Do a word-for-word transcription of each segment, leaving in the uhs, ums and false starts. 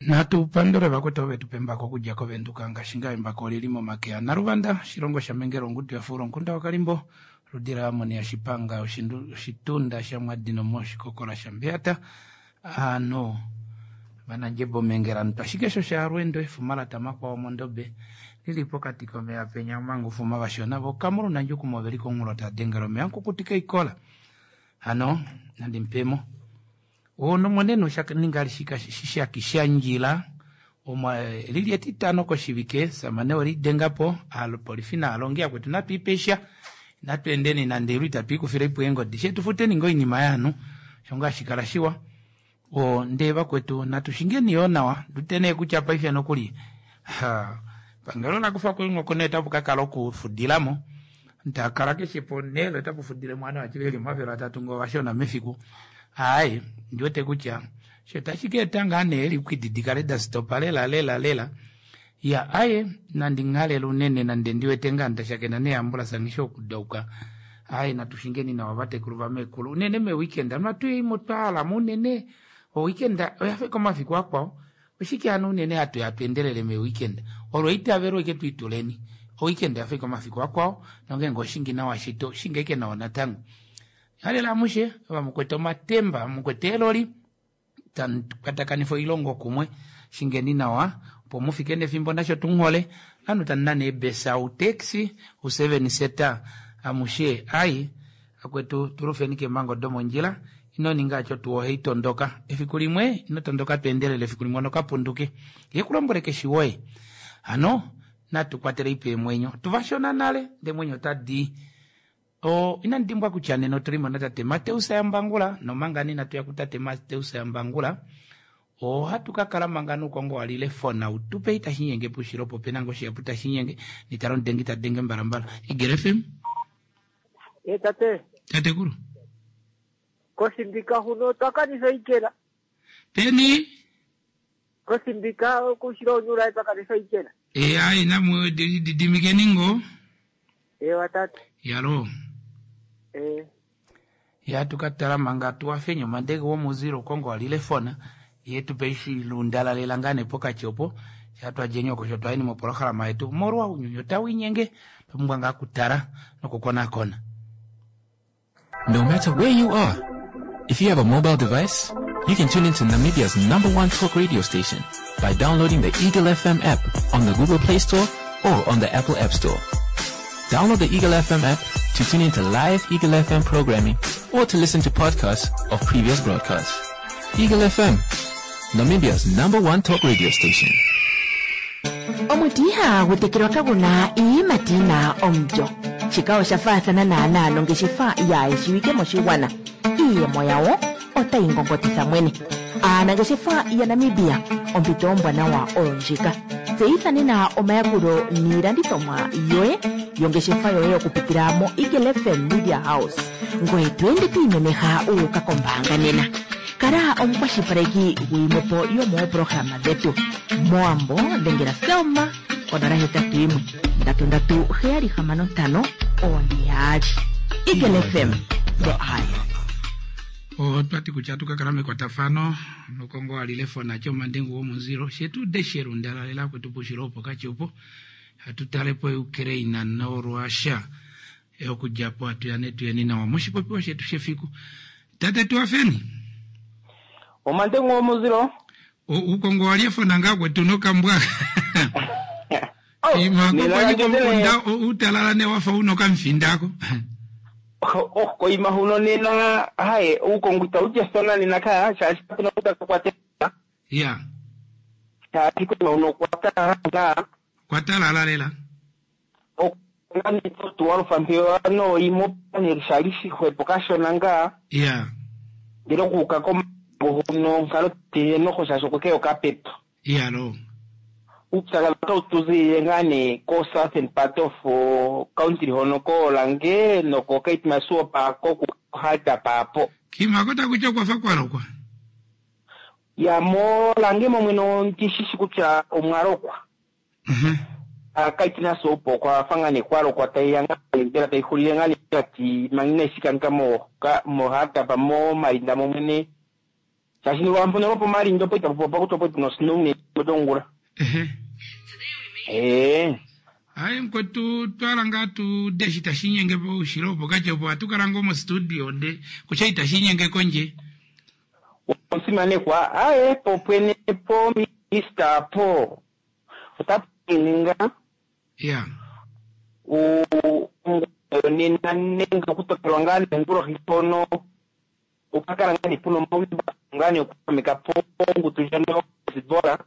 Natu pandule vakwetu ove tu pa embako okudja kOvenduka ngaashi ngaa embako olili momake aNaluvanda Shilongo shaMengela ongudu yafuula omukunda waKalimbo oludi laAmon yaShipanga oshitunda shaMwadino moshikokola shaMbeyata aanhu vanandjebo Mengela mutwashikesho shaalweendo efuma latamakwao mondobe lili pokati komeya penya omanga ufuma vashona vokamulu nandjukumo oveli komunghulo tava dengele omeya omukukutika oikola hano nandi mupemo onomonene oshaninga shishaki shandjila lili etitano koshivike samane welidengapo aapolifi naalongi akwetu natu ipesha natu endeni nande ilwe itatu ikufile ipo eengodi shetu futeni ngoo oinima yaanhu osho ngaa hashikala shiwa o ndee vakwetu natu shingeni yoo nawa ndute kutya paife nokuli pangelo lakufako oingoko nee otapu kakala okufudilamo takala keshe ponhele otapu fudile mwana vati veli omafele atatu ngoo vashona mefiku aaye ndiwete kutya sho tashi ka eta ngaa nee eliquid dikale dasitopa lela lela lela ya aye nandi nghalele unene nande ndiwete ngaa ndashakena neeambulance ngisho okudauka aye natu shingeni nawa vatekulu vamekulu unene meweekend anu twaalamo unene oweekend oyafa komafiku akwao oshike hano unene hatu ya tuendelele meweekend olo eitavelo ike tuituleni oweekend oyafa komafiku akwao nongeenge oshingi nawa shito shinga ike nawa natango halela amushe vamukwete omatemba mukwete eeloli tamu kwatakanifa oilongo kumwe shingeni nawa opo mufike nefimbo nasho tunghole ovanhu tamu nane eebesa utaxi useven seater amushe ai akwetu tulufeni keemhango domondjila ino ninga acho tuu ohei tondoka efiku limwe ino tondoka tweendelele efiku limwe onokapunduke ye kulombwele keshi woye hano natu kwatele ipe eemwenyo tuvashona nale ndee mwenyo otadi o inandi dimbwa kutya nena otulimo natate Mateus Yambangula nomanga nina tuya kutate Mateus Yambangula ohatu ka kala manga nuukongo walile fona utupe itashi nyenge pushilo po pena ngoo shihapu tashi nyenge nitala omudengi ta denge mbalambala Igele F M e tate tatekulu kosimbika huno twakanisa ikela peni kosimbika kushilo onyula twakanisa ikela e ai namu didimikeni ngo ewa tate yalo e ya tukatala manga tuwafenye omandege womuzilo ukongo walile fona yetu peishi lundalalela ngane pokati opo shatwadjenye oko shotwaeni mopolohalama yetu molwa unyunyu otawinyenge twapumbwa ngaa kutala nokukonakona. No matter where you are, if you have a mobile device, you can tune into Namibia's number one talk radio station by downloading the Eagle F M app on the Google Play Store or on the Apple App Store. Download the Eagle F M app to tune into live Eagle F M programming or to listen to podcasts of previous broadcasts. Eagle F M, Namibia's number one talk radio station. Omuti ihagu tekelwa kaguna iiyimati yina omulyo. Shika osha faathana naanaa nongeshefa yaayeshiwike moshigwana. Iiyemo yawo otayi ngongotitha mwene. Aanangeshefa yaNamibia, ompito ombwanawa oyo ndjika. Tseyitha nena omayakulo niilandithomwa yoye yongeshefa yoye okupitila mo Eagle F M Media House. Ngoye to ende to imemeha wu uka kombaanga nena. Kala omukwashilipaleki gwiimwepo yomoopolohalama dhetu. Moambo dhengela Selma onola hetatu yimwe ndatu ndatu heyali hamano ntano one yaali. Eagle F M, the eye. Otwati kutya tukakala mekwatafano nokongo alile fona chomandengu womuziro shetu desherundalalela kwetu pushilo opo kachi opo hatutalepo Ukraine noRussia okudjapo hatuyane tuyeni nawa moshipopiwa shetu shefiku. Tate tuwafeni omandengu womuziro ukongo waliefona nga kwetu nokambwa imakomunda utalala newafa unokamfindako oh koima huno nena haye ukongo itautyasona nena kaya shaashi kapena utakwatela ya shaashi koima huno kwatalala kwatalala lela otuwalufa no imo shali shixwepo kashona ngaa ya ndele okuuka komago huno nkalo tiye noho shaashi okwekeya okapepo ya lo upyakadhi otau tuziilile ngaa nee ko southern part of country hono koolange noko Keetmanshoop kokuhadap apo kimako takutya okwafa kwalokwa ya molange momwene ondishishi kutya omwalokwa Keetmanshoop okwafa ngaa nee kwalokwa taiya ngaa mbela taixulile ngaa nee kati manga inaishikanika mo Hardap momalinda momwene Shaashi lwampono lwopomalindo po itapu popa kutya opo tuna osnow nethimbo lyongula. Ehe. Ee. Hayi mukwetu, twala ngaa tu deshi tashi inyenge poushilo opokati opo ohatu kala ngoo mostudio nde kutya itashi inyenge kondje. Omusimanekwa, aye popwene po minista po otapu ninga ya nena nenge okutokelwa ngaa nongulohi mpono okakala ngaa nee puna omaumbako ngaa nee okutameka po ongundu ndjono yoHezbollah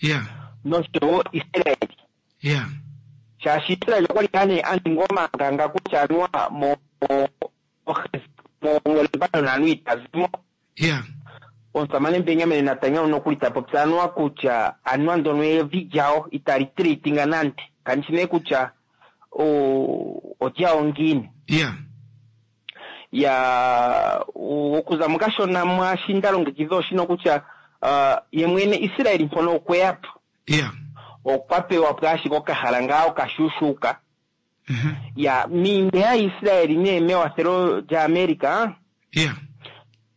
ya noshowo Israel. Ya shaashi Israel okwali ngaa nee a ninga omanganga kutya anuwa mo mo Lebanon anuwa itazimo. Ya omusamane Benjamin Netanyahu nokuli ta popi anuwa kutya anuwa ndono evi lyawo itali treatinga nande kandishi nee kutya olyawo ngiini. Ya ya okuza mukashona mwashi nda longekidha oshino kutya uh, ye mwene Israel mpono okweya po ya okwa pewa po ashike okahala ngaa okashuushuuka. Mhm. Ya miinge yaIsrael nee mewathelo lyaAmerica ya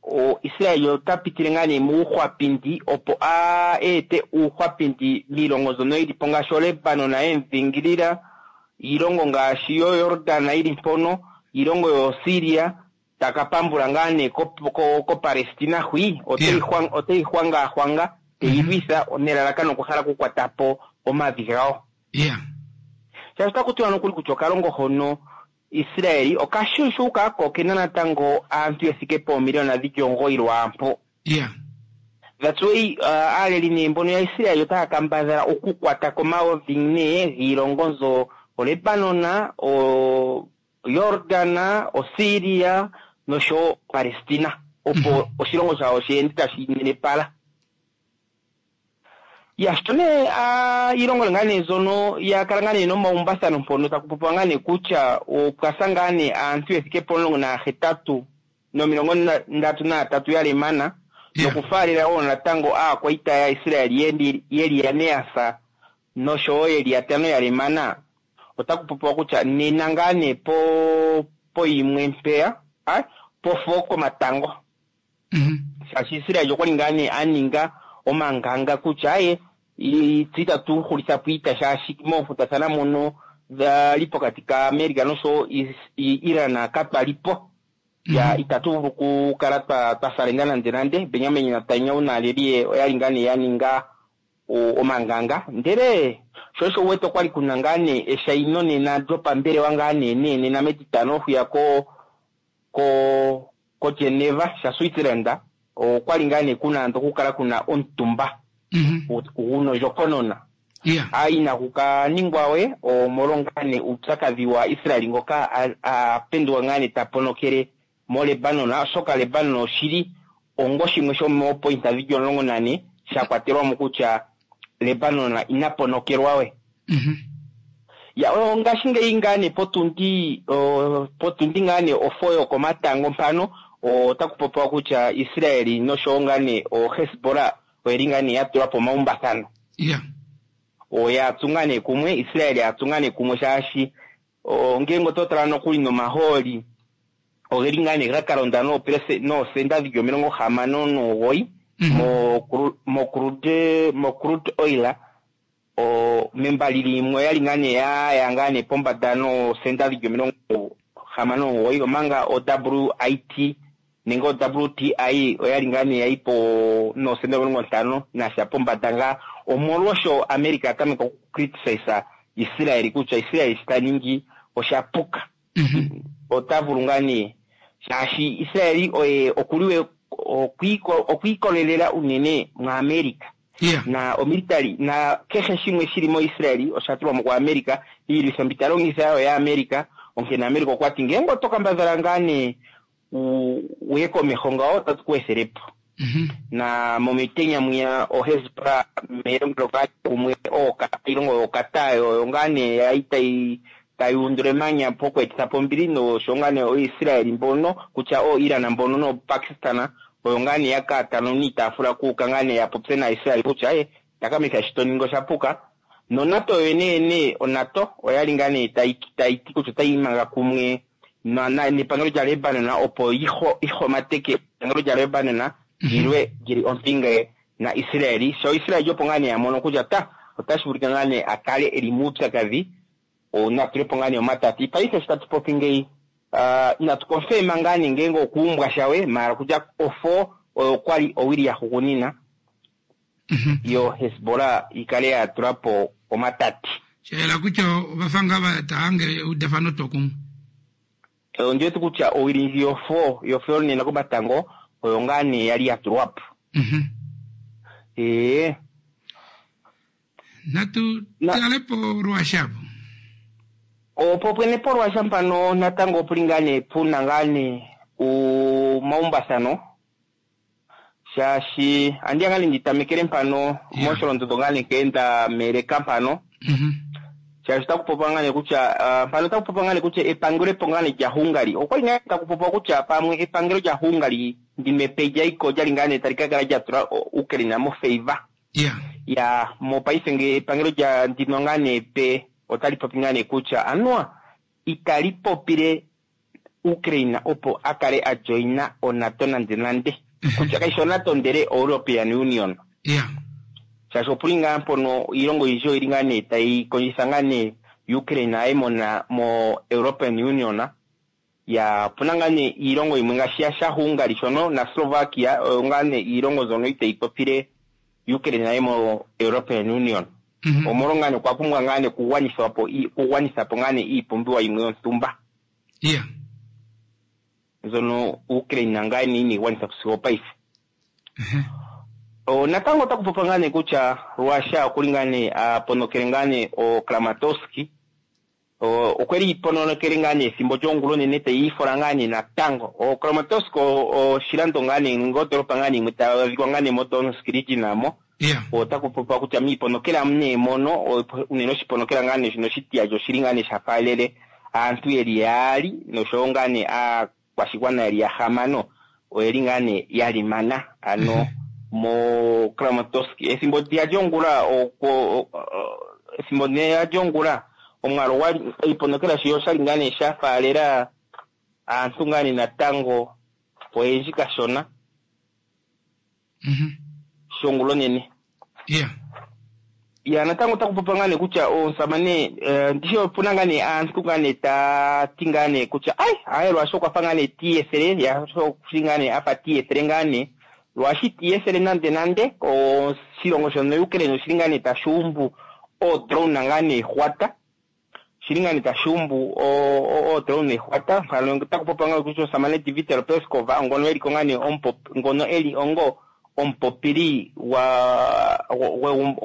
o Israel ota pitile ngaa nee muuhwapindi opo a ete uuhwapindi miilongo mbyono yili po ngaashi oLebanon yemudhingilila, iilongo ngaashi yoJordan yili mpono, iilongo yoSyria, taka pambula ngaa nee koPalestina hwi oteyi hwangahwanga teyi lwitha nelalakano okuhala okukwata po omavi gawo. Ya shaashi otaku tiwa nokuli kutya okalongo hono Israeli okashuushuuka ko okena natango aantu yethike poomiliyona dhili omugoyi lwaampo. Ya That's why uh, aaleli nee mbono yaIsraeli otaya kambadhala okukwata komavi nee giilongo nzo oLebanon, oJordan, oSyria noshowo Palestina opo oshilongo shawo sheende tashi nenepala. Ya sho nee iilongo ngaa nee mbyono ya kala ngaa nee nomaumbathano mpono taku popiwa ngaa nee kutya opwa sa ngaa nee aantu yethike pomulongo nahetatu nomilongo ndatu nayatatu ya lemana Yeah. nokufaalela wo natango aakwaita yaIsrael yeli yeli yane ya sa noshowo yeli yatano ya lemana. Otaku popiwa kutya nena ngaa nee po poyimwe mpeya ah, po four komatango. Mhm. Shaashi Israel okwali ngaa nee a ninga omanganga kutya aye tse itatu hulitha po iita shaashi moonkundathana mono dhali pokati kaAmerica noshowo Iran katwali po. Ya itatu vulu okukala twa twa salenga nande nande. Benjamin Netanyahu naaleli ye oyali ngaa nee ya ninga omanganga, ndele sho osho wete okwali kuna ngaa nee eshaino nena lyopambelewa ngaa nee nee nena metitano hwiya ko ko ko Geneva sha Switzerland okwali ngaa nee kuna ando okukala kuna omutumba Mhm. gunondjokonona. Ya inaku ka ningwa we omolwa ngaa nee uupyakadhi wa Israel ngoka a penduka ngaa nee ta ponokele moLebanon, oshoka Lebanon oshili ongo shimwe shomoopointa dhili omulongo nane sha kwatelwa mo kutya Lebanon ina ponokelwa we. Mhm. Ya ngashingeyi ngaa nee potundi potundi ngaa nee ofo yokomatango mpano otaku popiwa kutya Israel noshowo ngaa nee oHezbollah oyeli ngaa nee ya tula po omaumbathano. Ya oya tsu ngaa nee kumwe, Israel ya tsu ngaa nee kumwe shaashi ngenge oto tala nokuli nomahooli ogeli ngaa nee ga kalonda noosenda dhili omilongo hamano nomugoyi mo crude mo crude oil o membali limwe oyali ngaa nee ya ngaa nee pombanda noosenda dhili omilongo hamano nomugoyi, omanga o W I T nenge o W T I oyali ngaa nee yayi po noosenda omilongo ntano nasha pombanda ngaa, omolwosho America a tameka oku criticize Israel kutya Israel shi ta ningi osha puka. Ota vulu ngaa nee shaashi Israel oye okuliwe okwiikolelela unene muAmerica. Yeah. Na omilitary na kehe shimwe shili moIsrael osha tulwa mo kuAmerica, iilwitho mbi ta longitha oyo yaAmerica, onkene America okwa ti ngenge oto kambadhala ngaa nee uye komeho ngawo otatu ku ethele po. Mhm. Na momitenya mwiya oHezbollah melongelo kumwe iilongo yoKatar oyo ngaa nee yayi tayi tayi undula emanya poku etitha po ombili nosho ngaa nee oIsrael mbono kutya o Iran mbono noPakistan oyo ngaa nee ya kaatano niitaafula kuuka ngaa nee ya popye naIsrael kutya e takamitha shi to ningi osha puka. NoNATO yoyene yene oNATO oyali ngaa nee tayi tayi ti kutya otayi imanga kumwe nepangelo lyaLebanon opo ihomateke epangelo lyaLebanon Lilwe lyili ompinge na Israeli. Sho Israeli opo ngaa nee a mono kutya ta otashi vulika ngaa nee a kale eli muupyakadhi, na tulepo ngaa nee omatati. Paife sho tatu popi ngeyi, uh, inatu konfirma ngaa nee ngenge okuumbwa shawe, maala kutya ofo oyo kwali owili ya hugunina yo Hezbollah ikale ya tulapo omatati. Shayela kutya ovafanga va taange eudafano twokumwe. Ondi wete kutya owili ndji yofo yofo nena komatango oyo ngaa nee yali ya tulwapo. Mhm. Ee, Natu Na- talepo Russia po. Opo pwene polwasha mpano natango opuli ngaa nee puna ngaa nee omaumbathano, shaashi andiya ngaa nee nditamekele mpano mosholondondo ngaa nee nkeenda meleka mpano, Mhm. shaashi otaku popiwa ngaa nee kutya ah, mpano otaku popiwa ngaa nee kutya epangelo epo ngaa nee lya Hungary okwali ngaa taku popiwa kutya pamwe epangelo lya Hungary ndimepe lyayiko olyali ngaa nee tali ka kala lya tula Ukraine mo favor. Yeah. Ya mopaife nge epangelo lya ndino ngaa nee pe otali popi ngaa nee kutya anuwa itali popile Ukraine opo a kale a joina oNATO nande nande, kutya kaishi oNATO ndele European Union. Yeah. Shaashi opuli ngaa mpono iilongo oyindji oyili ngaa nee tayi kondjitha ngaa nee Ukraine aye mona mo European Union. Ya opuna ngaa nee iilongo yimwe ngaashi ya shaHungary shono na Slovakia oyo ngaa nee iilongo mbyono itayi popile Ukraine aye mo European Union. Mhm. Omolwa ngaa nee okwa pumbwa ngaa nee okugwanithwa po okugwanitha po ngaa nee iipumbiwa yimwe yontumba Yeah. mbyono Ukraine ngaa nee inayi gwanitha po sigo opaife. Mhm. O, natango otaku popiwa ngaa nee kutya Russia okuli ngaa nee a ponokele ngaa nee o Kramatorsk. O, okweli ponokele ngaa nee ethimbo lyongula onene tayi ifola ngaa nee natango. O Kramatorsk oshilando ngaa nee nenge ondolopa ngaa nee yimwe tayi adhikwa ngaa nee mo Donetsk region mo. Yeah. Otaku popiwa kutya miiponokela nee mono, o- unene oshiponokela ngaa nee shino oshitiyali oshili ngaa nee sha faalele aantu yeli yaali noshowo ngaa nee aakwashigwana yeli yahamano oyeli ngaa nee ya limana ano mo Kramatorsk. Ethimbo lya lyongula oko o- o- ethimbo lya lyongula omwaalu gwali iiponokela shiyo oshali ngaa nee sha faalela aantu ngaa nee natango oyendji kashona Mhm. shongula onene. Yeah. Ya natango otaku popiwa ngaa nee kutya omusamane eh, ndishi opuna ngaa nee aantu ngaa nee taa ti ngaa nee kutya ai aye lwashi okwafa ngaa nee tiiyethele ya shi ngaa nee afa tiiyethele ngaa nee lwashi tiiyethele nande nande oshilongo shono Ukraine oshili ngaa nee tashi umbu oodrone ngaa nee hwata shili ngaa nee tashi umbu oodrone hwata. Mpano otaku popiwa ngaa kutya omusamane Dmitry Peskov ngono eliko ngaa nee omupop- ngono eli ongo omupopili wa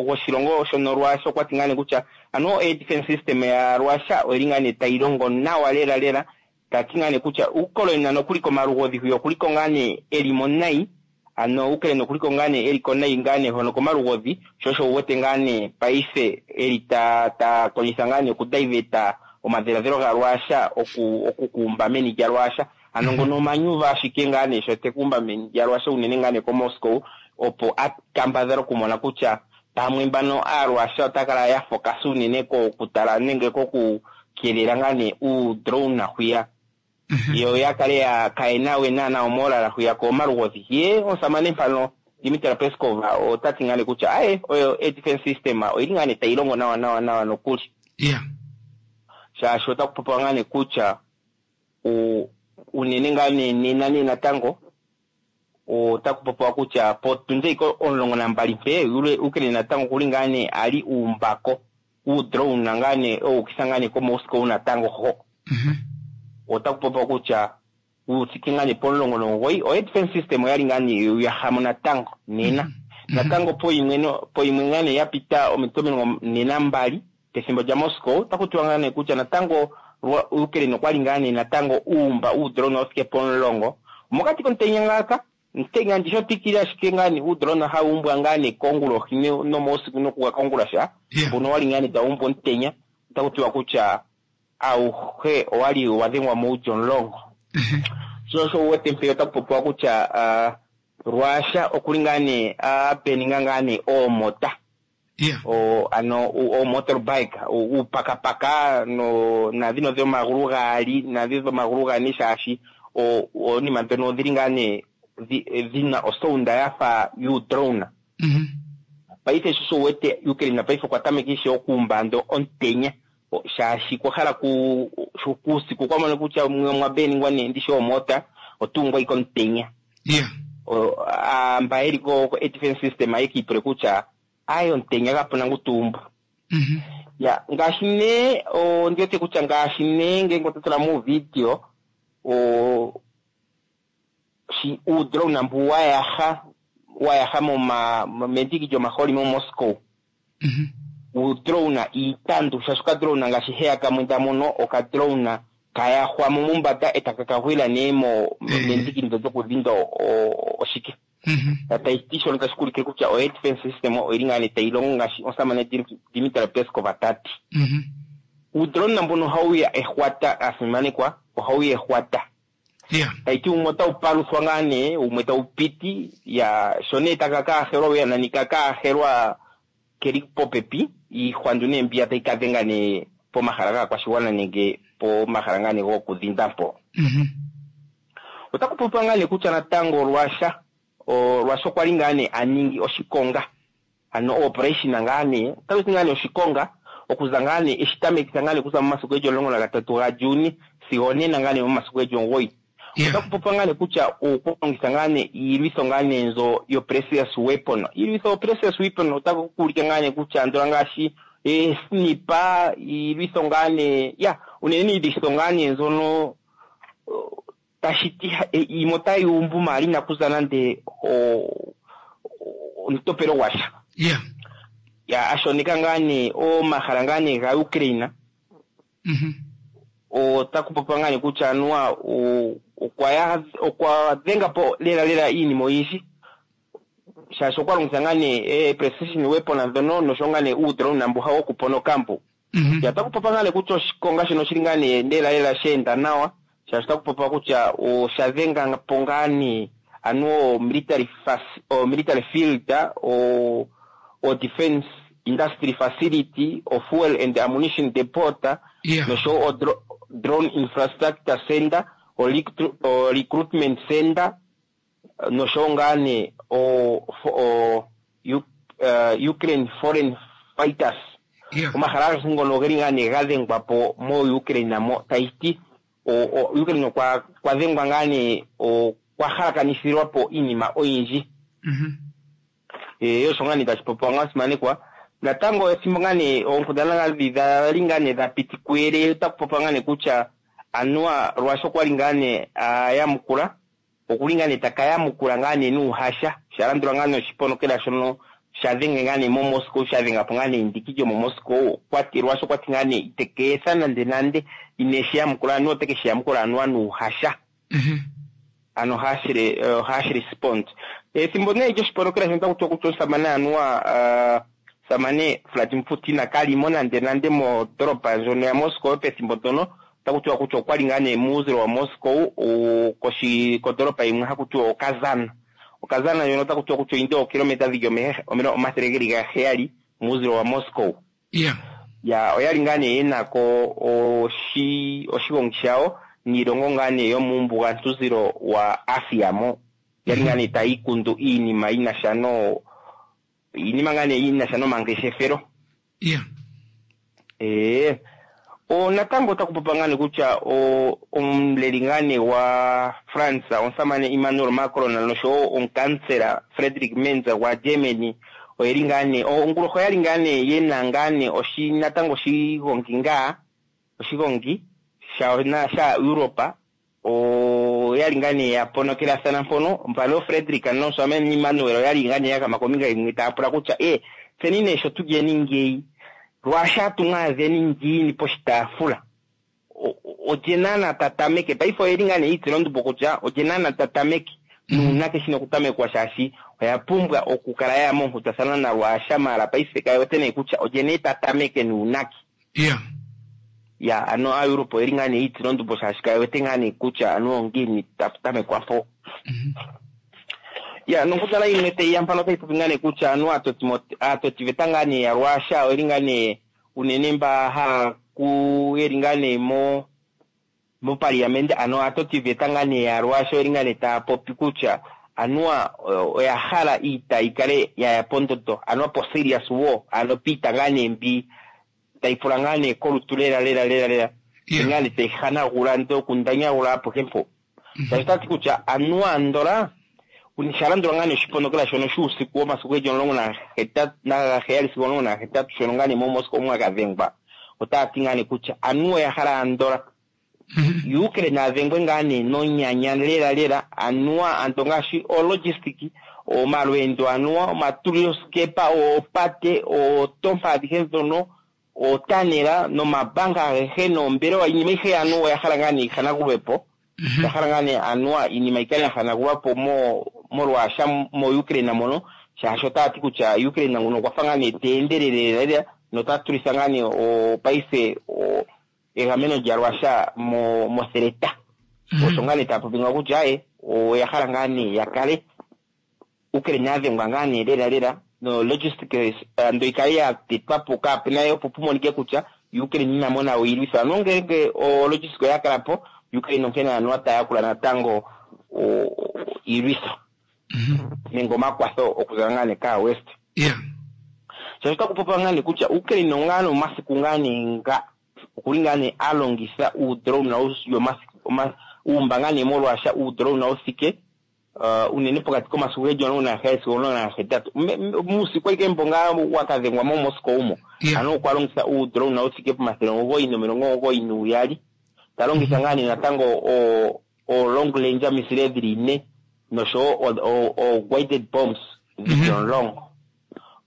gwoshilongo shono Russia okwa ti ngaa nee kutya ano air defense system ya Russia oyili ngaa nee tayi longo nawa lela lela. Tati ngaa nee kutya Ukraine nokuli komalugodhi hwiya okuliko ngaa nee elimo nayi, ano Ukraine okuliko ngaa nee eliko nayi ngaa nee hono komalugodhi, sho osho wu wete ngaa nee paife eli ta ta kondjitha ngaa nee okudiveta omadhiladhilo ga Russia oku okukumba meni lya Russia. Ano ngono omanyuva ashike ngaa nee sho tekumba meni lya Russia unene ngaa nee ko Moscow, opo a kambadhale okumona kutya pamwe mbano aaRussia ota kala ya focus unene kokutala nenge kokukeelela ngaa nee uudrone hwiya, yo ya kale ya kayena we naana omolala hwiya komalugodhi. Ye omusamane mpano Dmitry Peskov ota ti ngaa nee kutya aye oyo air defense system oyili ngaa nee tayi longo nawa nawa nawa nokuli. Yeah. Shaashi otaku popiwa ngaa nee kutya u- unene ngaa nee nena nee natango otaku popiwa kutya potundi iko omulongo nambali mpe Ukraine natango okuli ngaa nee ali uumbako uudrone ngaa nee owukisa ngaa nee ko Moscow natango ho. Mhm. Otaku popiwa kutya uthike ngaa nee pomulongo nomugoyi o air defense system oyali ngaa nee yahamo natango nena. Natango poyimwe no poyimwe ngaa nee ya pita omito omilongo ne nambali pethimbo lya Moscow otaku tiwa ngaa nee kutya natango Ukraine okwali ngaa nee natango uumba uudrone othike pomulongo mokati komutenya ngaaka mutenya ndisho twikile ashike ngaa nee uudrone hawu umbwa ngaa nee kongulohi nomausiku nokuga kongulasha Yeah. mbono wali ngaa nee tawu umbwa omutenya otaku tiwa kutya auhe owali wa dhengwa muulyo omulongo. Sho osho wu wete mpeya otaku popiwa kutya ah, Russia okuli ngaa nee apeninga ngaa nee oomota. Yeah. O, ano o motorbike uupakapaka no nadhino dhomagulu gaali nadhi dhomagulu gane shaashi oonima ndhono odhili ngaa nee dhina osounda yafa yuudrone. Mhm. Paife sho sho wete Ukraine paife okwa tameka ishewe okuumba ando omutenya o- shaashi kwa hala ku sho kuusiku kwa mona kutya mwe mwa beningwa nee ndishi omota otuungwa ike omutenya. Yeah. O- a- mba yeli ko ko air defense system ayekiipule kutya aye omutenya kapuna ngu tuumbu. Mhm. Ya ngaashi nee ondi wete kutya ngaashi nee ngenge oto tula muuvideo o shi uudrone mbu wa yaha wa yaha moma mendiki lyomaholi mo Moscow. Mhm. Uudrone iitandu shaashi okadrone ngaashi heya kamwe ndamono okadrone kayahwamo mombanda e taka kagwila nee mo Eh. mendiki ndo lyokudhinda o- o- oshike. Mhm. Tayi ti shono tashi kuulike kutya o air defense system oyili ngaa nee tayi longo ngaashi omusamane Dim- Dmitry Peskov tati. Mhm. Uudrone mbono ohawu ya ehwata asimanekwa ohawu ya ehwata. Yeah. Tayi ti wumwe otawu paluthwa ngaa nee wumwe tawu piti ya sho nee taka kaahelwa uya nani ka kaahelwa keli popepi iihwandu nee mbiya tayi ka dhenga nee pomahala gaakwashigwana nenge pomahala ngaa nee gokudhinda mpo. Mhm. Otaku popiwa ngaa nee kutya natango Russia o Russia okwa li ngaa nee a ningi oshikonga ano operation ngaa nee otaku ti ngaa nee oshikonga okuza ngaa nee eshi tamekitha ngaa nee okuza momasiku geli omulongo nagatatu gaJuni sigo onena ngaa nee momasiku geli omugoyi. Yeah. Otaku popiwa ngaa nee kutya okulongitha ngaa nee iilwitho ngaa nee nzo yo precious weapon. Iilwitho yo precious weapon otaku kuulike ngaa nee kutya andola ngaashi eesnipa iilwitho ngaa nee ya unene iilwitho ngaa nee nzono o, tashi ti ha- e- yimwe otayi umbu maala inakuza nande o- o- omutopelo gwasha. Yeah. Ya ashoneka ngaa nee omahala ngaa nee ga Ukraine Mhm. otaku popiwa ngaa nee kutya anuwa o- okwa ya okwa dhenga po lela lela iinima oyindji shaashi okwa longitha ngaa nee eh, precision weapon ndhono nosho ngaa nee uudrone mbu hawu okuponoka mbu. Mhm. Ya otaku popiwa ngaa nee kutya oshikonga shono oshili ngaa nee lela lela sha enda nawa shaashi otaku popiwa kutya osha dhenga po ngaa nee anuwa o military fac- o military field o o defense industry facility o fuel and ammunition depot Yeah. noshowo o dro- drone infrastructure center o, recru- o recruitment center noshowo ngaa nee o, fo- o U, uh, Ukraine foreign fighters. Yeah. Omahala agehe ngono ogeli ngaa nee ga dhengwa po mo Ukraine mo tayi ti o, o Ukraine okwa kwa dhengwa ngaa nee okwa halakanithilwa po iinima oyindji. Mhm. E, osho ngaa nee tashi popiwa ngaa simanekwa. Natango ethimbo ngaa nee oonkundana ngaa dhi dhali ngaa nee dha piti kuyele otaku popiwa ngaa nee kutya anuwa Russia okwali ngaa nee ayamukula okuli ngaa nee taka yamukula ngaa nee nuuhasha sha landulwa ngaa nee oshiponokela shono sha dhenge ngaa nee mo Moscow sha dhenga po ngaa nee endiki lyomo Moscow okwati Russia okwati ngaa nee iteke etha nande nande ineshi yamukula anuwa oteke shi yamukula anuwa nuuhasha. Mhm. Ano harsh re- eh, harsh response. Ethimbo nee lyoshiponokela shono otaku tiwa kutya omusamane anuwa ah, omusamane Vladimir Putin kalimo nande nande mondolopa ndjono ya Moscow pethimbo ndono otaku tiwa kutya okwali ngaa nee muuzilo wa Moscow o- koshi kondolopa yimwe haku tiwa Okazana. Okazana ndjono otaku tiwa kutya oyindi ookilometa dhili omehe- omilo- omathele geli gaheyali muuzilo wa Moscow. Yeah. Ya oyali ngaa nee yenako oshi oshigongi shawo niilongo ngaa nee yomuumbugantuzilo wa Asia mo. Yali ngaa nee tayi ikundu iinima yina sha no iinima ngaa nee yina sha nomangeshefelo. Yeah. Ee o natango otaku popiwa ngaa nee kutya o omuleli ngaa nee wa France omusamane Emmanuel Macron noshowo omukansela Friedrich Merz gwa Germany oyeli ngaa nee onguloho oyali ngaa nee yena ngaa nee oshi natango oshigongi ngaa oshigongi sha na sha Europa oyali ngaa nee ya ponokelathana mpono mpano Friedrich nomusamane Emmanuel oyali ngaa nee ya gama kombinga yimwe taya pula kutya e tseni nee sho tulyeni ngeyi Russia tumwaadheni ngiini poshitaafula O- o- olye naana ta tameke paife oyeli ngaa nee yiitsila ondumbo kutya olye naana ta tameke nuunake shina okutamekwa shaashi oya pumbwa okukala yaya moonkundathana naRussia maala paife kaye wete nee kutya olye nee ta tameke nuunake. Yeah. Ya ano aaEurope oyeli ngaa nee yiitsila ondumbo shaashi kaye wete ngaa nee kutya anuwa ongiini tapu tamekwa mpo. Mhm. Ya nonkundana yimwe tayi ya mpano otayi popi ngaa nee kutya anuwa aatoti aatotiveta ngaa nee ya Russia oyeli ngaa nee unene mba haa ku yeli ngaa nee mo mopaliamende ano aatotiveta ngaa nee ya Russia oyeli ngaa nee taya popi kutya Anuwa oya hala iita yi kale yaya pondondo anuwa po serious war ano piita ngaa nee mbi tayi pula ngaa nee kolutu lela lela lela lela Yeah. ngaa nee tayi hanagula ndee okundanyagula apuhe mpo tashi tati kutya anuwa andola sha landula ngaa nee oshiponokela shono shuusiku womasiku geli omulongo nahetatu nagaheyali sigo omulongo nahetatu shono ngaa nee moMoscow mwakadhengwa otaya ti ngaa nee kutya anuwa oya hala andola Ukraine adhengwe ngaa nee nonyanya lela lela anuwa anto ngaashi ologistic omalweendo anuwa omatulilosikepa oopate ootompa adhihe ndhono ootanela nomabanga agehe noombelewa iinima ayihe anuwa oya hala ngaa nee yihanagulwepo oya hala ngaa nee anuwa iinima yikale ya hanagulwapo mo molwaasha mo Ukraine mono shaashi otaya ti kutya Ukraine nguno okwa fa ngaa nee te endelele lela lela nota tulitha ngaa nee opaife o egameno lyalwasha mo motheleta osho ngaa nee taya popi ngawo kutya aye oya hala ngaa nee ya kale Ukraine adhengwa ngaa nee lela lela no logistics ando ikale ya tetwa po kaapena opo pu monike kutya Ukraine ina mona iilwitho ano ngele o logistics oya kala po Ukraine onkene anuwa taya yakula natango o- iilwitho nenge omakwatho okuza ngaa nee kaa West Yeah. shaashi otaku popiwa ngaa nee kutya Ukraine ongaa nee omasiku ngaa nee nga okuli ngaa nee a longitha uudrone yomasiku oma- uumba ngaa nee molwaasha uudrone wuthike uh, unene pokati komasiku geli omulongo nagaheyali sigo omulongo nagahetatu Me- me- muusiku ashike mbo ngaa wakadhengwa mo Moscow umo Yeah. ano okwa longitha uudrone wuthike pomathele omugoyi nomilongo omugoyi nuuyali ta longitha ngaa nee natango o o long range missile dhili ine noshowo o, o, o guided bombs dhili Mhm. omulongo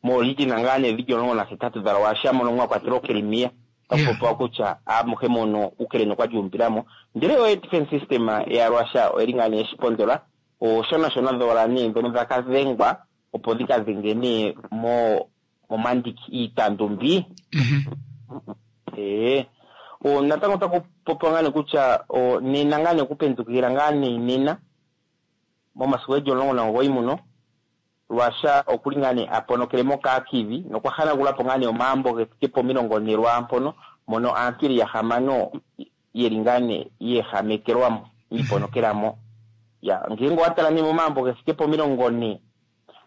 mooriginal ngaa nee dhili omulongo nahetatu dha Russia mono mwa kwatelwa Crimea Yeah. takupopiwa kutya amuhe mono Ukraine okwa lyuumbilamo ndele o defense system ya Russia oyeli ngaa nee yeshipondola ooshonashona dhowala nee ndhono dhaka dhengwa opo dhika dhenge nee mo momandiki iitandumbi Mhm. ee o natango otaku popiwa ngaa nee kutya o nena ngaa nee okupendukila ngaa nee nena momasiku geli omulongo nomugoyi muno Russia okuli ngaa nee a ponokele moKharkiv nokwa hanagulapo ngaa nee omaambo ge thike pomilongo ne lwaampono mono aantu yeli yahamano yeli ngaa nee yeehamekelwamo yiiponokelamo ya ngenge owa tala nee momaambo ge thike pomilongo ne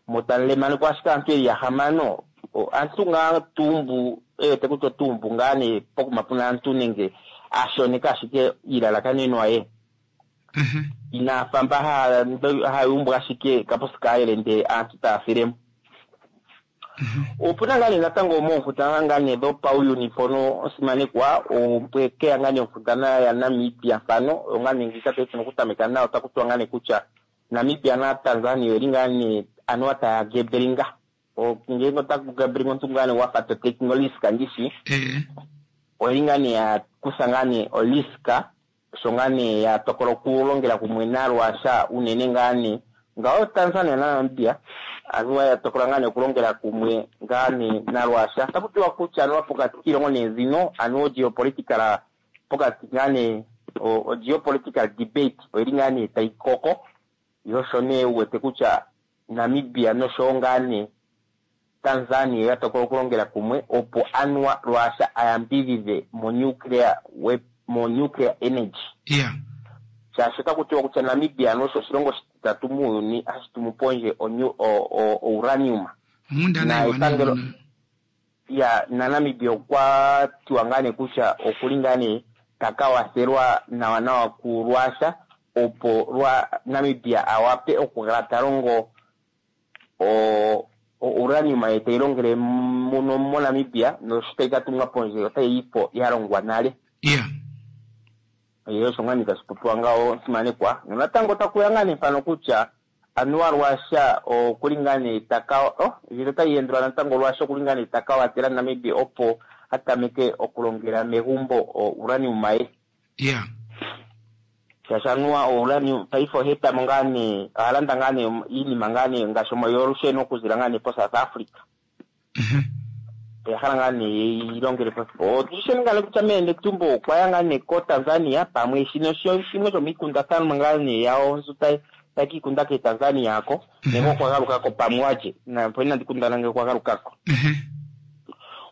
motalemanekwa ashike aantu yeli yahamano o, aantu ngaa tumbu ewete kutya otumbu ngaa nee pokuma puna aantu nenge ashoneka ashike iilalakanenwa ye Mhm. inaafa mba haya haya umbu ashike kaposi kaayele ndee aantu taya filemo opuna ngaa nee natango moonkundana ngaa nee dhopauyuni mpono osimanekwa opwekeya ngaa nee onkundana yaNamibia mpano oyo ngaa nee ndjika tayi tuna okutameka nayo otaku tiwa ngaa nee kutya Namibia naTanzania oyeli ngaa nee anuwa taya gebelinga ngenge otaku gebelinga omuntu ngaa nee wafa to taking olisk ndishi Eh. oyeli ngaa nee ya kutha ngaa nee olisk sho ngaa nee ya tokola okulongela kumwe naRussia unene ngaa nee ngawo Tanzania naNamibia anuwa ya tokola ngaa nee okulongela kumwe ngaa nee naRussia taku tiwa kutya anuwa pokati kiilongo nee zino anuwa geopolitical pokati ngaa nee o, o geopolitical debate oyili ngaa nee tayi koko yo sho nee wu wete kutya Namibia noshowo ngaa nee Tanzania ya tokola okulongela kumwe opo anuwa Russia ayambidhidhe mo nuclear wep, mo nuclear energy Yeah. shaashi otaku tiwa kutya Namibia ano osho oshilongo oshititatu muuyuni hashi tumu pondje o, o, o, o uranium Onkundana Na iwanawa epangelo- mono. ya naNamibia okwa tiwa ngaa nee kutya okuli ngaa nee taka wathelwa nawa nawa kuRussia opo lwa Namibia awape okukala ta longo o o uranium ye tayi longele muno moNamibia nosho tayi ka tumwa pondje otayi yi po ya longwa nale Yeah. ye osho ngaa nee tashi popiwa ngawo simanekwa nonatango takuya ngaa nee mpano kutya anuwa Russia okuli ngaa nee taka oh ndjino otayi endulwa natango Russia okuli ngaa nee taka watela Namibia opo a tameke okulongela megumbo o uranium ye Yeah. shaashi anuwa o uranium paife oha etamo ngaa nee oha landa ngaa nee iinima ngaa nee ngaashi yolusheno okuzila ngaa nee po South Africa Mhm. oya hala ngaa nee yilongele po otusheni ngaa nee kutya meende tumbo okwa ya ngaa nee ko Tanzania pamwe shino sho shimwe shomiikundathanwa ngaa nee yawo nzu tayi tayi kiikunda ke Tanzania ako nenge okwa galukako pamwe walye napo inandi kundana ngele okwa galukako Mhm.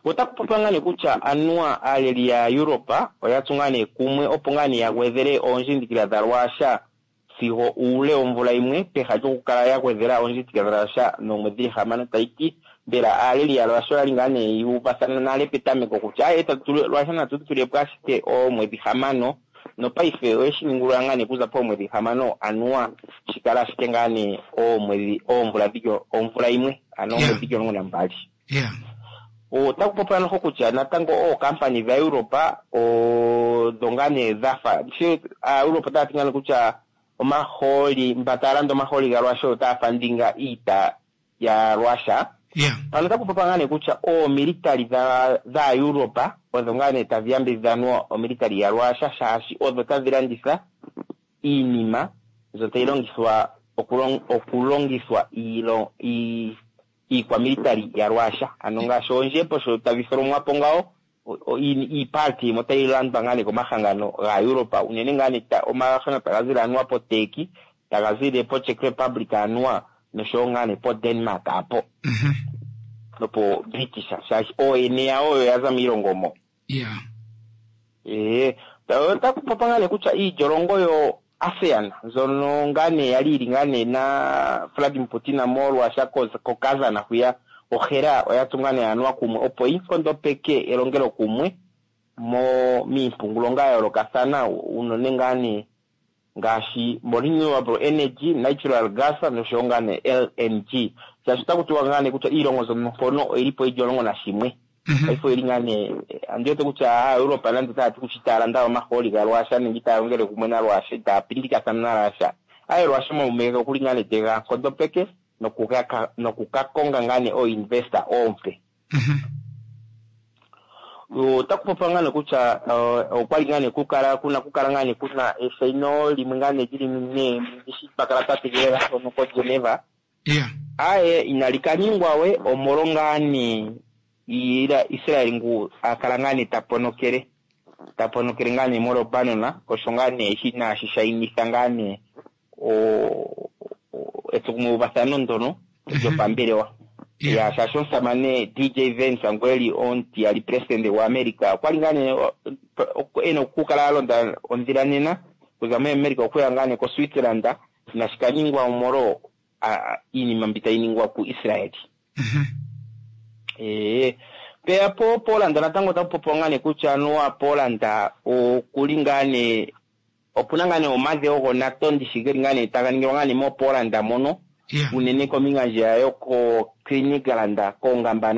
otaku popiwa ngaa nee kutya anuwa aaleli ya Europa oya tsu ngaa nee kumwe opo ngaa nee ya gwedhele oondjindikila dhaRussia sigo uule womvula yimwe peha lyokukala ya gwedhela oondjindikila dhaRussia noomwedhi hamano. Tayi ti mbela aaleli yaRussia oya li ngaa nee yu uvathana nale petameko kutya aye Russia natu tulepo ashike oomwedhi hamano, nopaife oye shi ningulula ngaa nee okuza poomwedhi hamano anuwa shi kala ashike ngaa nee oomwedhi oomvula dhili omvula yimwe, ano Yeah. oomwedhi dhili omulongo nambali. Yeah. Otaku popiwa noho kutya natango ookampani dhaEuropa odho ngaa nee dhafa she aaEuropa otaya ti ngaa nee kutya omahooli mba taya landa omahooli gaRussia otaya fandinga iita yaRussia. Yeah. Pano otaku popiwa ngaa nee kutya oomilitali dhaEuropa odho ngaa nee tadhi yambidhidha anuwa omilitali yaRussia shaashi odho tadhi landitha iinima mbyono tayi longithwa okulong- okulongithwa iilo- ii- iikwamilitali yaRussia, ano ngaashi oondjembo sho tadhi tholomwa po ngawo o- o- ii- iiparti yimwe otayi landwa ngaa nee komahangano gaEuropa, unene ngaa nee ta- omahangano taga zile anuwa poTurkey, taga zile poCzech Republic anuwa noshowo ngaa nee poDenmark apo Mhm. nopo British, shaashi ooyene yawo oyo ya za miilongo mo. Yeah. Ee, otaku popiwa ngaa nee kutya iilyolongo yo ASEAN mbyono ngaa nee yali yili ngaa nee na Vladimir Putin molwaasha koKazan hwiya ohela oya tsu ngaa nee anuwa kumwe opo yi nkondopeke elongelo kumwe mo miimpungulonga ya yoolokathana unene ngaa nee ngaashi mo renewable energy, natural gas noshowo ngaa nee L N G. Shaashi otaku tiwa ngaa nee kutya iilongo mbyono mpono oyili po yili omulongo nashimwe. Mhm. Paife oyili ngaa nee, andi wete kutya aaEuropa nande otaya ti kutya itaya landa omahooli gaRussia nenge itaya longele kumwe naRussia, itaya pindikathana naRussia. Aye Russia momumeke okuli ngaa nee tega nkondopeke nokuka-, nokukakonga ngaa nee ooinvestor oompe. Mhm. Otaku popiwa ngaa nee kutya, eh, okwali ngaa nee kukala, kuna kukala ngaa nee kuna eshaino limwe ngaa nee lili nee ndishi twa kala twa tegelela hono koGeneva. Yeah. Aye inali ka ningwa we omolwo ngaa nee ila Israel ngu akala ngaa nee ta ponokele, ta ponokele ngaa nee moLebanon, osho ngaa nee shi inaashi shainitha ngaa nee o-, o-, etsokumweuvathano ndono lyopambelewa. Yeah. Ya, shaashi omusamane D J Vance ngu eli omutiyali president gwaAmerica okwali ngaa nee, o-, o-, ena okukala a londa ondhila nena okuza moAmerica okuya ngaa nee koSwitzerland, inashi ka ningwa omolwo, a-, a-, iinima mbi tayi ningwa kuIsrael. Mhm. Ee, peya po Poland natango otaku popiwa ngaa nee kutya anuwa Poland okuli ngaa nee, opuna ngaa nee omadhewo goNATO ndishi geli ngaa nee taga ningilwa ngaa nee moPoland mono. Yeah. Unene kombinga ndjiya yoko Kaliningrad, koongamba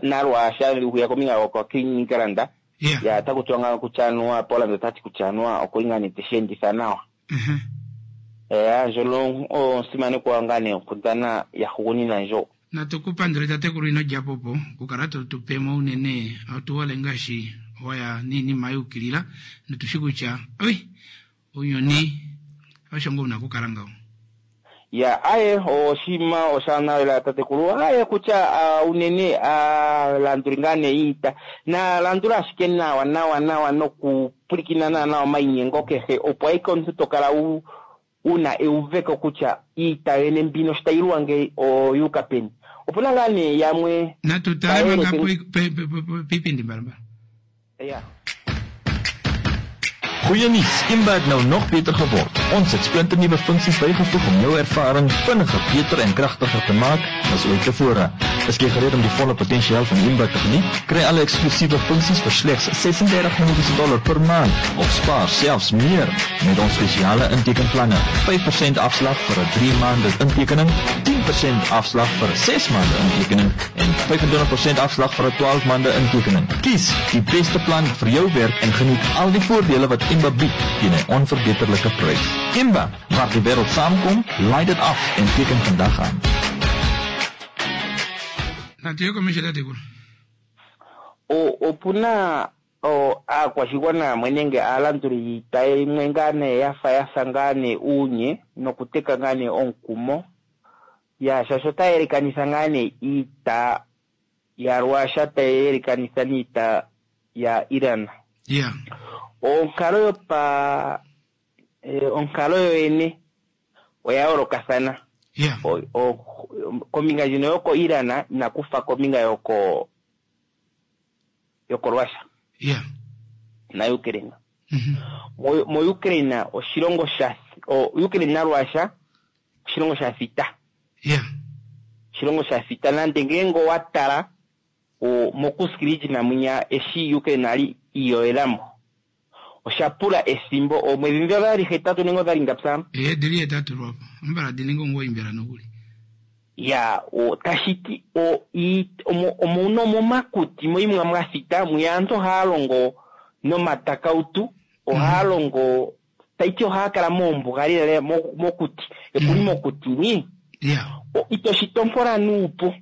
naRussia huya kombinga yoko Kaliningrad. Yeah. Ya, otaku tiwa ngaa kutya anuwa Poland otati kutya anuwa okuli ngaa nee teshi enditha nawa. Mhm. Eh, ndjono osimanekwa ngaa nee onkundana ya hugunina ndjo. Natu ku pandule tatekulu ino lya popo, okukala to tu pemo unene, otu hole ngaashi waya niinima yuukilila, notushi kutya, oi, uuyuni osho ngu wuna okukala ngawo. Ya, aye, oshima oshaanawa tatekulu, aye kutya, ah, unene, aalanduli ngaa nee iita, na landula ashike nawa, nawa, nawa, nokupulikina nawa, nawa omainyengo kehe, opo ayike omuntu to kala wu-, wuna euveko kutya iita yene mbino sho tayi luwa ngeyi oyuuka peni. Opuna ngaa nee yamwe Natu tale manga tayeleke- po-, pe-, pe-, pe-, pe-, piipindi mbalambala. Ya. Goeie nuus, Imba het nou nog beter geword. Ons het splinternuwe funksies bygevoeg om jou ervaring vinniger, beter en kragtiger te maak as ooit tevore. Is jy gereed om die volle potensiaal van Imba te geniet? Kry alle eksklusiewe funksies vir slegs sesendertig Namibiese dollar per maand of spaar selfs meer met ons spesiale intekenplanne. vyf persent afslag vir 'n drie maande intekening, tien persent afslag vir 'n ses maande intekening en vyfentwintig persent afslag vir 'n twaalf maande intekening. Kies die beste plan vir jou werk en geniet al die voordele wat Imba bied teen 'n onverbeterlike prys. Imba, waar die wêreld saamkom, laai dit af en teken vandag aan. Natu ye komesho tatekulu. O-, opuna o-, aakwashigwana yamwe nenge aalanduli yiita yimwe ngaa nee ya fa ya sa ngaa nee uunye nokuteka ngaa nee omukumo. Ya, shaashi otaya yelekanitha ngaa nee iita yaRussia tayi yelekanitha niita ya Iran. Yeah. Onkalo yopa, eh, onkalo yoyene oya yoolokathana. Yeah. O-, o-, kombinga ndjino yoko Iran inakufa kombinga yoko, yoko Russia. Yeah. Na Ukraine. Mhm. Mo- mo-Ukraine oshilongo sha o- Ukraine naRussia oshilongo sha thita Yeah. oshilongo sha thita nande ngeenge owa tala o- mokuskiriji namwinya eshi Ukraine ali iyoelamo osha pula efimbo oomwedhi ndhi odhali hetatu nenge odhali ngapya Eh, dili hetatu lwapo. Ambala dininga omugoyi mbela nokuli. ya o tashiti o i- omo- omuno momakuti moimwe mwa thita mwiya aantu ohaya longo nomatakautu ohaya longo taiti ohaya kala moombuga lela mo- mokuti ekuli mokuti ni Yeah. O- ito shitompola nuupu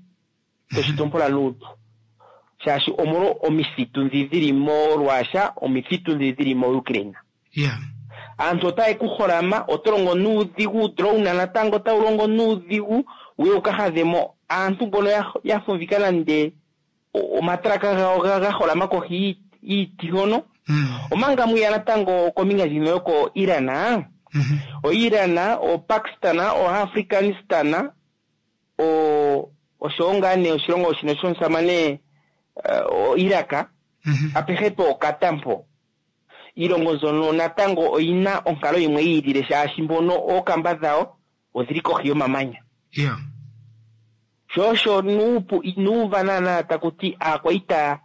ito shitompola nuupu shaashi omolwo omithitu ndhi dhili moRussia omithitu ndhi dhili moUkraine Yeah. aantu otaye ku holama oto longo nuudhigu drone natango otawu longo nuudhigu wuye wuka hadhemo aantu mbono ya- ya fumvika nande o- omatraka gawo ga ga holama kohi yii- yiiti hono Mm. omanga mwiya natango kombinga ndjino yoko Iran Mhm. o Iran o Pakistan o Afghanistan o oshowo ngaa nee oshilongo shino shomusamane eh, o Iraq Mhm. apehe pookata mpo iilongo mbyono natango oyina onkalo yimwe yi ilile shaashi mbono ookamba dhawo odhili kohi yomamanya Yeah. sho osho nuupu inuuva naana taku ti aakwaita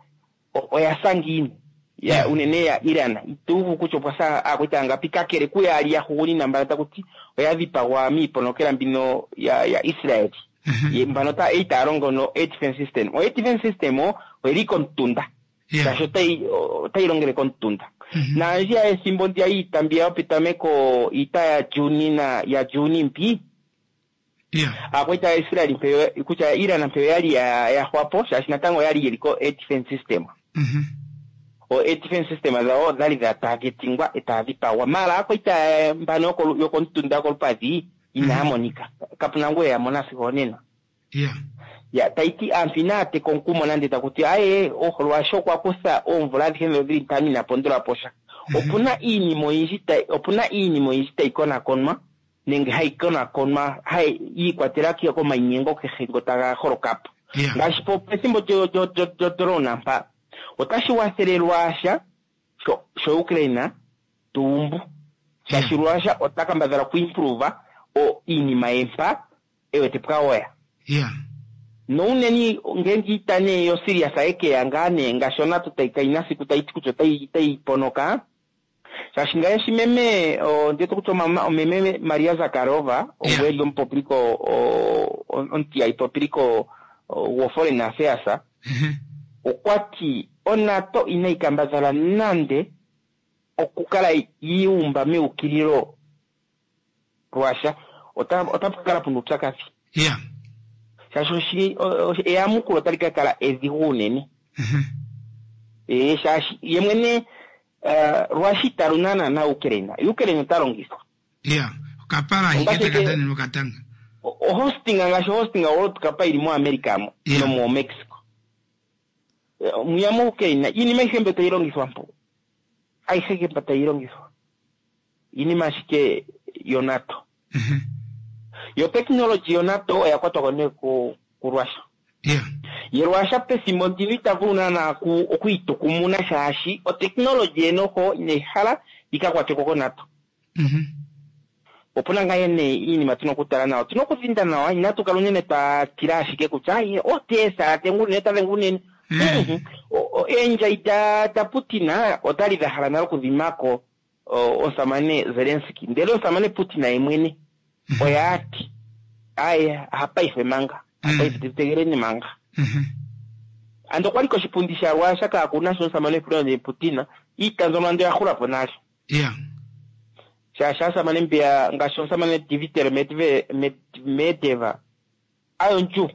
o- oya sa ngiini ya unene ya Iran ituuvu kutya opwa sa aakwaita yangapi kakele kuyaali ya hugunina mbala taku ti oya dhipagwa miiponokela mbino ya, ya Israel Mhm. ye mbano ta itaya longo no air defense system o air defense system o oyili komutunda Yeah. shaashi otayi otayi longele komutunda Mhm. naandjiya ethimbo ndiya iita mbiya yopetameko iita ya Juni na ya Juni mpi Yeah. aakwaita ya Israel mpeyo kutya Iran mpeyo yali ya ya xwapo shaashi natango oyali yeli ko air defense system Mhm. o air defense system dhawo odhali dha targetingwa etaya dhipagwa mala aakwaita mbano yoko- yokomutunda yokolupadhi inaya monika kapuna ngu eya mona sigo onena Yeah. ya taiti aantu inaya teka omukumo nande takuti aye Russia okwa kutha oomvula adhihe ndho dhili ntano ina pondola po sha opuna iinima oyindji tayi opuna iinima oyindji tayi konakonwa nenge hayi konakonwa hayi yiikwatela ke- komainyengo kehe ngo taga holoka po Yeah. ngaashi po pethimbo lyo- lyo- lyo- lyodrona mpa otashi wathele Russia sho sho Ukraine tuumbu shaashi Russia ota kambadhala okuimprove o iinima ye mpa ewete pwawoya Yeah. nounene ngeenge iita nee yo serious ayekeya ngaa nee ngaashi onato tayi kayina siku tayi ti kutya otayi otayi ponoka shaashi ngaashi meme o, ndiyete kutya omama- omeme Maria Zakharova Yeah. ogu eli omupopiliko o- o- omutiyali popiliko gwo foreign affairs Mhm. okwa ti onato inayi kambadhala nande okukala yiumba meukililo Russia ota otapu kala puna uupyakadhi Yeah. shaashi oshi- o- o- eyamukulo otali ka kala edhigu unene Mhm. ee shaashi ye mwene eh, Russia ita lunana na Ukraine Ukraine ota longithwa Yeah. Okapala Ongashike- hiketa kadhani mokatanga. O- ohosting ngaashi ohosting World Cup ili moAmerica mo Yeah. nomo Mexico Eh, mwiya mo Ukraine iinima ayihe mbi tayi longithwa mpo ayihe mbi tayi longithwa iinima ashike yoNATO Mhm. yo technology yoNATO oya kwatwa ko nee ku ku Russia Yeah. ye Russia pethimbo ndino ita vulu naana ku- okwiitukumuna shaashi oteknologi ye noho inayi hala yika kwatweko koNATO Mhm. opuna ngaa nee iinima tuna okutala nawa tuna okudhinda nawa inatu kala unene twa tila ashike kutya aye otesa dhenga unene ta dhenga unene Mm. Mhm. O- o- eendjayi da da Putin otali dha hala nale okudhimako o, omusamane Zelensky ndele omusamane Putin ye mwene oya ati aye hapaife manga hapaife tutegeleni manga Mhm. ando okwali koshipundi sha Russia kaakuna sho omusamane Vladimir Putin iita mbyono ando ya hula po nale Yeah. shaashi aasamane mbiya ngaashi omusamane Dmitry Medve- Med- Medvedev ayo ndju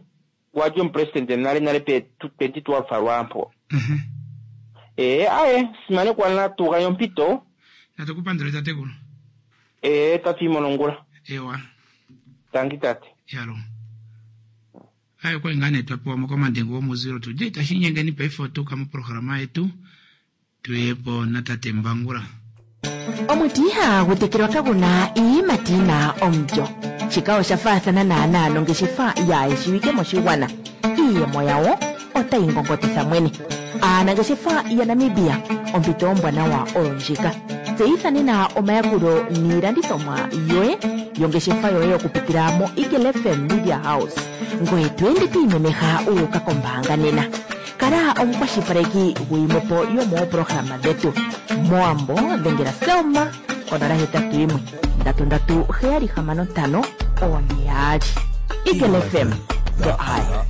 wali omupresidente nale nale pe twenty twelve lwampo Mhm. ee aye simanekwa natu gandja ompito Natukupandula tatekulu. ee tatu imonongula Ewa. tangi tate Yalo. Ayo kwa ngane twapewa mokomandengo womuziro tuje tashinyengeni paife otuka moprograma yetu tuyepo natate Mbangula. Omuti ihagu tekelwa kaguna iiyimati yina omulyo. Shika osha faathana naanaa nongeshefa yaayeshiwike moshigwana. Iiyemo yawo otayi ngongotitha mwene. Aanangeshefa yaNamibia ompito ombwanawa oyo ndjika. Tseyitha nena omayakulo niilandithomwa yoye yongeshefa yoye okupitila mo Eagle F M Media House. Ngoye to ende to imemeha wu uka kombaanga nena. Kala omukwashilipaleki gwiimwepo yomooprograma dhetu. Mowambo dhengela Selma konola hetatu yimwe ndatu ndatu heyali hamano ntano one yaali. Eagle F M, the eye.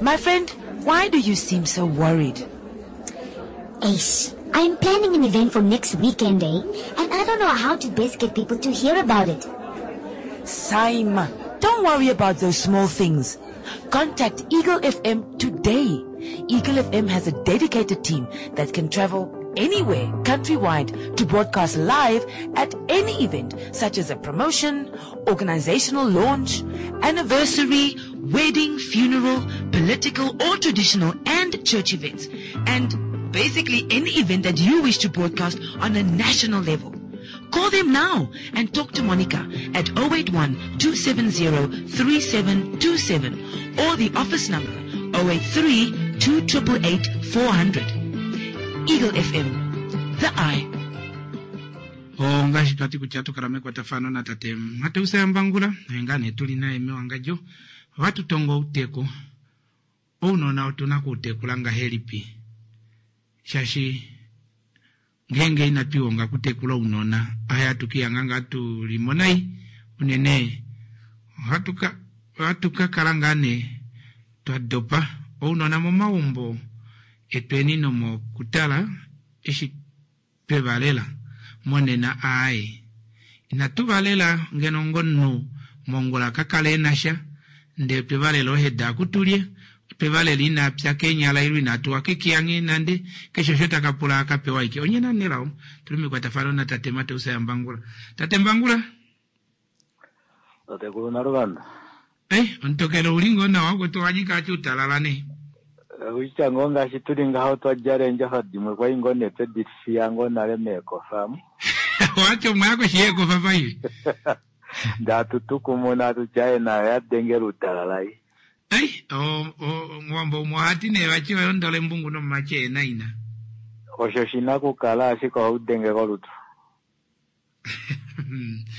My friend, why do you seem so worried? Ace, I'm planning an event for next weekend, eh? And I don't know how to best get people to hear about it. Saima, don't worry about those small things. Contact Eagle F M today. Eagle F M has a dedicated team that can travel anywhere countrywide to broadcast live at any event such as a promotion, organizational launch, anniversary, wedding, funeral, political or traditional and church events. And basically any event that you wish to broadcast on a national level. Call them now and talk to Monica at oh eight one two seven zero three seven two seven or the office number oh eight three two eight eight four hundred. Eagle F M, the eye. Ongaashi twati kutya tukala mekwatafano natate Mateus Yambangula naye nee tuli naye mewangadjo ohatu tongo outeku ounona otuna kuutekula ngahelipi shaashi ngeenge inatu ihonga kutekula ounona ohatu kihanga ngaa tulimo nai unene ohatu ka ohatu ka kala ngaa nee twa dopa ounona momaumbo etweni nomokutala eshi twevalela monena aaye inatu valela ngeno ngomunhu mongula kakale enasha ndee twevalela oheda akutulye twevalela inapya keenyala ilo inatuwa kekiyange nande keshe osho takapula akapewa ike onye nanelao tuli mekwatafano natate Mateus Yambangula. Tate Mbangula. Tatekulu Naluvanda. Eh, ontokelo uli ngoo nawa kwetu wanyika ati utalala ne. Uitya ngoo ngaashi tuli ngaho twa djala eendjafa dimwe kwai ngoo nee twedi fiya ngoo nale meekofa mu. Wati omwaya koshi yeekofa paife. Ndatutukumuna atu tyaye nayo yadengela utalala i. Ei, omuwambo umwe ohati nee vati oyondola embungu nomumati ena ina. Osho shina okukala ashike ohaudenge kolutu.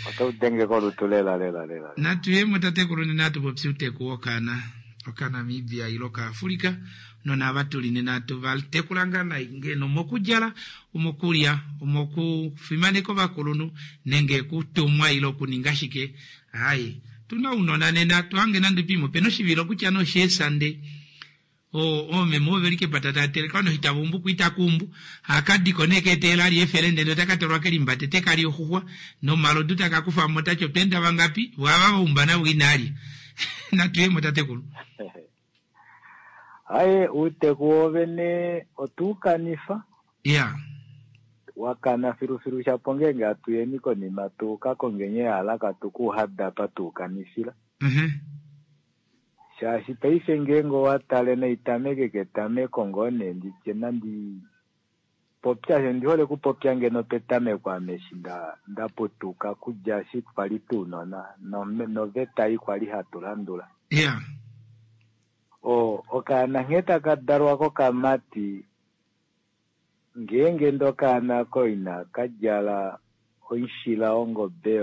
Otau denge kolutu lela lela lela. Natu yemo tatekulu nena atu popi outeku wokana okaNamibia ile okaAfrika nona ava tuli nena atu vatekula ngaa nai ngeno omokudjala omokulya omokufimaneka ovakulunhu nenge okutumwa ile okuninga shike hayi tuna ounona nena tuhange nande pimwe opena oshivilo kutya nosheesande oomeme oveli kepata tateleka nohitavumbu kuitakumbu hakadiko nee keteela ali efele ndele otaka tolwa kelimbate tekali oxuxwa nomalodu takakufamo tati otweenda vangapi vwava vaumba navo inaalya natuyemo tatekulu. Haye uuteku wovene otuukanifa. Ya. Wakana filufilu shapo ngeenge atuyeni konima tuuka kongenye yalaka tukuuhadapa tuukanisila. Mhm. Shaashi paife ngeenge owatale naitameke ketameko ngoo nee nditye nandi popya she ndihole kupopya ngeno petameko ame eshi nda ndaputuka kudja eshi twali tuunona noveta ei kwali hatu landula. Ya. O okaana nghee taka dalwa kokamati ngeenge ndee okaana ko ina kadjala oishila wongobe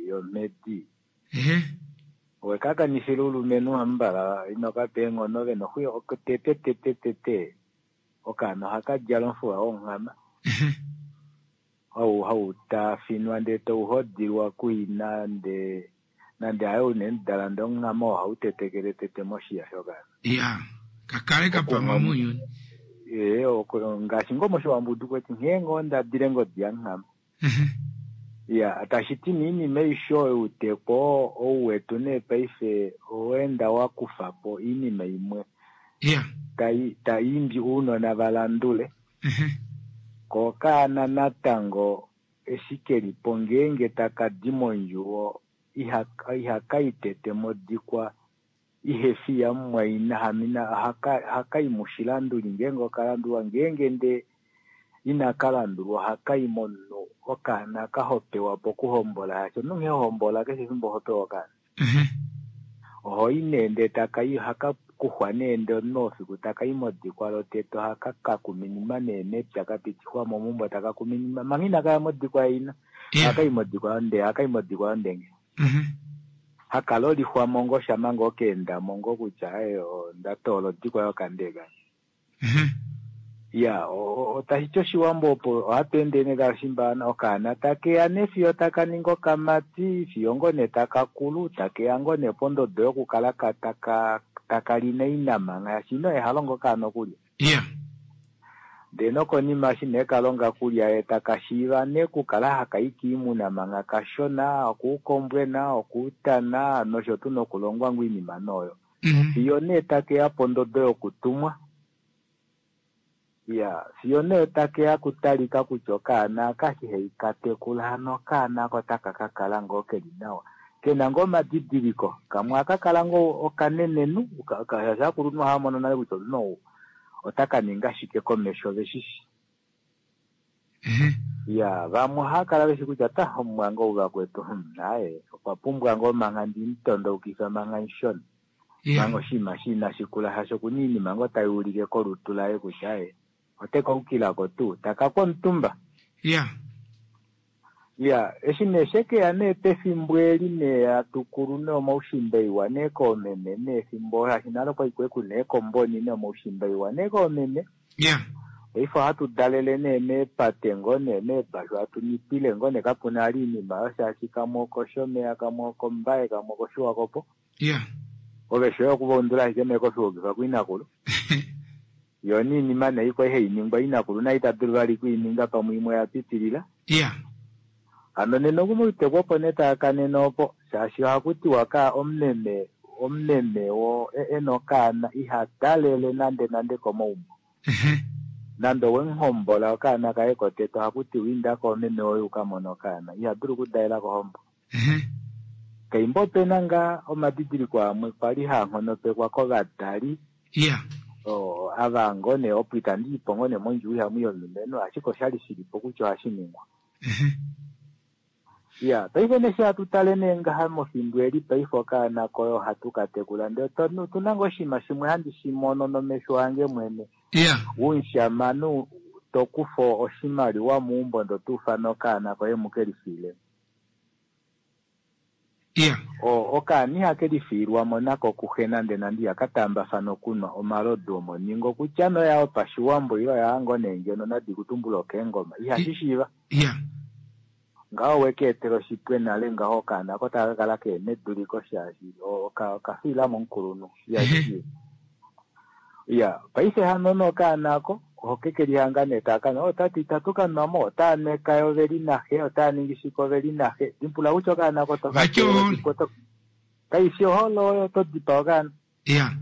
yomhedi Ehe. owekakanifila ulumenhu hambala inokapa eenghono vena tete tete tete okaana ohakadjala omufuwa wonghama hau hau taafinwa ndee tauhodilwa kuina ndee nande haye unene dala ndee onghama ohau tetekele tete moshiya shokaana. Ya kakale kapama mounyuni. Ee ngaashi ngoo moshiwambo kweti nghee ngoo ndadile ngodi yanghama. Ya tashiti niinima aishe oyo outeku ou wetu nee paife oweenda wakufapo oinima imwe ya tai taimbi ounona valandule ko okaana natango eshi kelipo ngeenge takadi mondjuwo ihakai tete modikwa ihefi yamumwaina hamina ohakai mushilanduli ngeenge okalandulwa ngeenge ndee inakalandulwa ohakai momunhu okaana kahopewa pokuhombola shaashi omunhu nghee hombola keshe efimbo ohopewa okaana ohoi nee ndee takai ohaka kuxwa nee ndee omunhu ofiku taka i modikwa lotete ohaka ka kuminima nee mepya kapitifwa mo meumbo taka kuminima manga inaka ya modikwa ina ohaka i modikwa yonde ohaka i modikwa yondenge Mhm. haka lolixwa mo ngoo shama ngoo keenda mo ngoo kutya aye onda toola odikwa yokandeka Mhm. ya otashi ti oshiwambo opo ohatu ende nee kashimbana okaana takeya ne fiyo taka ningi okamati fiyo ngoo nee taka kulu takeya ngoo nee pondodo yokukala ka taka taka li naina ngaashi ino ehalongo okaana okulya Yeah. ndee nokonima eshi nee kalonga kulya ye taka shiiva nee kukala haka i kiimuna manga kashona okuukombwena okuutana nosho tuu nokulongwa ngoo iinima nooyo Mhm. fiyo nee takeya pondodo yokutumwa ya fiyo nee takeya kutalika kutya okaana aka shi hei katekula hano okaana ako taka ka kala ngoo keli nawa kena ngoo omadidiliko kamwe aka kala ngoo okanenenhu ka- ka- shaashi aakulunhu ohaya mono nale kutya omunhu ou otaka ninga shike komesho veshishi Mhm. ya vamwe ohaya kala veshi kutya ta omumwange ou vakwetu hmm, aye okwa pumbwa ngoo manga ndimutondoukifa manga mushona Yeah. manga oshinima shi inashi kula shaashi okuna iinima ngoo tai ulike kolutu laye kutya aye ote kaukilako tuu taka kwomutumba Yeah. ya eshi nee shekeya nee pefimbo eli nee atukulu nee omaushimba iwa nee koomeme nee efimbo shaashi nale okwali kwe kuna eekomboni nee omaushimba iwa nee koomeme Yeah. paife ohatu dalele nee meepate ngoo nee meebashu hatu nipile ngoo nee kapuna ali iinima oyo shaashi kamwe okoshomeya kamwe okombaye kamwe okoshiwakopo Yeah. ove shoye okuvaundula ashike mee koshiwokifa kuinakulu yo niinima nee ikwa ihai ningwa inakulu naye ita dulu vali kuininga pamwe imwe ya pitilila Yeah. hano nena okumautekwa opo nee taakanene opo shaashi ohaku tiwa ka omumeme omumeme wo e- ena okaana iha dalele nande nande komaumbo Mhm. nande owemuhombola okaana kaye kotete ohaku tiwa inda koomeme woye ukamone okaana iha dulu okudalela kohombo Mhm. kaimba opena ngaa omadidiliko amwe kwali haa nghonopekwa kovadali Yeah. o, ava ngoo nee opo itandi ipo ngoo nee mondjuu ihamu yomulumenhu ashike oshali shilipo kutya ohashi ningwa Mhm. ya paife neshi hatu tale nee ngaha mofimbo eli paife okaana koye ohatu ka tekula ndee otu- otuna ngoo oshinima shimwe handi shi mono nomesho ange mwene Yeah. umushamane to kufa oshimaliwa meumbo ndo tuufana okaana koye muke lifiile Yeah. o okaana ihake lifiilwamo nako kuxe nande nande ihaka taambafana okunwa omalodu omoningo kutya noya yopashiwambo ile oya ngoo nee ngeno nadi kutumbula okeengoma ihashi shiiva Yeah. ngaho wekeetela oshipwe nale ngaho okaana ko taka kala keena eduliko shaashi o- oka- okafiilamo omukulunhu ihashi shiiva ya paife hano nokaana ako oho ke lihanga nee taaka oh tati itatu kanwa mo otaa neka yo veli naxe otaa ningi shike oveli naxe dimbula kutya okaana ko toka Vati ohole. kaifi ohole oyo to dipaa okaana Yeah.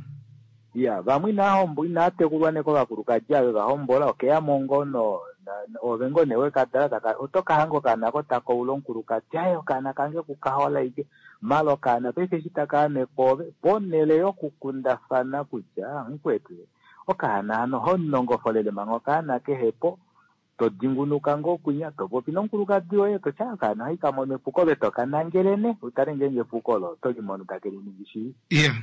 ya vamwe inaa hombo inaa tekulwa nee kovakulukadi ave vahombola okeyamo ngoo no na- na- ove ngoo nee wekadala taka oto kahanga okaana ko taka ula omukulukadi aye okaana kange kukahola ike mala okaana paife eshi taka ame koove ponhele yokukundafana kutya mukwetu okaana hano honongofolele manga okaana kehepo to dingunuka ngoo kwinya to popi nomukulukadi woye totya okaana ohai kamono epuko ove tokanangele ne utale ngeenge epuko olo oto limono take liningi shii Yeah.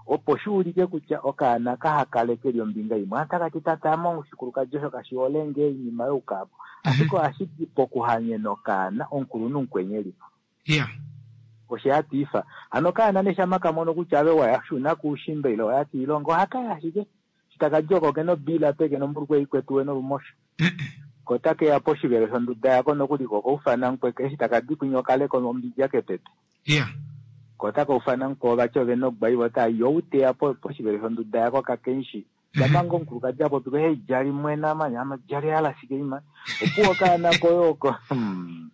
opo shi ulike kutya okaana kahakale keli ombinga imwe atakati tatamo oshikulukadi osho kashi hole nge iinima youkapo ashike ohashi di pokuhanyena okaana omukulunhu mukweni elipo Yeah. oshe hatiifa hano okaana neshama kamono kutya ave waya shuna kuushimba ile waya kiilonga ohakaya ashike shitaka oko kena obila peke nombulukwe ikwetuwe nolumosho ko takeya poshivelo shonduda yako nokuli ko koufana mukweke eshi takadi kwinya okaleko ombidja kepepe Yeah. ko takaufana mukwao vati ove nogwai vota yo uteya po poshivelo shonduda yako kakenshi shamanga omukulukadi apopiko hei jali mwena mani ama jali alashike ima opuwo okaana koye oko hmm.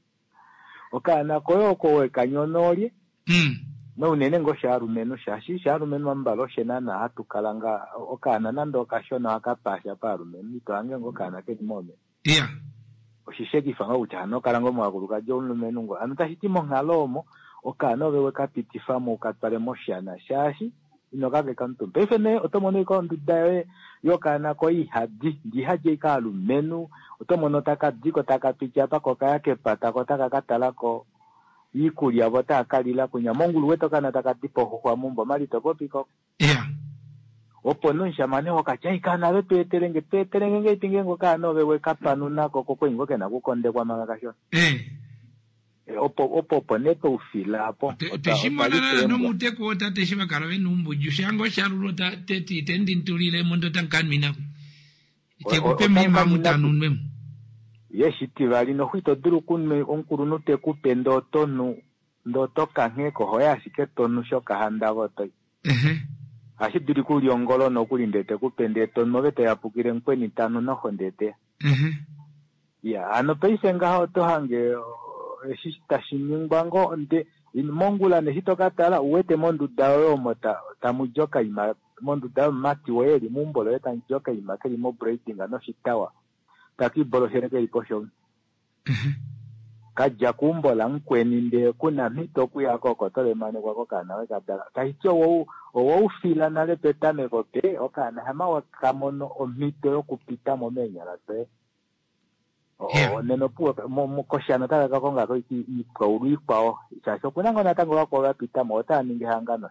okaana koye oko wekanyona olye Mm. nounene ngoo shaalumenhu shaashi shaalumenhu ambala oshe naana hatu kala nga okaana nande okashona ohaka paasha paalumenhu ito hange ngoo okaana keli moomeme Yeah. oshishekifa ngoo kutya hano kala ngoo movakulukadi omulumenhu ngo hano tashi ti monghalo omo okaana ove wekapitifamo ukatwale moshana shaashi ino kakeka omutumba paife nee oto mono ika onduda yoye yokaana koye ihadi ndi ihadi ika alumenhu oto mono taka diko taka piti apa ko kaya kepata ko taka katalako iikulya vo taa kalila kunya mongulu wete okaana taka di poxuxwa mumbo mali to popiko Yeah. Opo nomushamane wokatya kaana ve tweetelenge tweetelenge ngeipi ngeenge okaana ove wekapanunako kokwenyi ngo kena kukondekwa manga kashona. Eh. Opo opo opo nee twaufila apo. Tweshimona nana nomuteku wotate eshi vakala vena oumbudju shange oshalulo teti ite ndintulilemo ndo tankanwinako itekupe mima mutanunwemo. Ye shitivali noxo ito dulu okunwa omukulunhu tekupe ndee otonu ndee oto kangheko hoye ashike tonu shokahandava otoi. Ohashi dulika uli ongolo nokuli ndee tekupe ndee tonu ove toyapukile mukweni tanu noxo ndee teya. Ya hano paife ngaha oto hange eshi tashi ningwa ngoo nde mongula neshi tokatala uwete monduda yoye omo tamu di okaima monduda yomumati woye eli meumbo loye tamu di okaima keli mobraiding noshitawa takiiboloshele keli poshomu. Kadja keumbo lamukweni ndee kuna mhito okuya koko tolemanekwa kokaana wekadala. Taiti owoufila nale petameko pe okaana hama wakamono omhito yokupitamo meenyala doye. Nena opuwo koshana otaka ka konga ko iipwaulu ikwao shaashi okuna ngoo natango vakwao vapitamo otava ningi ehangano.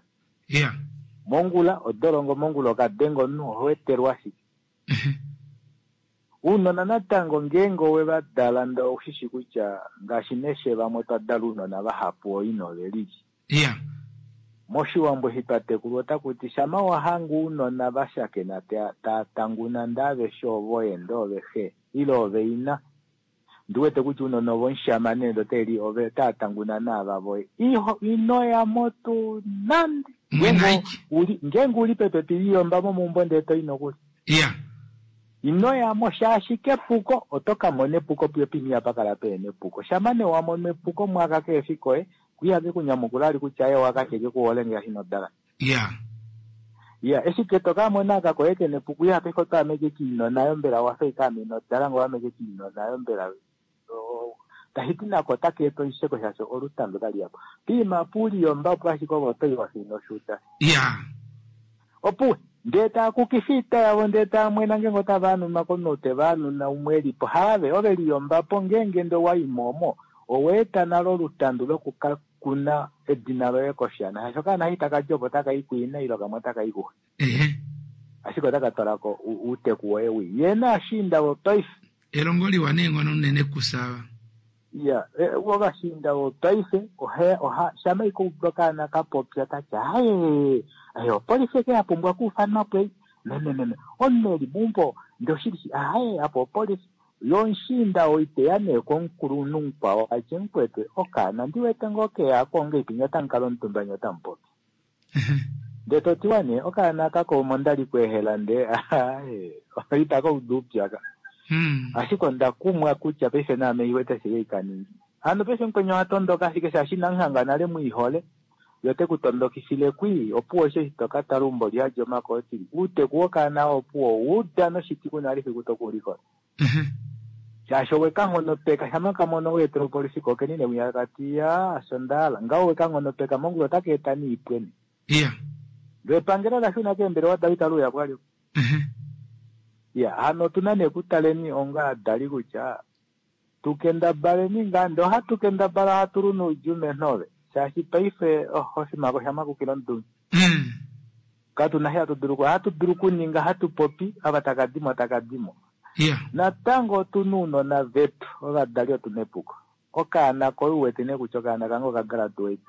Mongula odolongo mongula okadenga omunhu oho etelwa ashike. Uunona natango ngeenge owevadala ndee oushishi kutya ngaashi neshe vamwe otwa dala uunona vahapu oina ovelili. Moshiwambo eshi twatekulwa otakuti shama wahanga uunona vashakena taa tanguna ndee aveshe ovoye ndee ove xe ile ove ina ndiwete kutya uunona ovomushamane ndee oteli ove otava tanguna naava voye inoyamo tuu nande ngeenge uli pepepi liyomba momeumbo ndee toi nokuli. Inoyamo shaashi kepuko oto kamona epuko puyo pini pakala peena epuko. Shama nee wamono epuko mwaka keefi koye ihake kunyamukula ali kutya ye wakasheke kuhole ngaashi nodala. Ya eshi ke tokamona aka koye kena epuko iha paife otwaameke kiinona yo mbela wafa ike ame inodala ngo wameke kiinona yo mbela tashiti nako otaka eta oisheko shaashi olutandu otali yapo. Piima puliyomba opo ashike ove otoyi wafa inoshuuda. Opuwe ndee taakukifa oita yavo ndee taamwena ngeenge otava anunwa komunhu teva anuna umwe elipo haave ove liyombapo ngeenge ndee owaimo omo oweeta nale olutandu lokukakuna edina loye koshana shaashi okaana eshi takadi opo otaka kuina ile kamwe otaka i kuxe. Ashike otaka twalako uuteku woye wii. Ye naashiinda vopaife. Elongo liwa neenghono unene kusava. Ya, ovashiinda vopaife oha shama ike udu okaana kapopya tati aaye aye opolifi eke yapumbwa okuufanwa po ei memememe omunhu eli meumbo ndee oshili aaye apa opolifi yo omushiinda oo iteya nee komukulunhu mukwao atye mukwetu okaana ndiwete ngoo keyako ongeipi nye otamu kala omutumba nye otamupopi. Ndee totiwa nee okaana kako omo ndali kweehela ndee aaye itaka udu upyaka. Ashike onda kumwa kutya paife naame iwete ashike ikaningi. Hano paife mukweni ohatondoka ashike shaashi inamuhanga nale mwiihole yo tekutondokifile kwii opuwo osho eshi tokatala eumbo lihadi omakootili. Uuteku wokaana opuwo uda noshiti kuna ali fiku tokuulikola. Shaashi owekanghonopeka shama kamono weetela opolifi ko okeni newinya kati ya osho ndahala ngaho owekanghonopeka mongula otaka eta niipweni. Loo epangelo lashuna keembelewa dalo itali uya kwali. Ya hano otuna nee okutaleni onga ovadali kutya tukendabaleni ngaa ndee ohatu kendabala ohatu lu noudjuu menhove shaashi paife oshimako oshamakukila omudungu. Katuna eshi hatu dulu ohatu dulu okuninga hatu popi ava takadimo takadimo. Natango otuna ounona vetu ovadali otuna epuko. Okaana koye uwete nee kutya okaana kange okagraduate.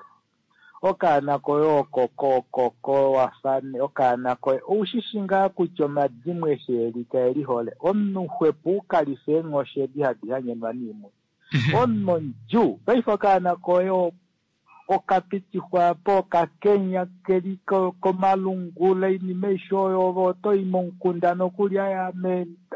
Okaana koye oko koko wafa okaana koye oushishi ngaa kutya omadimo eshi eli kaelihole. Omunhu xwepo ukalife eenghoshi edi hadi hanyenwa niimuna. Omunhu omudjuu paife okaana koye okapitifwa po okakenya keli komalungula oinima aishe oyo ove otoyi momukunda nokuli aya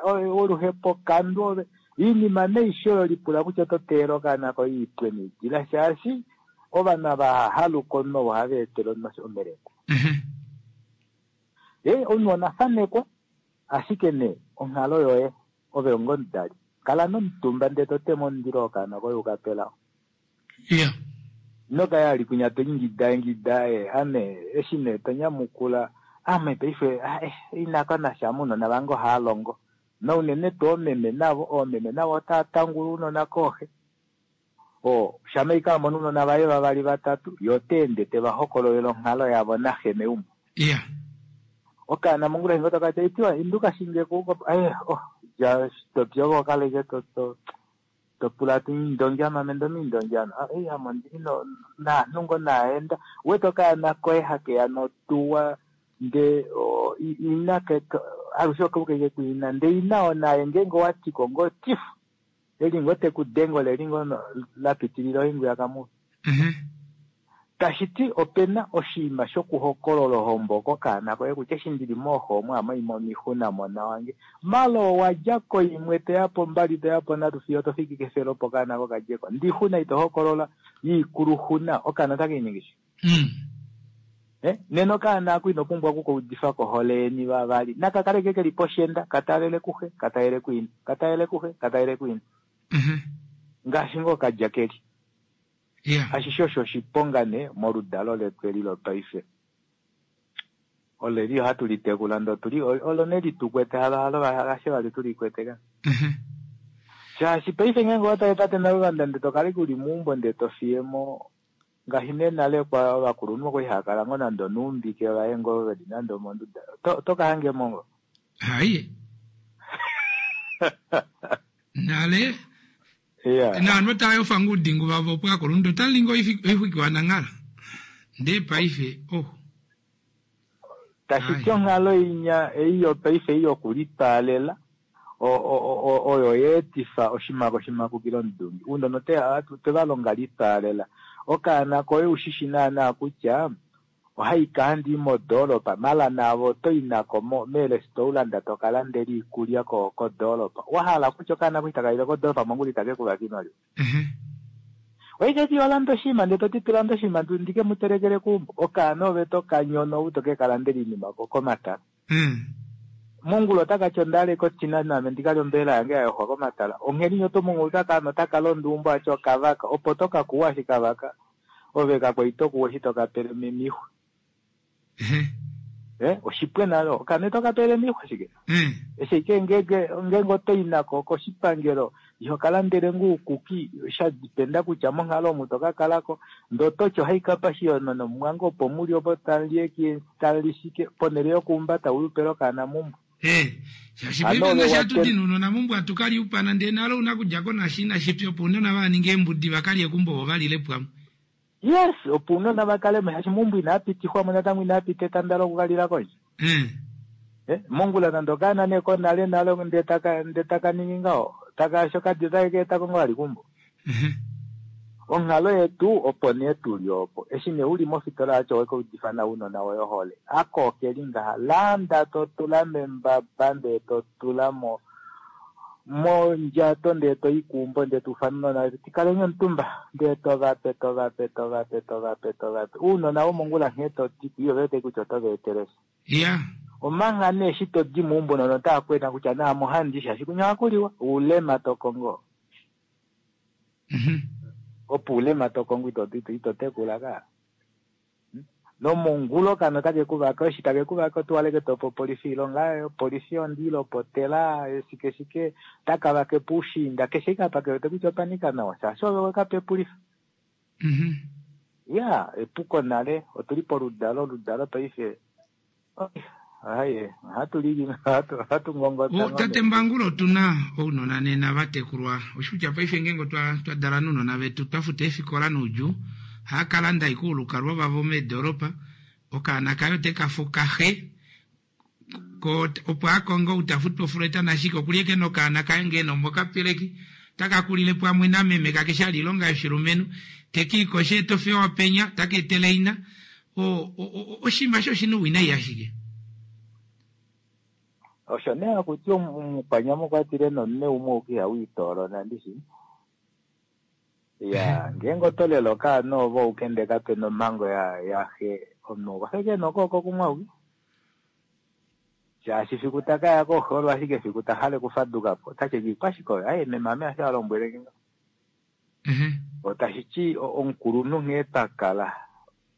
oluhepo kandu ove oinima neishe oyo lipula kutya oto teelele okaana koye ipwe needila shaashi ovanhu ava hahaluka omunhu ovo ohava etele omunhu omeleko. Ee omunhu onafanekwa ashike nee onghalo yoye ove onga omudali kala nomutumba ndee totema omundilo wokaana koye ukapelao. Ino kala ali kwinya toingida ingida ame eshi nee tonyamukula ame paife inako nasha ounona vange ohaalongo naunene tuu oomeme navo oomeme navo otava tangula ounona kooxe. O shama ike amono ounona vaye vavali vatatu ye ota ende teva hokololele onghalo yavo naxe meumbo. Okaana mongula hingo tokati itiwa induka shinge kuko eh oh ja topyo okaleke to to to pula tu indonjama mendo mindonjama ah eh amo ndili no na nungo naenda wete okaana koye hakeya notuwa nde o, i- ina ke alushe okauke kuina nde ina onaye ngeenge owatiko ngoo tifu eli ngoo tekudenga oleli ngoo no- la pitilila ohingu yakamuvi Mhm. tashi ti opena oshinima shokuhokolola ohombo kokaana koye kutya eshi ndili mooho omu amo imo mixuna mona wange malo owa dja ko imwe toya po mbali toya po nhatu fiyo to fiki kefelo opo okaana kokadjeko ndixuna ito hokolola yiikuluxuna okaana otake iningi shi Mm. Eh, nena okaana ako ino pumbwa okukaudifa kohole yeni vavali nakakaleke keli poshenda katalele kuxe katalele kuina katalele kuxe katalele kuina Mhm. ngaashi ngoo kadja keli Yeah. ashishe osho oshiponga ne moludalo letu eli lopaife oleli ohatu litekula ndo tuli olo ne litukwete halo halo hashe vali tulikwete ka Mhm. shaashi paife ngeenge owatale tate naluvanda nde tokale kuli muumbo nde tofiyemo ngaashi nee nale kwa ovakulunhu okwali hava kala ngoo nande onuumbike vaye ngoo veli nande omonduda To- tokahangemo ngo Hayi. Nale iya naanhu otava yofa ngoo oudingu vavo opo akulunhu otalingi oixwiki wananghala ndee paife oh tashi ti onghalo inya ei yopaife ei yokulitaalela o- o- o- oyo yeetifa oshimako shimakukilo omudungi uunona ote- ohatu- twe va longa litaalela okaana koye ushishi naana kutya ohaika handi modoolopa mala naavo oto i nako mo- meerestaurant toka landela iikulya ko- kodoolopa wahala kutya okaana koye itaka yile kodoolopa mongula itake kuvaka iimaliwa Mhm. oiketi olanda oshinima ndee toti tulanda oshinima ndu- ndike mu telekele kuumbo okaana ove tokanyono ou toke kalandela iinima ko- komatala Mm. mongula otaka ti ondale kochina name ndikalye ombelela yange ya yoxwa komatala ongheni nyo oto otaka otaka londo umbo aty okavaka opo tokakuwa shi kavaka ove kakwa itokuwa eshi tokapele mixwa Mhm. eh oshipwe nalo okane tokapele mixwa shike Mm. eshi ike ngenge ngenge otoyi nako koshipangelo iho kalandele ngoo uukuki sha dipenda kutya monghalo omu tokakalako ndee ototi ohaikapa shiyono nomwange opo muli opo tamuli tamuli shike ponele yokuumbata ulupele okaana mumbo Eh, shaashi Ano paife ngaashi ove hatu wate- di nounona mumbo hatu kali upana ndee nalo una kudja ko nashi inashi pya opo ounona vaninge eembudi vakalye kumbo vo valile pwamwe yes opo uunona vakale mo shaashi mumbo inaapitifwamo natango inaapita etanda lokukalila kondje Mm. Eh, mongula nande okaana nee konale nale ndee taka ndee taka ningi ngaho taka shokadi otake keetako ngoo vali kumbo Mhm. onghalo yetu opo nee tuli opo eshi nee uli mofitola yacho wekaudifa na uunona woye ohole ako okeli ngaha landa totula membaba ndee totula mo mondjato ndee toyi kuumbo ndee tuufana uunona wetu tikaleni omutumba ndee tovape tovape tovape tovape tovape uunona womongula nghee toti iyo vewete kutya otova etelesha ya omanga nee eshi todi muumbo nono otaa kwena kutya naamo handi shaashi kunya ohakuliwa uulema tokongo Mhm. opo uulema tokongo ito ito ito tekula ka Hmm? nomongulo kano take kuvaka eshi take kuvaka otuwaleke topo polisi ilonga ayo polisi ondilopotela shike shike taka vake puushinda keshe ike apa kewete kutya opanika nawa shaashi ove wekapepulifa Mhm. ya epuko nale otuli poludalo oludalo paife aye ohatu lili ohatu ohatu ngongota O, tate Mbangula otuna ounona nena vatekulwa oshikutya paife ngeenge otwa twadala nounona vetu twafuta eefikola noudjuu haakalanda ike oulukalwa vavo meedoropa okaana kaye otekafuka xe ko opo akonge ou tafutu ofuleta nashike okulieke nokaana kaye ngee nomokapeleki taka kulile pamwe nameme kake shali ilonga yoshilumenhu tekiikoshe tofewa penya taka etele ina o- o- o- oshinima sho oshina ouwinayi ashike osho nee hakuti omukwanyama okwatile nomune umwe ouke ihawiitoolona ndishi ya ngeenge oto lela okaana ovo ouke ndee kapena omhango ya yaxe omunhu okwa feke nokooko kumwe auke shaashi fiku takaya kooxe olo ashike fiku tahale okufadukapo otatye ikwashike oyo aye meme ame ashe alombwelenge ngaho Mhm. otashi ti o- omukulunhu nghee twakala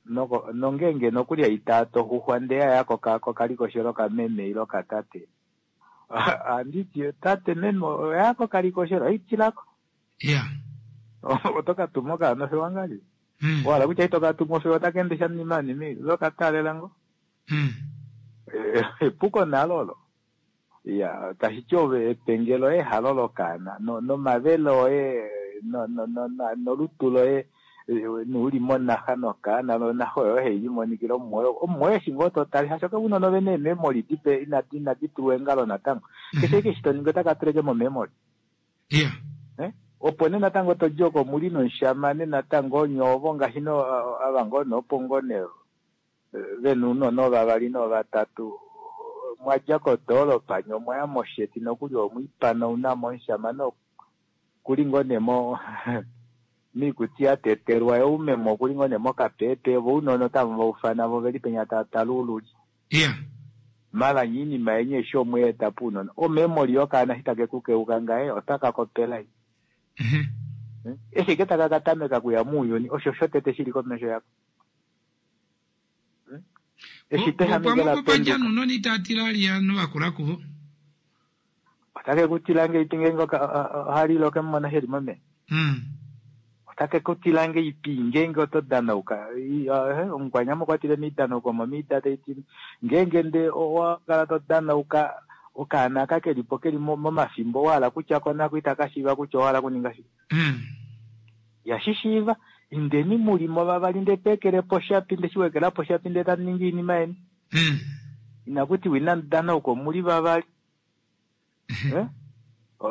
noko nongeenge nokuli aitaa toxuxwa ndee yaya koka kokalikoshelo kameme ilo katate anditi tate meme oya kokalikoshelo aitilako ya oto katuma okaana ofewa ngali Mm. wahala kutya ito katuma ofewa otaka ende sha nimanimi lokataalela ngo Mm. Epuko nalo olo. Ya, tashi ti ove epenge loye halo lokaana no- nomavele oye no- no- no- no- nolutu loye eh, nouli monaxa nokaana nonaxa oyo hai limonikila omumwoye omumwoye eshi ngoo to tale hasho keunona ove neememoli dipe inadi inadi tulwa eengalo natango keshe ike eshi to ningi otaka tuleke momemoli Yeah. Eh? Opo nee natango to di oko muli nomushamane natango onye ovo ngaashi no ava ngoo noopo ngoo nee vena ounona ovavali novatatu mwa dja kodoolopa nye omwaya mosheti nokuli omwiipana omushamane okuli ngoo nee mo miikuti ya tetelwa oumemo okuli ngoo nee mokapepe vo ounona otamu va ufana vo veli penya tava tale uululi Yeah. mala nye iinima yeni eshi omweeta puunona omemoli yokaana eshi take ku keuka ngaye otaka kopelai eshi ike taka katameka kuya muuyuni osho shotete shili komesho yako eshi tehamekela Opamwe nuunona itaa tila liya novakula kuvo. Otake ku tila ngeipi ngeenge ohalile okemumona sheli momeya Mm. otake ku tila ngeipi ngeenge oto danauka omukwanyama okwa tile miidanauka omo miida taiti ngeenge nde owa kala to danauka okaana aka kelipo keli momafimbo wahala kutya konako itaka shiiva kutya owahala kuninga shike Mm. yashishiiva indeni mulimo vavali nde peekelepo shapi nde shiwekelapo shapi nde tamu ningi iinima yeni Mm. inakuti wina danauka omuli vavali Eh?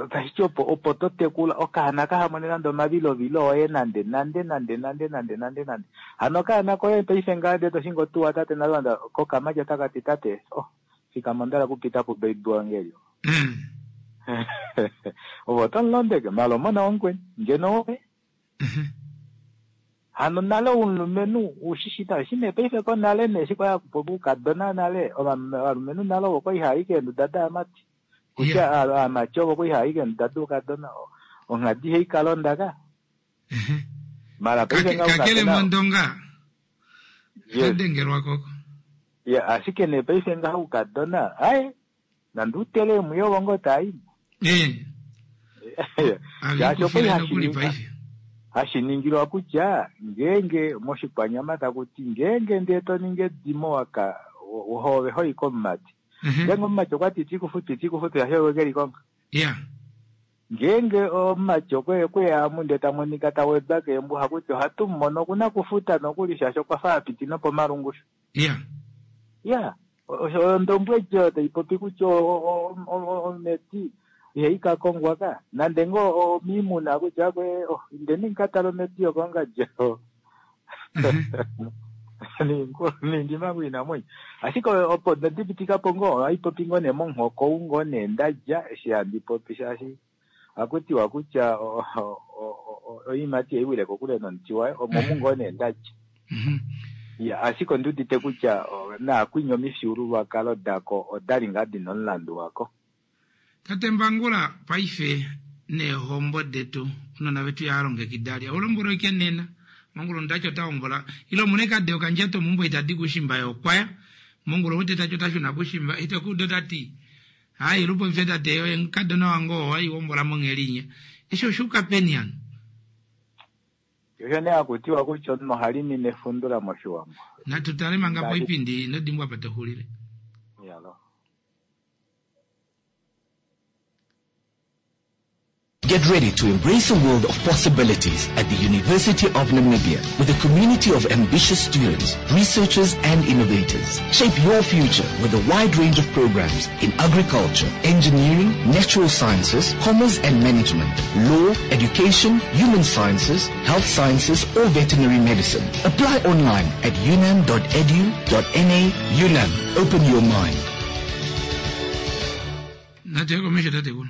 Tashi opo opo to tekula okaana kahamone nande omavilovilo oye nande nande nande nande nande nande nande hano okaana koye paife ngaa ndee toshingo tuwa tate nalanda kokamati otaka ti tate oh fikama ondala kupita pu baby wange elyo Mm. ove oto mulondeke mala omona wamukweni ngeno woye hano nale omulumenhu ushishita eshi nee paife konale nee eshi kwaya kuukadona nale ovalumenhu nale ovo kwali haayi keenduda daamati kutya aamati ovo kwali haayi keenduda duukadona onghadi ihai kalonda ka mala paife Kake- kakele mondonga kadengelwa koko ya ashike nee paife ngaha oukadona aye nande utele emwiyo ovo ngoo taayi Eh. shaashi okwali Avikufile hashi nokuli ningi- paife hashi ningilwa kutya ngeenge moshikwanyama taku ti ngeenge ndee to ningi edimo waka hove hoyi komumati ngeenge omumati okwa ti tikufutu tikufutu shaashi owe keli konga Yeah. ngeenge omumati okwe kweyamu ndee ta monika ta wedwa keembuha hakuti ohatu mumono okuna kufuta nokuli shaashi okwa fa apiti nopomalungushu Yeah. ya osho ondombwedi oyo tai popi kutya o- o- o- ometi ihai ka kongwa ka nande ngoo omiimuna kutya kwe oh, indeni nkatale ometi yokongadjo nindima kwiinamwenyo ashike opo ndadipitikapo ngoo ohai popi ngoo nee momuhoko ou ngoo nee ndadja eshi handi popi shaashi ohakutiwa kutya o- o- o- o- oiimati ihai wile kokule nomuti wayo omo mu ngoo nee ndadja ya ashike ondi udite kutya o, naakwinya omifyuululwakalo dako odali ngaa dina omulandu wako tate Mbangula paife neehombo detu unona vetu yaalongekida lya ulombwela ike nena mongula ndacho tahombola ile omune kade okandjato mumbo itadi kushimba yokwaya mongula wete tacho tashuna kushimba itokudo tati hayi lupopye tate oye nkadona wange oo waiwombola monghelinya eshi oshuuka peni hano osho nee hakutiwa kutya omunhu ohalimi nefundula moshiwambo natu tale manga poipindi nodimbwa pa toxulile yalo Get ready to embrace a world of possibilities at the University of Namibia with a community of ambitious students, researchers and innovators. Shape your future with a wide range of programs in agriculture, engineering, natural sciences, commerce and management, law, education, human sciences, health sciences or veterinary medicine. Apply online at unam.edu.na. UNAM, open your mind. natuye komesho tate kuno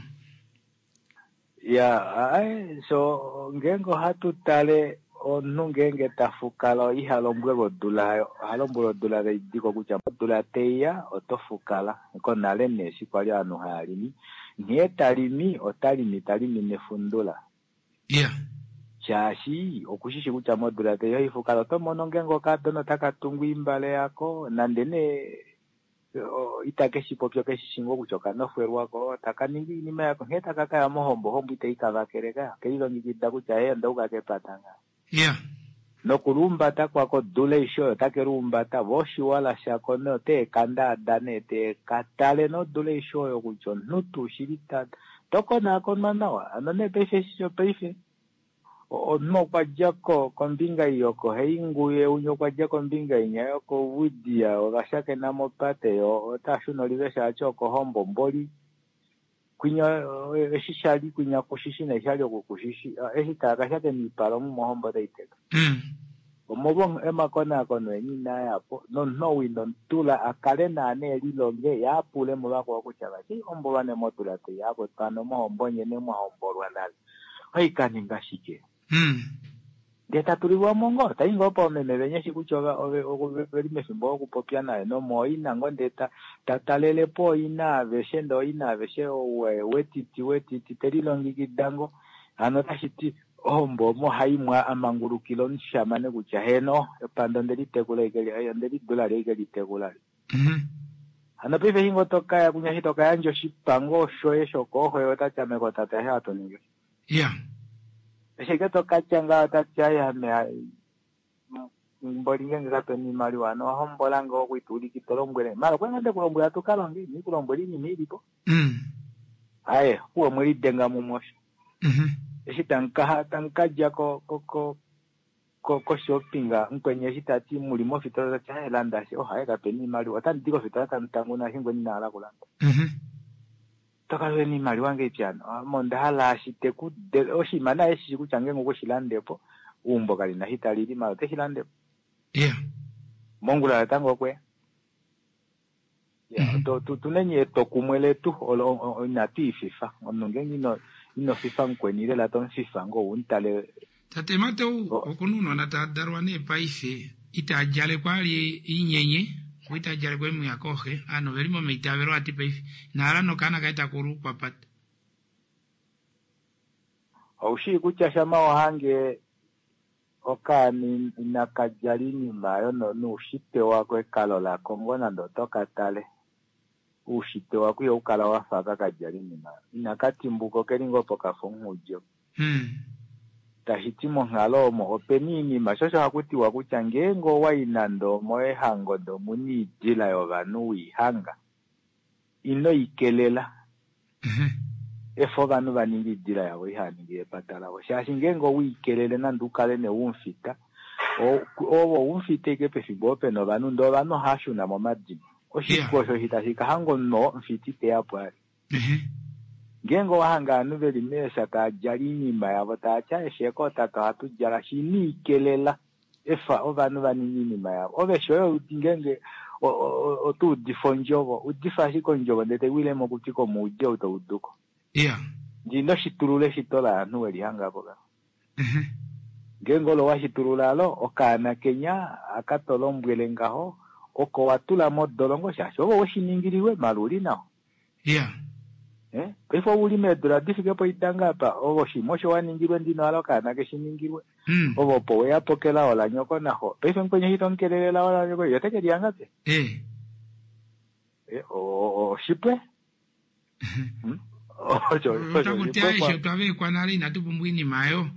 ya ai so ngeenge ohatu tale omunhu ngeenge ta fukala iha lombwelwa odula oha lombwelwa odula taidiko kutya odula teiya oto fukala konale nee eshi kwali ovanhu haya limi nghee talimi ota limi talimi nefundula yeah shaashi okushishi kutya modula teiya oifukala oto mono ngeenge okadona otaka tungu imbale yako nande nee o- itake shi popi okeshishi ngoo kutya okanofwelwako taka ningi iinima yako nghee taka kaya mohombo hombo itai kavakele ka kelilongekida kutya ye ondauka kepata nga yeah Nokuluumbata kwako dula eisho oyo take luumbata vo oshiwala shako nee oteekandaada nee teekatale nodula eisho oyo kutya omunhu tuu shili ta tokonaakonwa nawa. Hano nee paife eshi shopaife omunhu okwa dja ko kombinga ei yokoHeinguye, umwe okwa dja kombinga inya yokOuvidhiya, ovashakena mopate yo ota shuna olive shaashi okohombo mboli. Kwinya eshi shali kwinya kushishi neshali oku kushishi, eshi taakashakena oipala omu mohombo otai teka. Omolwo emakonaakono eni inaa yapo, nomunhu ou ino mutula a kale naana elilonge ye apule muvakwao kutya vati hombolwa nemotula tai akwetu hano mohombo nye nemwahombolwa nale oikaninga shike. Ndee tatulilwamo ngoo tai ngoo poomeme venye eshi kutya ove li mefimbo lokupopya naye nomooina ngoo ndee ta talelepo ooina aveshe ndee ooina aveshe wetiti wetiti telilongekida ngoo. Hano otashi ti ohombo omo haimwa amangulukila omushamane kutya heno epando onde litekula onde lidula li ike litekula. Hano paife eshi ngoo tokaya kunya eshi tokayandja oshipango shoye shokooxo ye otati ame kotate ashe hatu ningi. Yeah. Eshi ke tokatya ngaho otati ai ame mboli ngenge kapena oimaliwa hano wahombola ngoo okuituulika ito lombwele mala okwa ngoo ndekulombwela tukalonge ina ikulombwela oinima ilipo. Aye opuwo omwelidenga mumwe osho. Eshi tamuka tamukadja ko ko ko ko koshopping mukweni eshi tati muli mofitola tati aye landa shi oh aye kapena oimaliwa otandi di kofitola tamu tanguna eshi mukweni ina hala kulanda. Tokala ena oimaliwa ngeipi hano ame onda hala ashi teku oshinima naye eshishi kutya ngenge okweshi landepo eumbo kalina eshi talili mala oteshi landepo. Yeah. Mongula natango okweya. Tuneni etokumwe letu olo inatu ififa. Omunhu ngenge ino ino fifa mukweni lela tomufifa ngoo umutale. Tate Mateu okuna ounona tava dalwa nee paife itaa djalekwa ali inyenye vo itaa djalekwa emwiya kooxe ovanhu oveli momaitavelo ati paife inahala nokaana kaye takulu kwapata. Oushii kutya shama ohange okaana inaka djala oinima oyo noushitwe wako ekalo lako ngoo nande oto katale oushitwe wako ihaukala wafa aka kadjala oinima oyo. Inaka timbuka okeli ngoo pokafa omunghudjo. Tashi ti monghalo omo opena oinima sho osho hakutiwa kutya ngeenge owai nande omoehango ndee omuna oidila yovanhu weihanga ino ikelela. Efa ovanhu vaninge oidila yavo ihaningi epata lavo shaashi ngeenge oweikelele nande ukale nee umufita ovo umufita ashike pefimbo opo pena ovanhu ndee ovanhu ohashuna momadimo. Oshipu osho eshi tashi kahanga omunhu oo omufita iteyapo ali. Ngeenge owahanga ovanhu veli meesha tava djala oinima yavo tavati aeshe kootate ohatu djala shi ino ikelela efa ovanhu vaninge oinima yavo. Ove shoye ngeenge oto udifa ondjovo udifa ashike ondjovo ndee taiwile mokutwi komuudi ou tauduko. Yeah. Ndee ino shitulula eshito lovanhu welihangapo ka. Ngeenge olo washitulula alo okaana kenya aka tolombwele ngaho oko watula modolongo shaashi ove weshiningililwe mala uli nawa. Yeah. Eh? Paife ouli meedula difike poidanga apa ove oshinima osho waningilwe ndino hala okaana keshiningilwe. Ove opo weyapo kelao lanyoko naxo. Paife mukweni eshi tomukelele elao lanyoko ye ote kelihanga pe? Eh. Oshipwe? Osho Otakuti aishe otwa vekwa nale inatu pumbwa oinima oyo.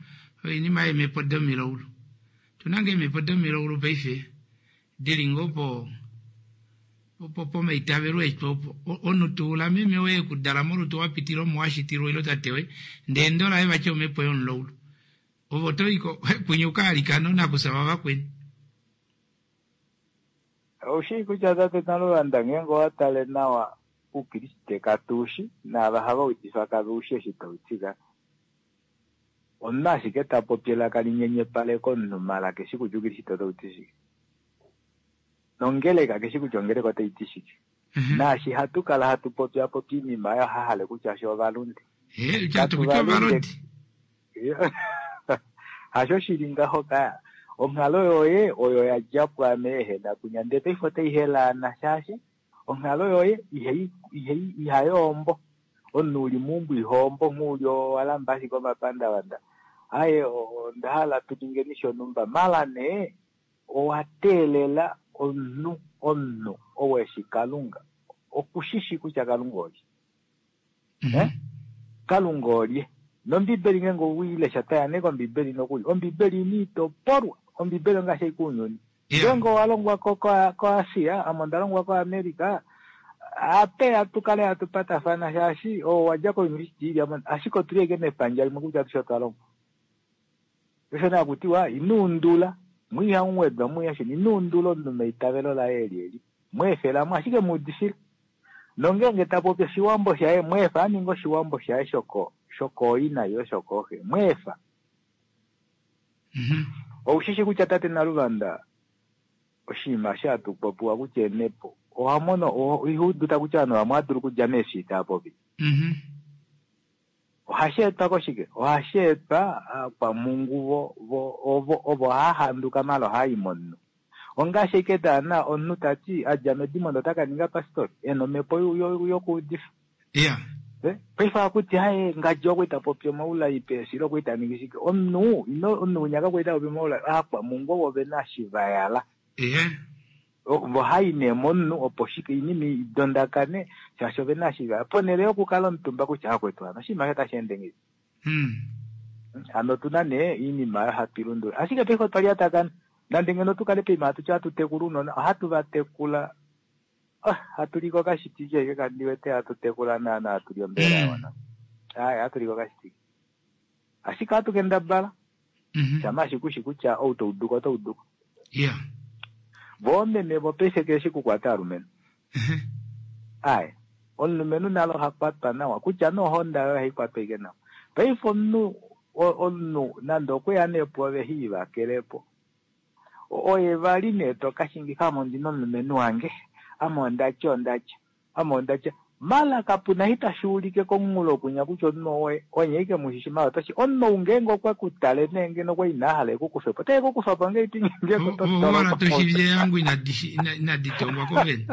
Oinima yeemhepo domilaulu. Tuna ngoo eemhepo domilaulu paife dili ngoo po pomaitavelo etu opo. Omunhu tuula meme woye ekudala molutu wapitila omo washitilwa ile tate woye ndee endo laye vati omhepo yomulaulu. Ove otoyi kwinya ukaalikana oonakufya vavakweni. Oushii kutya tate Naluvanda ngeenge owatale nawa oukriste katuushi naava hava udifa kaveushi eshi tauti ka. Omunhu ashike tapopi elaka linyenyepaleka omunhu mala keshi kutya oukriste otauti shike. Nongeleka keshi kutya ongeleka otaiti shike. Naashi hatu kala hatu popya popya oinima oyo hahale kutya she ovalunde. Katu valunde. Hasho shili ngaho kaya. Onghalo yoye oyo yadja pwaame ehena kunya ndee paife otai helaana shaashi onghalo yoye ihai ihayoombo. Omunhu uli meumbo ihoombo nghee uli owalamba ashike omapandavanda. Aye onda hala tuningeni shonhumba mala nee owa teelela omunhu omunhu ou eshi Kalunga okushishi kutya Kalunga olye. Eh? Kalunga olye. Nombibeli ngeenge oweilesha taya nee kombibeli nokuli ombibeli ina itopolwa Ombibeli ongaashi ashike ounyuni. Ngeenge owa longwa ko koAsia, ame onda longwa koAmerica, ape hatu kale hatu patafana shaashi oo wadja kouniversity ili ame ashike otuli ashike mepandja limwe kutya atushe otwa longwa. Osho nee hakutiwa ino undula, mu ihamu wedwa mu ihashini, ino undula omunhu meitavelo laye eli eli. Mu efela mo ashike mu udifila. Nongeenge ta popi oshiwambo shaye, mu efa a ninge oshiwambo shaye shoko shokooina ile shokooxe. Mu efa. Oushishi kutya tate Naluvanda oshinima eshi hatu popiwa kutya eemhepo, oha mono iha udu kutya ovanhu vamwe ohava dulu okudja meefi tava popi. Ohashi etwa koshike? Ohashi etwa kwamhungu vo, vo, ovo, ovo hava handuka maala ohava i momunhu. Ongaashi ashike daana omunhu ta ti a dja medimo ndee ota ka ninga pastori, e na omhepo yokuudifa. Yeah. Paife ohakuti haye ngadji okwa ita popi omaulai peesilo okwa ita ningi shike. Omunhu ino omunhu winya kakwa ita popi omaulai, aakwamhungu ovo ve na eshi va yala. Ehe. Vo hai nee momunhu opo shike oinima idondakane shaashi ove na eshi va yala. Ponhele yokukala omutumba kutya akwetu hano oshinima osho otashi ende ngahelipi. Hmm. Hano otuna nee oinima oyo hatu ilundulula. Ashike paife otwa lyatakana. Nande ngeno tu kale poima hatu ti ohatu tekula ounona, ohatu va tekula oh, hatu li kokashitiki ashike kandi wete hatu tekula naana hatu li ombelela ya wana. Ai, hatu li kokashitiki. Ashike ohatu kendabala. Shama ashike ushi kutya ou to uduko oto uduko. Yeah. Vo oomeme vopaife keshi kukwata aalumenhu. Ai, omulumenhu nalo oha kwatwa nawa kutya nee ohonda yoye ohai kwatwa ashike nawa. Paife omunhu omunhu nande okweya nee pwoove he ivakele po. Oye vali nee to ka shingifa ame ondina omulumenhu wange, ame ondatya ondatya, ame ondatya. Mala kapuna eshi tashi ulike komunghulo kunya kutya omunhu owoye, onye ashike mushishi mala otoshi. Omunhu ou ngeenge okwe ku tale nee ngeno okwa ina hala eku kufe po, otae ku kufa po ngahelipi ngeenge oto Owala toshi yangu inadi tongwa ko vene.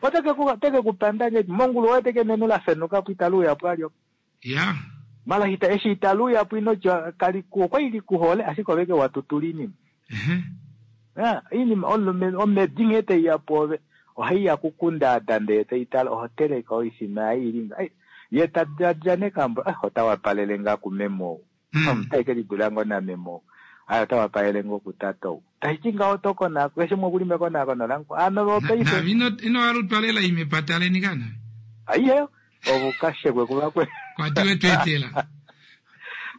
Ote ke ku ote ke ku panda ngahelipi mongulu oye teke nenu la fenuka po itali uya po alyo. Ya. Mala ita eshi itali uya po ino tya kali ku okwa ili ku hole ashike ove ke wa tutula oinima. Ya, oinima omulumenhu omedi nghee taiya pwoove ohai ya kukundaada ndee tai tale oho teleke oifima yaye ili nga. Ye ta diladila nekambo eh ota wapalele ngaa kumeme ou. Otai ke lidula ngoo nameme ou. Ai ota wapalele ngoo kutata ou. Tashi ti ngaho oto konakona keshe umwe okuli mekonakono langu. Hano vo paife Navi ino ino halutwa lela ime pataleni kana. Aihe ovo kashekwe kuvakweni. Kwatiwe tweetela.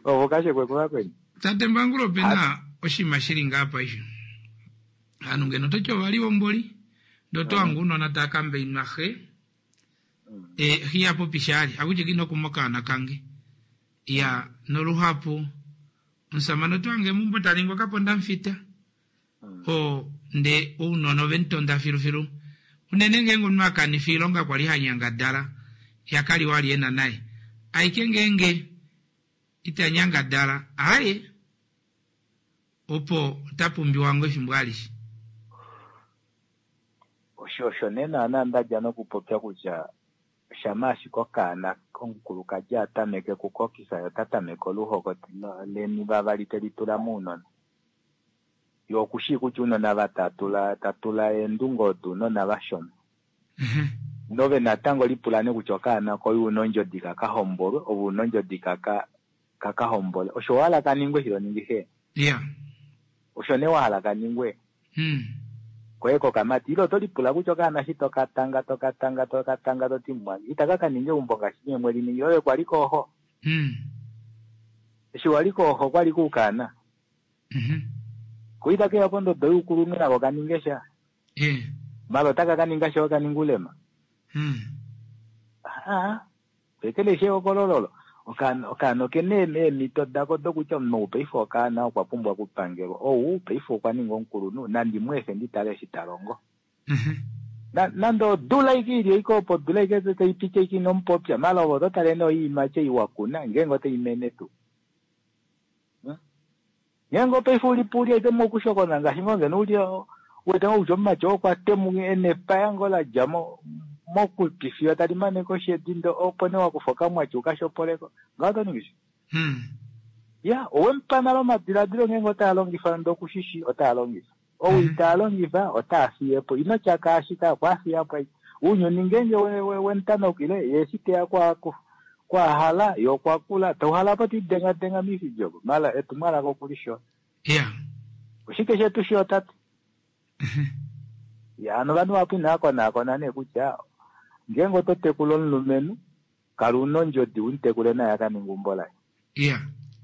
Ovo kashekwe kuvakweni. Tate Mbangula ope na oshinima shili ngaa paife. Ovanhu ngeno ototi ovalihomboli ndee oto hange ounona tava kambainwa xe e, xe iha popi shali akutya ino kuma okaana kange. Ya noluhapu omusamane oto hange meumbo ta ningi okaponda mufita o ndee ounona ove mutonda filufilu. Unene ngeenge omunhu a kanifa oilonga kwali ha nyangadala ya kali wali ena naye. Aike ngeenge ita nyangadala aaye opo ota pumbiwa ngoo efimbo alishe. Osho osho nee naana nda dja nokupopya kutya shama ashike okaana omukulukadi a tameke kukokisa ye ota tameke oluhoko leni vavali teli tula mounona. Ye okushii kutya ounona vatatula tatula eendunge odo ounona vashona. Nove natango lipula nee kutya okaana koye una ondjodi kaka hombolwe ove una ondjodi kaka kaka hombole. Osho wahala kaningwe shilo ningi xe. Yeah. Osho nee wahala kaningwe. Hmm. Koye kokamati ile oto lipula kutya okaana eshi tokatanga tokatanga tokatanga toti mwange itaka ka ninga eumbo ngaashi nyee mweli ningi ove kwali kooxo. Hmm. Eshi wali kooxo kwali kuukaana. Mhm. Ko itaka keya pondodo youkulunhu nako kaninge sha. Eh. Mala otaka ka ninga sha okaninga ulema. Hmm. Ah, pekele ehokololo okaana okaana okena eemhito dako dokutya omunhu ou paife okaana okwa pumbwa okupangelwa ou paife okwa ninga omukulunhu nandi mu efe ndi tale eshi ta longo. Nande odula ike ili ike opo odula ike tai piti ike ino mupopya mala ove oto tale nee oiimati ei wa kuna ngeenge otai mene tuu. Ngeenge paife ulipo uli aike mokushokona ngaashi ngoo ngeno uli uwete ngoo kutya omumati oo okwa temuka ena epaya ngoo la dja mokutwi fiyo tali mane koshedi ndee opo nee wakufa okamwati ukashopoleko ngaho oto ningi shike? Ya, owemupa nale omadiladilo ngeenge otaa longifa ndee okushishi otaa longifa. Ou itaa longifa otaa fiye po. Ino tya kaashi ka okwa fiya po ashike. Ounyuni ngeenge wemutanukile ye eshi teya kwahala ye okwa kula tauhala po tiidengadenga miifidi oko mala etumwalaka okulishona. Yeah. Oshike shetu shiyo tate? Ya, ano ovanhu vahapu inava konaakona nee kutya ngeenge oto tekula omulumenhu kala una ondjodi u mu tekule naye a ka ninge eumbo laye. Iya.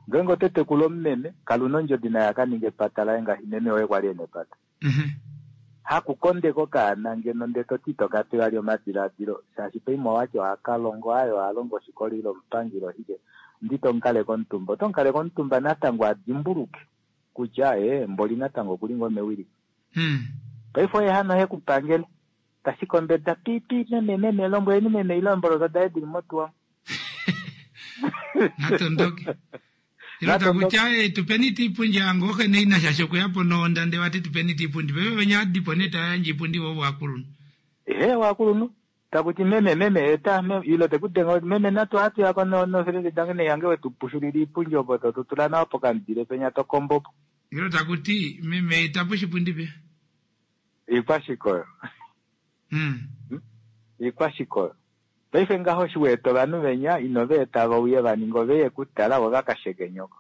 Ngeenge oto tekula omumeme kala una ondjodi naye a ka ninge epata laye ngaashi meme woye kwali ena epata. Hakukondeka okaana ngeno ndee toti ito ka pe vali omadilaadilo shaashi paimwe owati ohaka longo aye oha longo oshikola ile omupangi ile oshike ndi tomukaleke omutumba. Oto mukaleke omutumba natango a dimbuluke kutya ee mboli natango okuli ngoo mewiliko. Paife oye hano he ku pangele tashi kombeda pi pi meme meme lombweleni meme ile eemboloto daye dili motuwa. Natondoke. Ilo takutya eh, tupeni tii ipundi yange oxe ne ina shaashi okuya po nohonda ndee vati tupeni tii ipundi paife venya adipo nee tayandje ipundi vo voakulunhu. Ehe ovakulunhu takuti meme meme eta meme ilo tekudenga meme natu ohatu yako no nofelende dange neyange wetu pushulila iipundi opo to tula nawa pokamudile penya to kombo po. Ilo takuti meme eta po oshipundi pe. Iikwashikoyo. Mm. Iikwashikoyo. Paife ngaho eshi wa eta ovanhu venya ino va eta va uye va ninge ove ye kutala vo va ka sheke nyoko.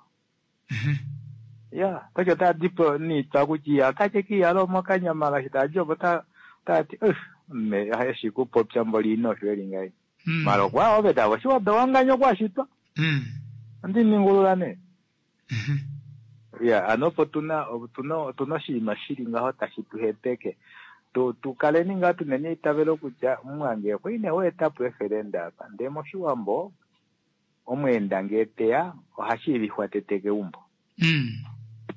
Ya, paife otava di po niitwa kutya otache kiiyala omokanyama ngaashi tava di opo otava ti uh, me eshi kupopya mboli ino osho eli ngai. Mara okwa ove tava oshiwado wanganya okwa shitwa. Ondi ningulula nee. Ya, ano opo tuna otuna otuna oshinima shili ngaho tashi tu hepeke. Tu tu kaleni ngaa tuneni eitavelo kutya mumwange okwa ine weeta po efelenda apa. Ndee moshiwambo omweenda ngee teya oha shiivifwa tete keumbo.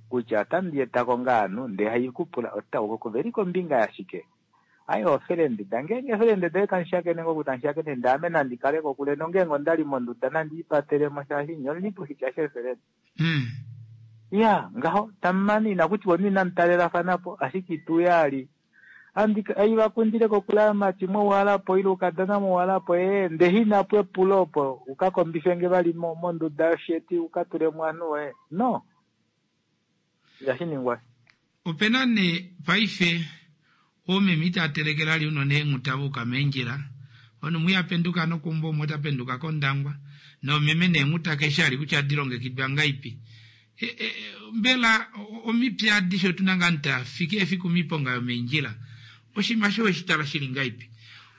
Kutya otandi etako ngaa ovanhu ndee haikupula ota veli kombinga yashike. Aye ofelende da ngeenge efelende doye tamu shakene ngoo tamu shakene ndee ame nandi kale kokule nongeenge ondali monduda nandi ipatelemo shaashi nye omuli poshitya sheefelende. Ya ngaho tamumane inakutiwa omunhu inamu talelafanapo ashike ituuya ali andi aivakundile kokule amati mwauhalapo ile ukadona mwauhalapo ee ndee inapo epulo opo ukakombifenge vali monduda yosheti ukatulemo ovanhu woye no ihashi ningwa. Opena nee paife oomeme itava telekele vali unene eenghuta vauka meendjila omunhu mwiya apenduka nokeumbo umwe ota penduka kOndangwa noomeme neenghuta keshe ali kutya adi longekidwa ngaipi. E, e, mbela omipya adishe otuna ngaa tafike efiku miiponga yomeendjila oshinima sho weshi tala shili ngaipi.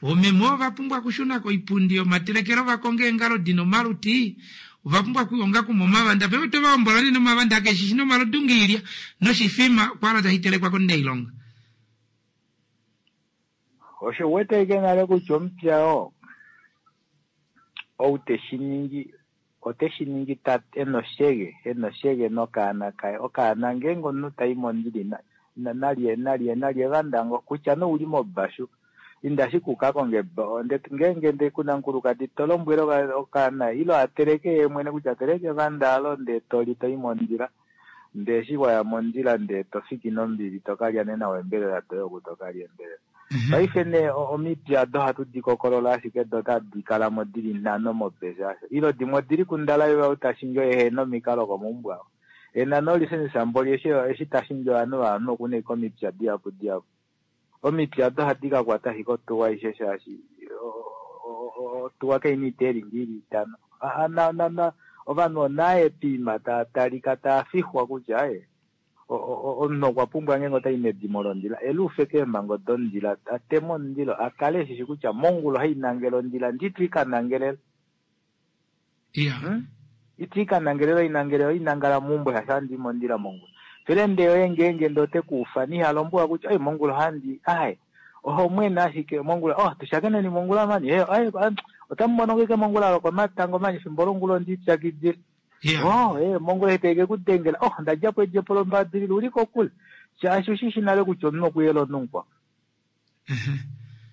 Oomeme ova pumbwa okushuna koipundi yomatelekelo vakonge eengalo dina omaluti ova pumbwa okuhonga kuma omavanda paife oto vahombola nee nomavanda keshishi nomalodu ngeilya noshifima kwala tashi telekwa komunailonga. Osho uwete ashike nale kutya omupya oo ou teshi ningi ote shi ningi ta ena oshege ena oshege nokaana kaye. Okaana ngeenge omunhu tai mondili nalye nalye nalye vandango kutya nee ouli mobashu inda ashike ukakonge ngeenge ndee kuna mukulukadi to lombwele okaana ile ateleke yee mwene kutya teleke evanda alo ndee toli toi mondila ndee eshi waya mondila ndee tofiki nombili tokalya nee nawa eembelela doye oku tokalya eembelela. Paife nee omipya odo ohatu di kokolola ashike do otadi kalamo dili nhano mobesa asho ile dimwe odili kundalaiva ou tashingi oye ehena omikalo komaumbo avo ena nolisensa mboli eshi eshi tashingi ovanhu ovanhu okuna ashike omipya dihapu dihapu. Omipya odo ohadi kakwata ashike otuwa aishe shaashi otuwa kaina oiteelingi ili itano. Ovanhu onaye piima taa talika taa fixwa kutya aye omunhu okwa pumbwa ngeenge otai medimo londila eluufe keemhango dondila ateme omundilo akale eshishi kutya mongula ohainangele ondila ndi itwiikanangelela. Iya. Itwiikanangelela oinangele oinangala meumbo shaashi ohandi mondila mongula. Felende yoye ngeenge ndee ote kuufana ihalombwelwa kutya oi mongula ohandi aye oho mwene ashike mongula oh tushakeneni mongula mani eh aye otamu mono ngeke mongula lokomatango mani efimbo longula ondiipyakidile. Oh eh mongula etaike kudengela oh ndadjapo edjepo lombadilila uli kokule shaashi ushishi nale kutya omunhu okuyela omunhu mukwao.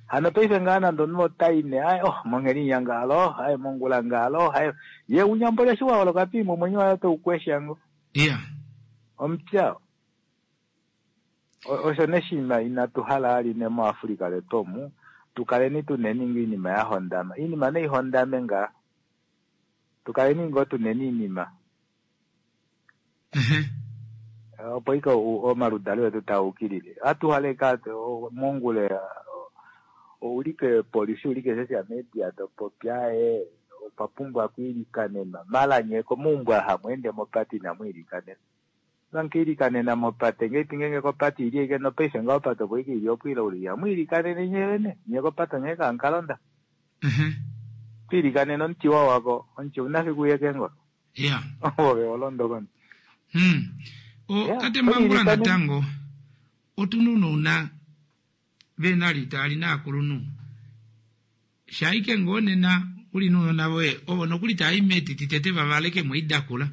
Hano paife ngaa nande omunhu otai nee aye oh monghelinya ngalo aye mongula ngalo aye ye unyambole eshi waholoka piimwe omwenyo waye otau kwesha ngo. Iya. Omupya osho neshinima inatu hala ali ne muAfrika letu omu tukaleni tuneni ngoo iinima ya hondama iinima nei hondame ngaa tukaleni ngoo tuneni iinima opo ike omaludalo etu taa ukilile atuhale ka mongule oulike polisi ulike social media topopya ee opwa pumbwa okwiilikanenwa mala nye komaumbo aha hamweende mopate inamu ilikanenwa. Vankiilikanena mopate ngeipi ngenge kopate ili ike nopaife ngaho opate opo ike ili opwiila uli ihamwiilikanene nye vene nye kopate onghee kaankalonda Mhm. twiilikanene omuti wawako omuti una fiku uye kengolo ya ove olondo komuti Hmm. O, Yeah, tate Mbangula oyiilikanene. natango otuna unouna venali taali naakulunhu shaike ngoo nena uli nounona voye ovo nokuli taayi metiti tete vavaleke moidakula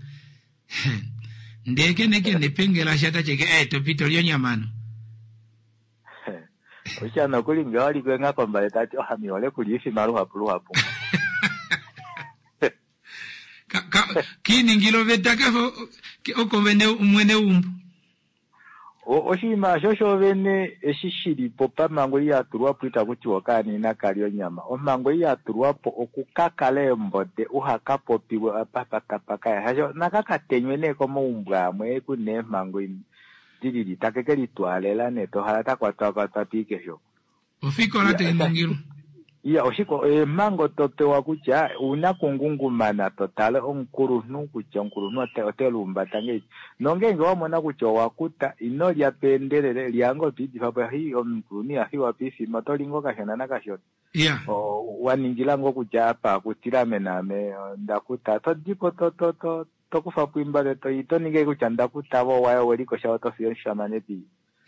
ndee kene kene pengela sha tacheke eh topito lyonyamano osha nokuli nge waliko enghakombale tati ohami hole kulya ifima luhapu luhapu Ka- ka- kiiningila oveta kafa oko vene mwene umbu O- oshinima osho shovene eshi shilipo pamhango ei yatulwapo itaku tiwa okaana kali onyama omhango ei yatulwapo okukakala eembode uhakapopiwe apa patapakaya shasho nakakatenywe nee komaumbo amwe kuna eemhango im- dilili take ke litwaalela nee tohala takwatwakwatwa piikesho ofikola tainingilwa iya oshiko eemhango topewa kutya una kungungumana totale omukulunhu kutya omukulunhu ote, ote lumbata ngeipi nongenge wamona kutya owakuta ino lya peendelele lyanga opiidifa hi omukulunhu ihafiwa piifima oto li ngoo kashona nakashona ya O, waningila ngoo kutya apa akutila ame naame ndakuta to dipo to to to tokufa pwimbale to ito ninge kutya ndakuta vo waye welikosha oto fiyo omushamane pi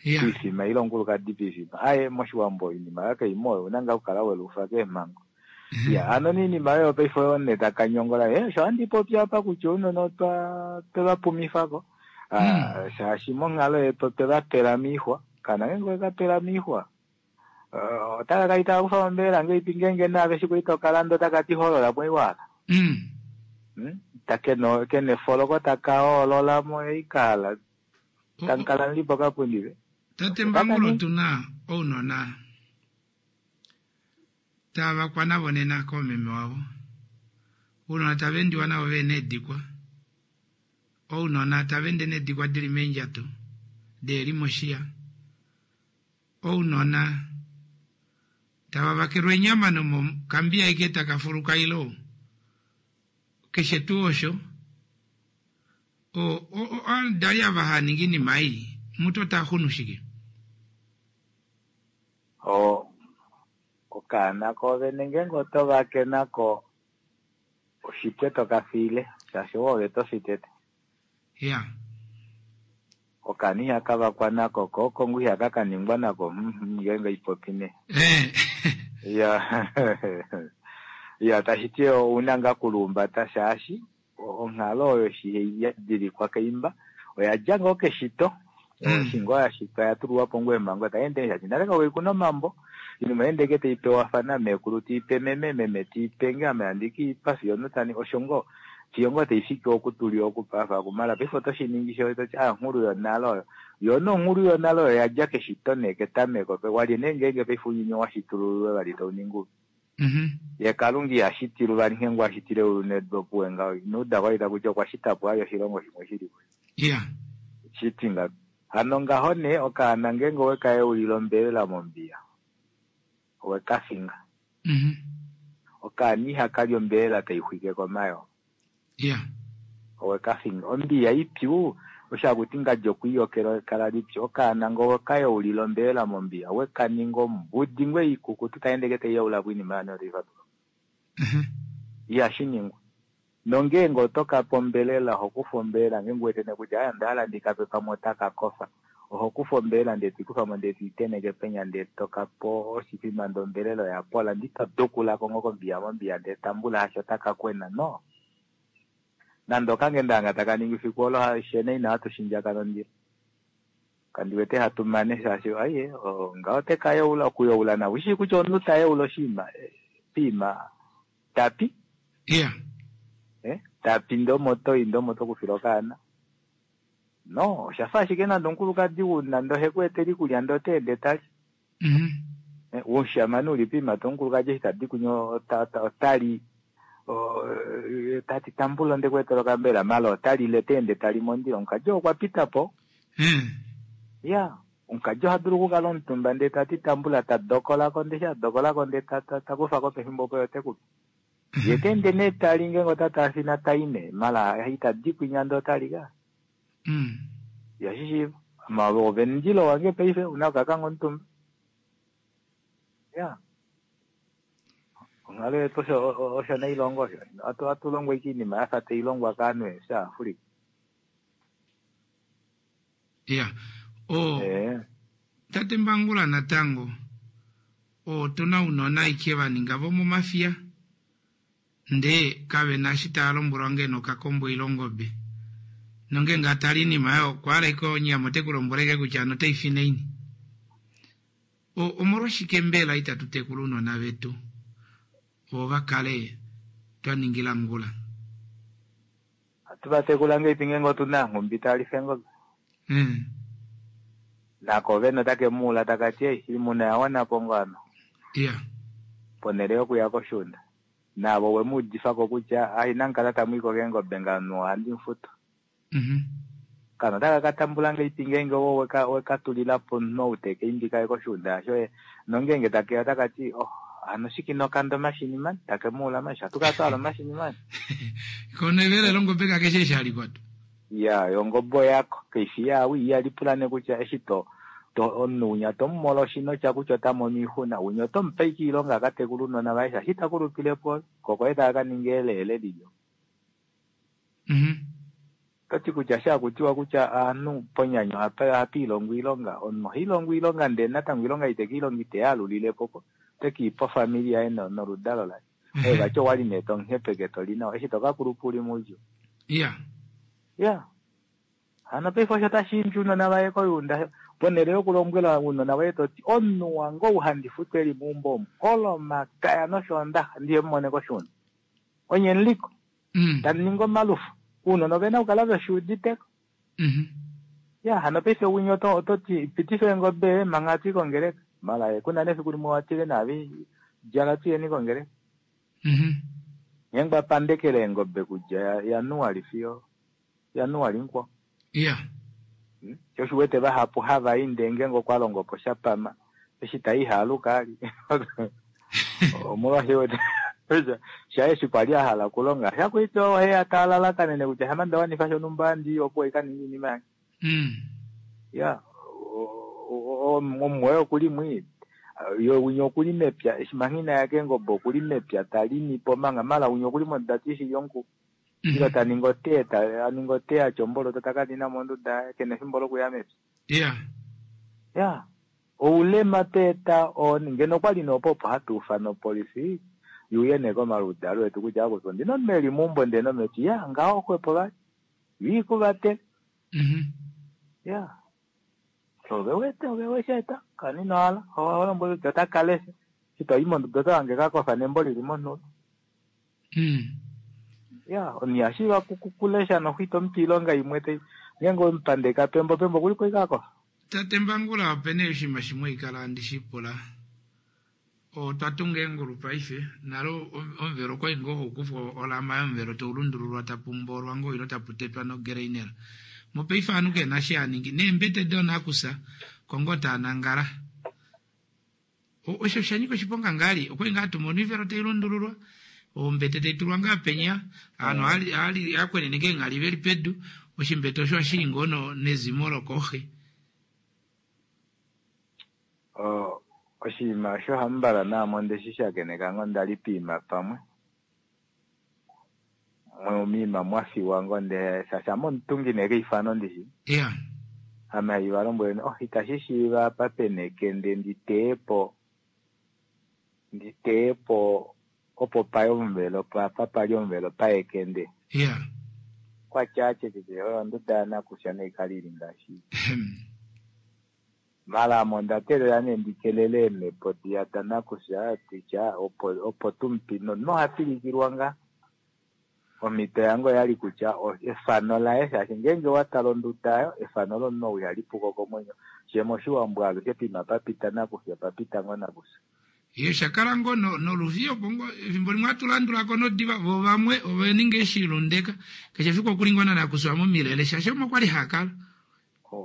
ya piifima ile omukulukadi piifima aye moshiwambo oinima yakaimo oyo una ngaa okukala welufa keemhango ya ano niinima oyo paife oyo ne takanyongola e sho andi popi apa kutya ounona otwa twevapumifako Ah, shaashi monghalo yetu otweva pela miixwa kana ngenge oweka pela miixwa Ah, otaka kali taka kufa ombelela ngeipi ngenge naave shiku itokalanda otaka ti holola moiwala Mm. Hmm? ta keno kene foloko taka hoololamo eikala tankala nlipo kapundive tate Mbangula otuna ounona tava kwana vonena koomeme wavo ounona tava endiwa navo vena eedikwa ounona tava ende needikwa dili meendjato deeli moshiya ounona tava vakelwa eenyama nomokambiya ike taka fuluka ilo keshe tuu osho o- o- o- ovadali ava haningi inima ei mutu ota xunu shike o okaana koovene ngenge oto vake nako oshipwe toka fiile shaashi oove tofi tete ya okaana ihaka vakwa nako ko okongo ihaka kaningwa nako mhm, ngenge ipopi ne eh ya ya tashi ti ouna ngaa kulumbata shaashi o- onghalo oyo shi ya dilikwa keimba oya dja ngoo keshito Mm. eshi ngoo ya shitwa ya tulwapo ngoo eemhango tayi ende shaashi nale kakuli kuna omambo inima ende ke tai pewafana meekulu tiipe meme meme tiipe nge ame handi kiipa fiyo notani osho ngoo fiyo ngoo taifiki okutuliwa okupafa akumala paife oto shiningi sho toti a nghulu yonale oyo yo nonghulu yonale oyo yadja keshito nee ketameko pe walye nee ngeenge paife ounyuni washitululwe vali tauningi upi Mhm. ye kalunga ihashitilu vali nghee ngoo ashitile eulu nedu opuwe ngaho inauda kwali takuti okwa shita po ali oshilongo shimwe shili po ya shiti nga hano ngaho nee okaana ngeenge oweka eulila ombelela mombiya oweka finga Mhm. okaana ihakali ombelela taixwike komayoo ya oweka finga ombiya ipyu oshakuti ngadi okwiiyokela kala lipyu okaana ngo oweka yeulila ombelela mombiya wekaninga ombudi ngwe ikukutu taendeke taiyeula po inima yane otaifatuka Mhm. ihashi ningwa nongeenge oto kape ombelela oho kufa ombelela ngeenge uwete kutya aya onda hala ndikape pamwe otaka kofa oho kufa ombelela ndee toikufamo ndee toiteneke penya ndee tokapo oshifima ndee ombelela oya pola ndi todukulako ngo kombiya mombiya ndee tambula hasho otaka kwena no nande okangendanga taka ningi fiku olo shene ina hatu shindjaka nondilo kandi wete hatu mane shaashi aiye o- ngaho teka yeula okuyeula nawo ushi kutya omunhu ta yeula oshinima eh, piima tapi ya eh, tapi ndee omo toyi ndee omo tokufila okaana no oshafa ashike nande omukulukadi una ndee oheku etele iikulya ndee ota ende tali Mhm. Eh, umushamane uli piima to omukulukadi eshi tadi kunye ota- ota- otali o- eh, tati tambula onde kuetela okambela mala otalile ta ende tali mondilo omukadi okwa pita po Eh. ya omukadi oha dulu okukala omutumba ndee tati tambula ta dokolako ndee eshi a dokolako ndee ta- ta- ta kufako pefimbo opo ote kupe ye ta ende nee tali ngeenge ota taafina tai nee mala itadi kwinya ndee otali ka Mm. Ihashi shiiva. Ma ove omundilo wange paife una okakanga omutumba. Ya. Onghalo yetu osho osho nailongo osho. Atu atu longwa ike iinima yafa tai longwa kaanhu shaAfrika. Ya. O Eh. Tate Mbangula natango otuna ounona ike va ninga vomomafiya ndee kave na eshi tava lombwelwa ngeno okakombo ile ongobe nongeenge atale oinima oyo okwa hala ashike onyama ote ku lombwele ashike kutya hano otai fi naini. O- Omolwashike mbela itatu tekula ounona vetu vo va kale twa ningila ngula? Atu va tekula ngeipi ngeenge otuna nhumbi talifa eengobe. Mm. Nako vene otake muula taka ti ei iimuna ya wana po ngoo ano. Ya. Ponhele yokuya koshuunda. Naavo we mu udifako kutya ai inamukala tamu i ko keengobe ngano ohandi mufutu. Mhm. Kana otaka ka tambula ngeipi ngeenge wo weka weka tulila po omunhu ou teka imbi kaye koshuunda shoye nongeenge takeya otaka ti oh hano shike ino kanda omashini mani take muula mani shatu kala twahala omashini mani. Kono evele longobe kakeshe eshi alikwa tu. Ya yongobe oyako kaifi yaau ihalipula nee kutya eshi to to omunhu winya tomumola oshinotya kutya ota mono oixuna winya otomupe ashike oilonga aka tekule ounona vaye shaashi ita kulupile po ko koye taka ka ninga eleele lilyo. Mhm. Ototi kutya shakutiwa kutya aanhu ponyanyu ohapa ohapa ilongwa oilonga omunhu oha ilongo oilonga ndee natango oilonga ite keilonga ite yaalulilepo po otekeipa ofamili yaye no- noludalo laye. Oye vati owali nee tomuhepeke toli nawa eshi tokakulupa uli moudjuu. Ya. Ya. Hano paife osho tashi imbi ounona vaye koyuunda ponhele yokulombwela ounona voye toti omunhu wange ou handi futu eli meumbo omu olomakaya noshoondaxa ndiye mumone koshuunda. Onye muliko. Mm. Tamu ningi omalufu. Ounona ovena okukala veshuuditeko. Mhm. Ya hano paife winya oto ototi pitifa eengobe manga hatu i kongeleka. Mala kuna nefiku limwe watile naave djala tuyeni kongeleka. Mhm. Ngeenge wapandekele eengobe kudja ya- Januali fiyo Januali mukwao. Ya. Hmm? Sho osho uwete vahapu hava i ndee ngeenge okwa longo po shapama eshi tai iha aluka ali. Omolwaashi wete shaye eshi kwali a hala okulonga shakwiti ohe talalakanene kutya shama nda wanifa shonhumba handi opo ika ninga iinima yange. Mm. Ya omumwoye okuli mwii ye winya okuli mepya eshi manga inaya keengobe okuli mepya talimi po manga mala winya okuli monduda tiishili omuku. Ile ta ningi otee ta aningi otee atya omboloto taka nina monduda yaye kena efimbo lokuya mepya. Ya. Ya. Oulema tweeta oo ngeno okwali nee opo opo hatu ufana opolifi yuuye nee komaludalo etu kutya akutu ondina omunhu eli meumbo ndee nometi ya ngaho xwepo vali yo ikuvatele. Mhm. Ya. Ove wete ove wesheeta kani ino hala olombwele kutya otaka lesha eshi toyi monduda oto hange kakofa nembo lili monhulo. Mm. Ya omunhu ihashiiva kulesha noxo itomupe oilonga imwe tai ngeenge wemupandeka pembo pembo okulipo ashike akofa. Tate Mbangula opena oshinima shimwe haikala handi shipula. Otwa tunga eengulu paife nale omuvelo okwali ngoo haukufwa olama yomuvelo taulundululwa tapu mboolwa ngoo ile tapu tetwa nogreinela. Mopaife ovanhu kena eshi haningi neembete doonakusa oko ngoo taa nangala. Osho osha nyika oshiponga ngaali okwali ngaa hatumono oivelo tailundululwa ombete taitulwa ngaa penya ovanhu ohava kwenene eenghali veli pedu oshimbete osho ohashili ngoo nezimo lokoxi. O oshinima osho hambala naame ondeshi shakeneka ngoo ndali poima pamwe. Moima mwafiwa ngoo ndee shaashi ame omutungi nee keifano ndishi. Ya. Ame haiva lombwele oh itashi shiiva apa pena ekende nditeyepo nditeyepo opo paye omuvelo apa pali omuvelo paye ekende. Ya. Kwatya atyetete oyo onduda yanakusha naikale ili ngaashi. Mala ame onda teelela nee ndikelele eemhepo diya danakusha ditya opo opo tumupi nomunhu oha pilikilwa ngaa. Omhito yange oyali kutya efano laye shaashi ngeenge watala onduda aayo efano lomunhu ou ihali puko komwenyo. Shee moshiwambo alushe poima papita nakufya opapita ngoo nakufya. Ye shakala ngoo noluvi opo ngoo efimbo limwe ohatu landulako nodiva vo vamwe ova ninga eshilundeka keshe efiku okuli ngoo nanakuswa momilele shaashi omo kwali hakala.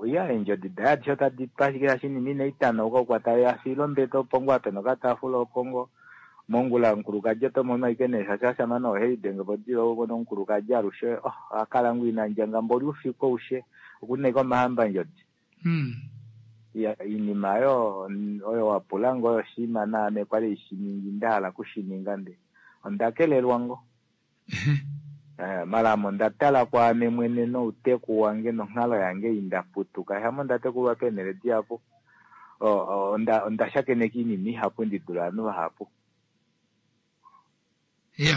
Ya eendjodi daye adishe otadi tu ashike shaashi inima inai tanauka okwa taveya fiila ombete opo ngoo apa pena okataafula opo ngoo Mongula omukulukadi oto mono ashike nee shaashi ashamane ohe lidenge po diva umone omukulukadi alushe oh, oha kala ngoo ina ndjanga mboli oufiku aushe okuna ashike omahambandjodi. Hmm. Ya, iinima oyo oyo wa pula ngo oyo oshinima naame kwali ishiningi nda hala okushininga nde onda kelelwa ngo. Eh, mala ame onda tala kwaame mwene nouteku wange nonghalo yange ei nda putuka shamo nda tekulwa peenhele dihapu O- o- onda onda shakeneka iinima ihapu ndi dule ovanhu vahapu.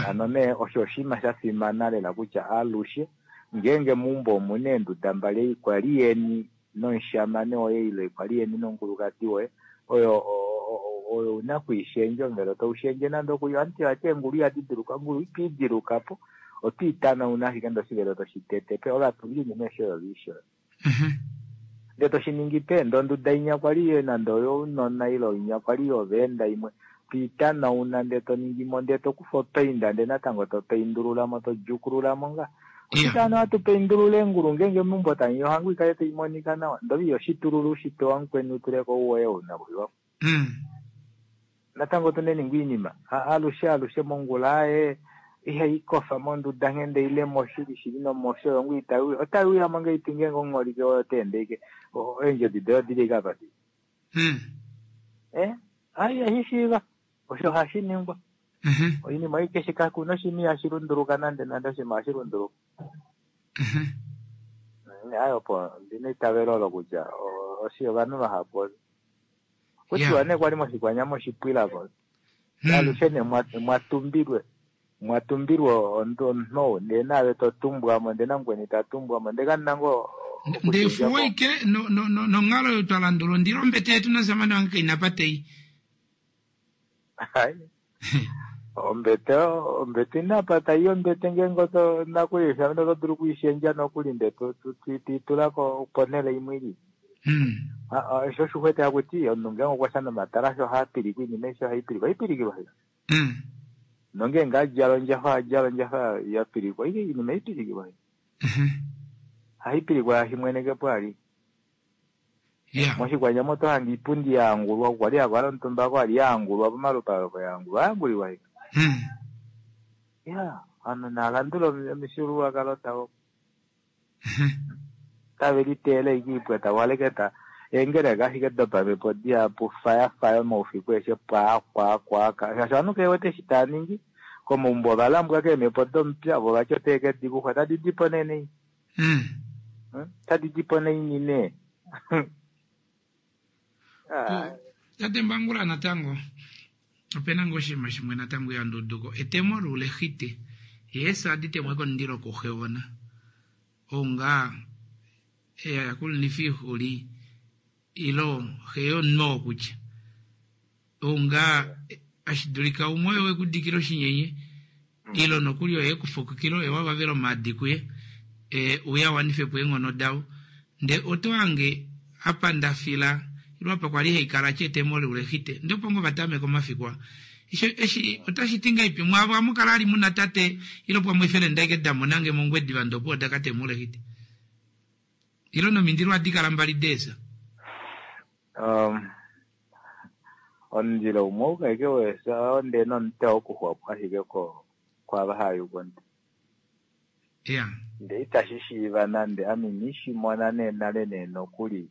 Hano nee osho oshinima sha fimana lela kutya alushe ngeenge meumbo omuna eenduda mbali ei kwali yeni nomushamane woye ile kwali yeni nomukulukadi woye oyo o- o- o- oyo una okwiishendja omuvelo taushendje nande okuli omuti vati eengulu ihadi diluka ongulu ito idiluka po oto itanauna ashike ndee oshivelo toshitete pe ovatungi iinima aishe oyo viisho ndee toshiningi pe ndee onduda inya kwali nande oyounona ile inya kwali yoveenda imwe toitanauna ndee toningimo ndee tokufa opainda ndee natango topaindululamo todjukululamo nga oshike hano hatu paindulula eengulu ngeenge meumbo tamuya ohango ikale taimonika nawa ndee ove ihoshitulula ushitwe wamukweni utuleko woye ounakuliwa. Natango otuneni ngoo iinima alushe alushe mongula aaye ihaikofa monduda nghende ile moshili shili nomosho oyo ngoo itaiuya otaiuyamo ngahelipi ngeenge omuholike woye otaende ashike eendjodi doye odili ashike apa dili. Eh, ai ihashishiiva osho hashi ningwa. Oinima ei keshe kakuna oshinima ihashi lunduluka nande nande oshinima ohashi lunduluka. Ayi opo ndina eitavelo olo kutya oshi ovanhu vahapu kutiwa nee kwali moshikwanyama oshipwilako alushe nee mwatumbilwe mwatumbilwe omunhu ou ndee naave totumbwamo ndee namukweni tatumbwamo ndee kamuna ngoo Ndee fuwo ike nonghalo oyo twa landula ondilo ombete yetu nomushamane wange kaina apa tei. Hai. Ombete ombete ina apa tai ombete ngeenge oto nakulisha oto dulu okuishendja nokuli ndee toitula ponhele imwe ili. Osho osho haku ti omunhu ngeenge okwa nomatalashe ohaa pilikwa iinima aishe ohai pilikwa ohai pilikilwa nongeenge adjala ondjafa ohadjala ondjafa ya pilikwa iinima ohai pilikilwa ohai pilikwa shaashi mwene kepo ali. Moshikwanyama oto hange iipundi yaangulwa kwali hakukala omutumba kwali yaangulwa pomalupale yaangulwa oyaangulilwa ashike. Iya ovanhu naalandule omifyuululwakalo davo. Otave liteele ashike oipwa tava eengeleka ashike dopamhepo dihapu faya moufiku aeshe pwaa kwaa kwaa shaashi ovanhu kave wete eshi tava ningi komaumbo ovalambwa keemhepo domupya vo vati otave kedi kufa otadi dipo nee nei otadi dipo naini nee. Tate Mbangula natango opena ngoo oshinima shimwe natango ihandi uduko etemo loulexite yeesa adi temwe komundilo kuxewona ou ngaa eyakulunifa oixuli ilo xe yomunhu oo kutya ou ngaa ashidulika umwe oye wekudikila oshinyenye ilo nokuli oye ekufukukila oye wavavela omaadi kuye uye awanife po eenghono davo ndee oto hange apa ndafila ilo apa kwali haikala ti etemo loulexite ndee opo ngoo vatameka omafiku aa eshi otashi ti ngahelipi mwaavo amukala ali muna tate ilo pamwe efelenda ashike damonange mongwediva ndee opuwo dakatema oulexite ilo nomindilo ohadi kala mbali deesa. Um, omundilo umwe ouka ashike weesa ndee nomute wokuxwapo ashike kwaava hava yuka Iya. Ndee itashi shiiva nande ame inishimona nee nale nee nokuli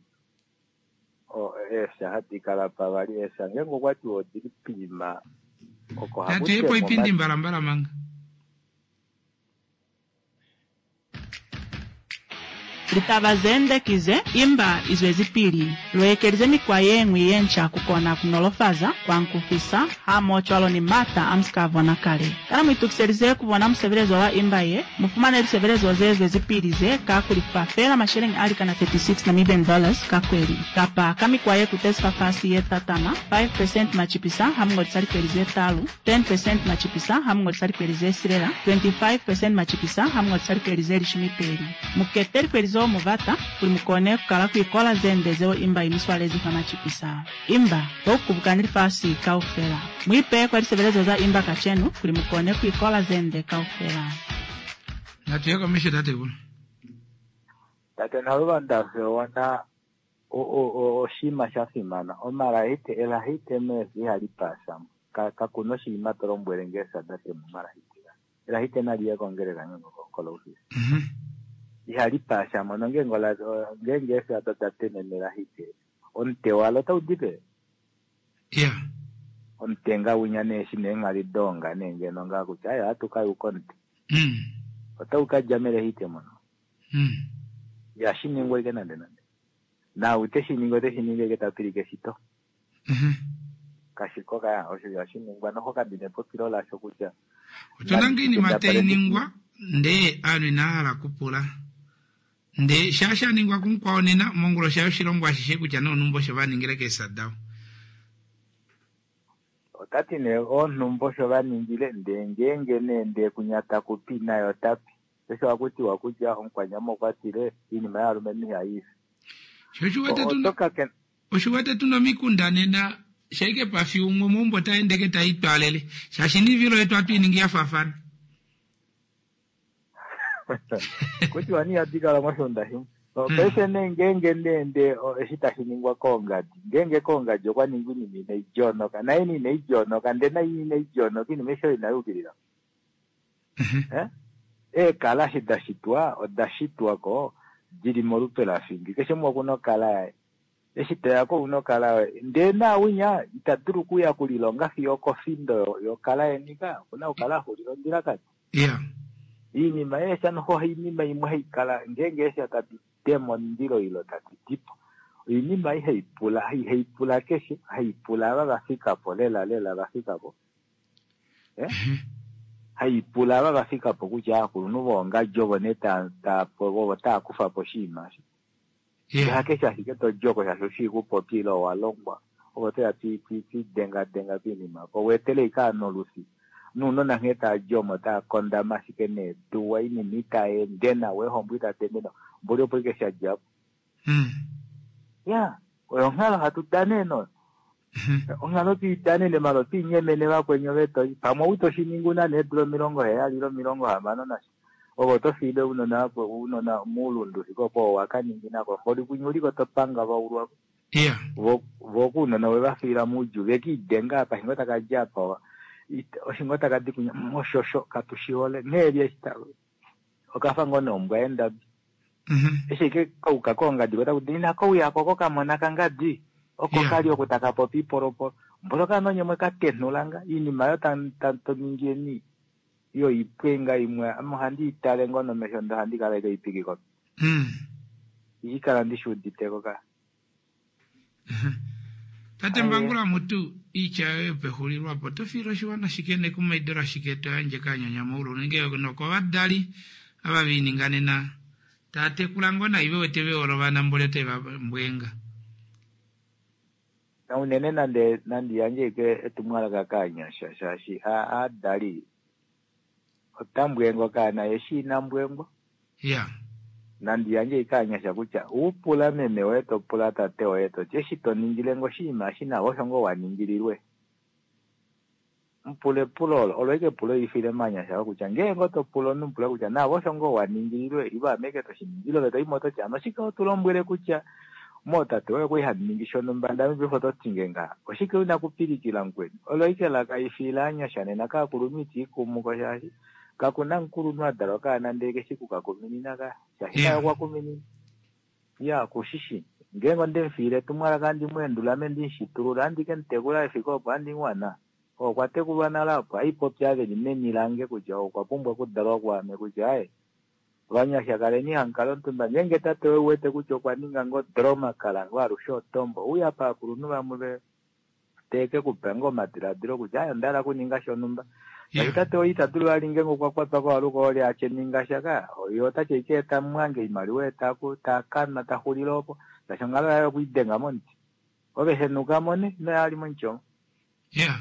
eefya hadi kala pavali eefya ngeenge okwatiwa odili poima oko haku Natu yepo ipindi mbalambala manga. Litaba zende kize imba izwezipili luekelize mikwa yeñwi yenca kukona kunolofaza kuankufisa hamoho ni mata amusika kale. Kana muitukiselize kubona musebelezo wa imba ye mufumane lisebelezo ze zwezipili ze ka kulifa feela masheleñi a likana thirty-six Namibian dollars ka kweli kapa ka mikwa ye kutezi fafasi ye tatama five percent machipisa hamungolisa likweli ze talu ten percent machipisa hamungolisa likweli ze silela twenty-five percent machipisa hamungolisa likweli ze lishumi peli. Mukete likweli zeo muvata kuli mukone kukala kuikola zende zeo imba imiswalezi fa machipisa. Imba toukubukani lifasi kaufela. Muipe kwa lisebelezo za imba kachenu kuli mukone kuikola zende kaufela. Natuye komesho tate kuno. Tate Naluvanda ona oshinima sha fimana omalahite elahite meefi ihali paasamo. Ka kakuna oshinima to lombwele nge sada temumalahitika elahite nali ye kongeleka kolofisi ihali paasha mono ngeenge ola- o- ngeenge eesada da temene elahite omute walo otau dipe ya omutenga winya nee eshi neenghali doonga nee ngeno ngaa kutya aye ohatu ka yuka omute Mm. otau ka dja melehite mono Mm. ihashi ningwa ike nande nande nau teshi ningi oteshi ningi ike ta pilike shito Mhm. kashiko kaya osho ihashi ningwa noho kadine epopilo lasho kutya otuna nga iinima tayi ningwa ndee aantu inaya hala kupula ndee shaa sha ningwa kumukwawo nena mongula osha yoshilongo ashishe kutya noonumba osho va ningile keesa dawo otati nee oonhumba osho va ningile ndee ngeenge nee ndee kunya takupi naye otapi osho hakutiwa kutya omukwanyama okwa tile iinima yaalumenhu ihayi fi sho oshiwete tuna oto ka oshiwete tuna omikunda nena shaike pafi umwe meumbo taendeke taitwaalele shaashi niivilo yetu hatu iningi ya faafana kutiwa ni ihadi kala moshunda shimwe paife nee ngeenge nee ndee o- eshi tashi ningwa koongadi ngeenge koongadi okwa ningwa iinima inai jonoka naye ni inai jonoka ndee nai inai jonoka iinima esho inai yukilila Eh? eekala eshi da shitwa oda shitwa ko dili molupe lafingi keshe umwe okuna okala yaye eshi toya ko una okala yoye ndee naawinya ita dulu okuya kulilonga fiyo okofindo yo- yokala yeni ka okuna okukala axulila ondjilakati ya iinima yeesha noho iinima imwe haikala ngeenge eesha tadi tema omundilo ilo tadi dipo oinima ei haipula haipula keshe haipula ava vafikapo lela lela vafikapo eh? haipula ava vafikapo kutya aakulunhu voongadji ovo nee ta- ta- vovo taa kufa po oshinima osho ya hakeshe ashike tojoko shaashi oshii kupopya ile owa longwa ovo toya twidengadenga piinima po weetele ika nolusi nuunona nghee taa omo taa kondama ashike neetuwa iinima itaende nawa eehombo itadi ende nawa mboli opo ike shadjapo Mm. ya oyo onghalo hatu danene oyo onghalo twiidanene malo twiinyemene vakweni ove toi pamwe ou toshiningi una needula omilongo heyali ile omilongo hamano nasho ovo oto fiile ounona vakwe ounona muulundu fike opo wakaningi nako mboli kunye uliko topanga vaulwako ya vo vo kuunona we va fiila muudjuu vekiidenga apa shingo taka dja apa it- oshingo taka di kunya moshosho katu shihole nghee li eshi ta- okafa ngoo nombwa yendabi Mhm. eshi ike kauka koongadi ko taku ti inako uyako ko kamona kangadi oko Yeah. kali oku taka popi ipolopolo mbolo kanonye mwe katenhulanga iinima yo ta- ta- to ningieni yo ipwenga imwe ame ohandi itale ngoo nomesho ndo ohandi kala ike ipikiko Mm. ikala ndishi uditeko ka tate Aye. mbangula mutu iitya yoye pexulilwapo to fiile oshiwana shike nekumaido lashike to yandje kaanyanyamaulu nenge nokovadali ava viininga nena taa tekula ngoo nai ve wete vehole ovana mboli otai va mbwenga na unene nande nandi yandje ike etumwalaka kaanyasha shaashi a- aadali otambwengo kaana eshi ina mbwengwa ya nandi yandje ike aanyasha kutya upula meme woye to pula tate woye toti eshi to ningile ngo oshinima eshi nawe osho ngoo waningililwe mupula epulo olo olo ike epulo ifile maanyasha kutya ngeenge oto pula omunhu mupula kutya nawe osho ngoo waningililwe ivo ameke toshiningile ove toimo ototi ano oshike otulombwele kutya mootate woye kwali haningi shonumba ndame paife oto tinge ngaha oshike una kupilikila mukweni olo ike lakaifila aanyasha nena kaakulunhu itiikumuko shaashi kakuna mukulunhu a dalwa kaana ndee keshi kukakuminina ka shaashi Yeah. naye okwa kuminina ya kushishi ngeenge ondemufiile etumwalaka andi muendula ame ndimushitulula andi kemutekula efiko opo andi wana okwa tekulwa nale opo aipopi aveli meni lange kutya okwa pumbwa okudalwa kwaame kutya aye vanyasha kaleni hamukala omutumba ngeenge tate woye wete kutya okwa ninga ngoo droma kala ngoo alushe otombo uya paakulunhu vamwe ve teke kupa ngoo omadiladilo kutya aye onda hala okuninga shonumba ya shaashi tate woye ita dulu vali ngeenge okwa kwatwa kohaluka oli atye ninga sha ka oye otatye ike eta mwange oimaliwa etaku takanwa taxulile opo shaashi onghalo yaye okwiidenga momuti ove henuka ne inoya ali momuti omo ya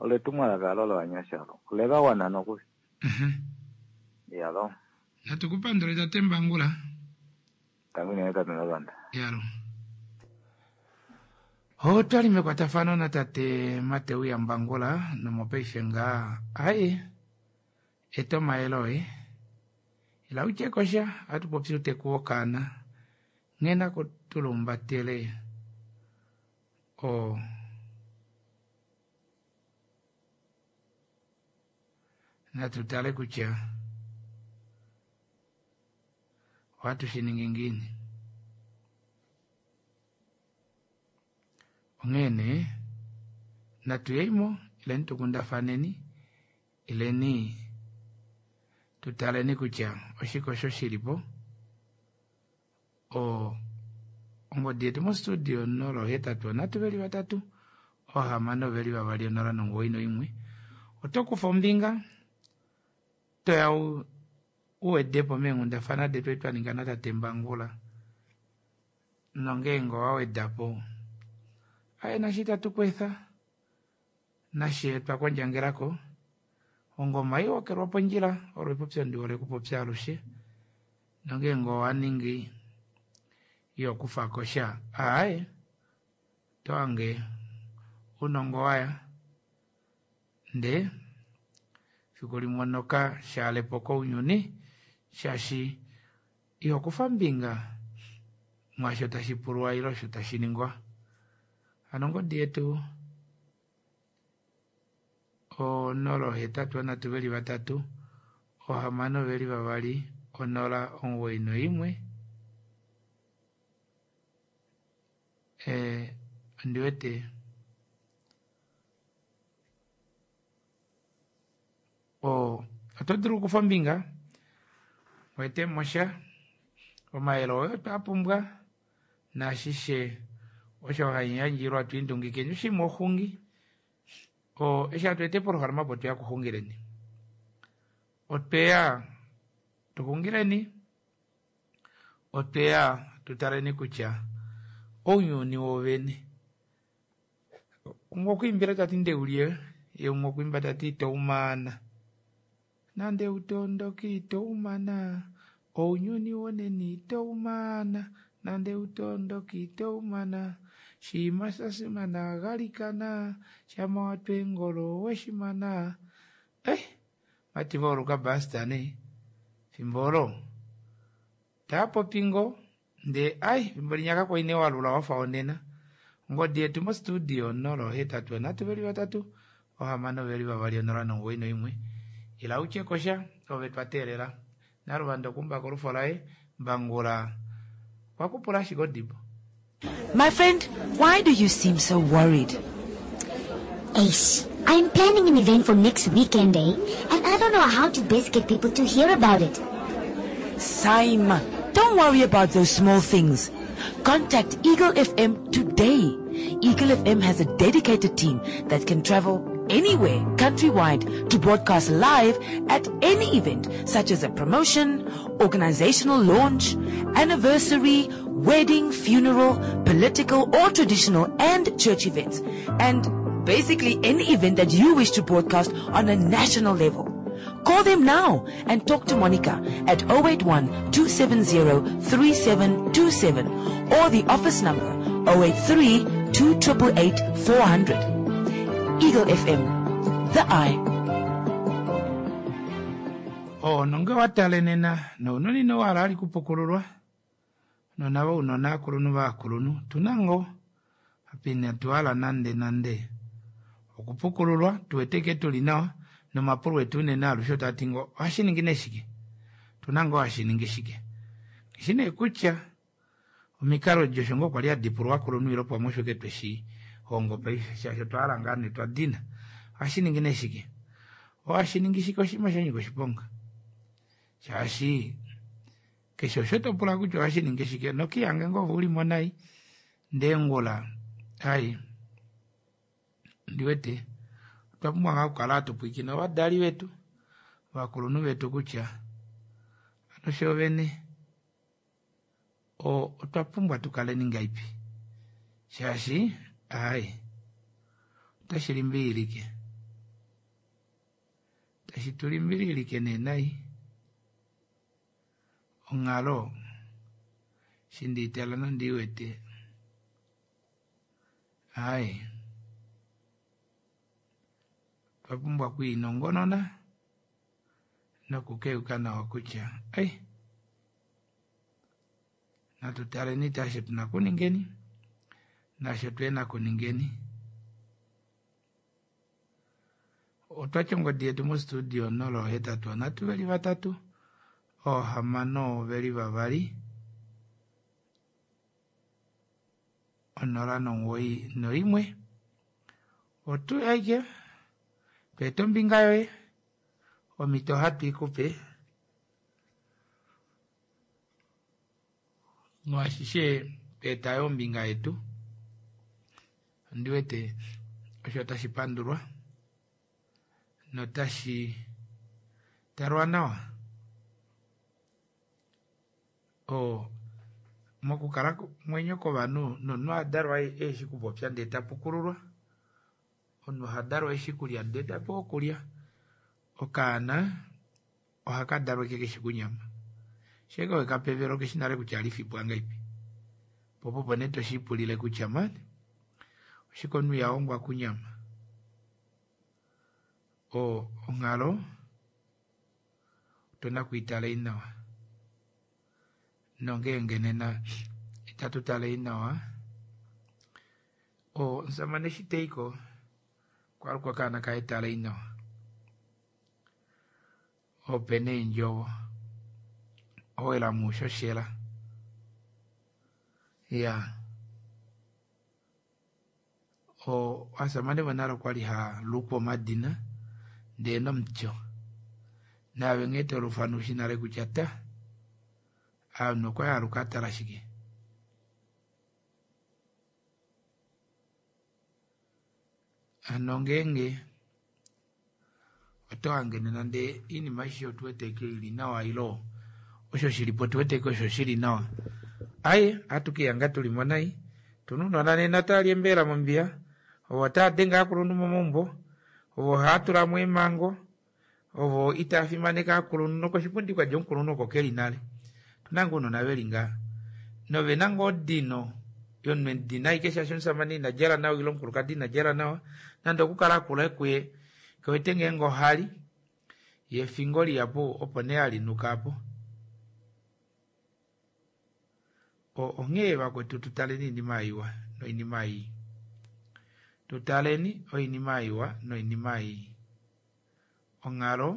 olo etumwalaka alo lovanyasha olo oleva wana nokuli Mhm. yalo natu kupandule tate mbangula tangu inene tate nalwanda yalo otwali mekwatafano natate Mateu yaMbangula nomopaife ngaa aye eta omayele oye ila utye kosha atu popi uteku wokaana nghee nako tulumbatele o Natu tale kutya ohatu shi ningi ngiini. Onghee nee natu yeimo ileni tukundafaneni ileni tutaleni kutya oshike osho shilipo. O ongodi yetu mostudio nola ohetatu onhatu veli vatatu ohamano veli vavali onola nomugoyi noimwe. Oto kufa ombinga toya uwedepo meenghundafana detu edi twaninga natate Mbangula nongeenge owawedapo aye nasho itatu kweetha nashe twakondjangelako. Ongoma ihokelwa pondjila olo epopyo ndihole okupopya alushe nongeenge owaningi ihokufako sha aaye otohange ounongo waya ndee fiku limwe onoka shaalepo kounyuni shaashi ihokufa ombinga mwaasho tashi pulwa ile osho tashi ningwa. Hano ongodi yetu onola ohetatu onhatu veli vatatu ohamano veli vavali onola omugoyi noimwe. Eh, ondiwete o oto dulu okukufa ombinga wetemo sha omayele oyo twapumbwa naashishe osho haiyandjilwa twiindungikeni oshima oxungi o eshi hatu ete polohalama opo tweya kuxungileni otweya tuxungileni otweya tutaleni kutya ounyuni wovene umwe okwiimbila tati ndeuliye ye umwe okwiimba tati itoumana nande utondoki itoumana ounyuni woneni itoumana nande utondoki itoumana shiima shasimana galikana shama watwa eengolo weshimana. Eh, vati vauluka basta nee fimbo olo taapopi ngoo ndee ai fimbo linya kakwali nee walula wafa wonena. Ongodi yetu mostudio onola ohetatu onhatu veli vatatu ohamano veli vavali onola nomugoyi noimwe. Ila utye kosha ove twateelela Naluvanda okumbaka olufo laye Mbangula okwakupula ashike odibo. My friend, why do you seem so worried? Ace, I'm planning an event for next weekend, eh? And I don't know how to best get people to hear about it. Saima, don't worry about those small things. Contact Eagle F M today. Eagle F M has a dedicated team that can travel anywhere countrywide to broadcast live at any event such as a promotion, organizational launch, anniversary, wedding, funeral, political or traditional and church events, and basically any event that you wish to broadcast on a national level. Call them now and talk to Monica at oh eight one, two seven zero, three seven two seven or the office number oh eight three, two triple eight, four hundred. Eagle F M, the eye. Oh, nonge watale nena nounoni nowala ali kupukululwa nonavo ounona akulunhu vaakulunhu tuna ngoo apa inatuhala nande nande okupukululwa tuwete ke tuli nawa nomapulo etu unene alushe otati ngoo ohashi ningi nee shike tuna ngoo hashi ningi shike eshi nee kutya omikalo josho ngoo kwali hadi pulwa akulunhu ile pamwe osho ke tweshi hongo paife shaashi otwa hala ngaa nee twa dina ohashi ningi nee shike ohashi ningi shike oshinima sha nyika oshiponga shaashi keshe osho to pula kutya ohashi ningi shike nokiyange ngoo uli mo nai ndee ngula ai ndiwete otwa pumbwa ngaa okukala hatu pwiikine ovadali vetu ovakulunhu vetu kutya ano shoovene o otwa pumbwa tukaleni ngaipi shaashi ai otashi limbililike tashi tu limbililike nee nai onghalo shindiitala nondiiwete ai otwa pumbwa okwiinongonona nokukeyuka nawa kutya ai natu taleni tashi tuna kuningeni nasho twena kuningeni. Otwati ongodi yetu mostudio nola ohetatu onhatu veli vatatu oohamano veli vavali onola nomuwoi noimwe otu aike tweeta ombinga yoye omhito ohatu ikupe mwashishe tweeta yo ombinga yetu ondiwete osho tashi pandulwa notashi talwa nawa oo mokukala mwenyo kovanhu nomunhu ohadalwa eshi kupopya ndee tapukululwa omunhu ohadalwa eshi kulya ndee tapewa okulya okaana ohakadalwa ashike keshi kunyama shenge wekapevela okeshi nale kutya ohalifipwa ngahelipi po opo nee toshipulile kutya mani oshike omunhu ihahongwa kunyama oo onghalo otuna okwiitalei nawa nongeenge nena itatu talei nawa oo omushamane eshi taiko okwaluka okaana kaye talei nawa opena eendjovo owela mushoshela iyaa oo ovashamane vonale okwali haalukwa omadina ndee nomutyo naave nghee tolufana ushi nale kutya ta ovanhu okwali aluka atala shike hano ngeenge oto hange nena ndee oinima aishe otuwete ashike ili nawa ilo osho shilipo otuwete ashike osho shili nawa aaye ohatu kelihanga tuli monai tuna ounona nena otavali eembelela mombiya ovo otavadenge ovakulunhu momaumbo ovo ohaatulamo eemhango ovo itaafimaneke ovakulunhu nokoshipundi kwadja omukulunhu oko keli nale otuna ngoo ounona veli ngaha novena ngoo odino yomunhu emudina ashike shaashi omushamane ina djala nawa ile omukulukadi ina djala nawa nande okukala akula kuye kewete ngeenge ohali yee efingo lihapu opo nee halinuka aapo onghee vakwetu tutaleni oinima iwa noinima ii tutaleni oinima iwa noinima ii onghalo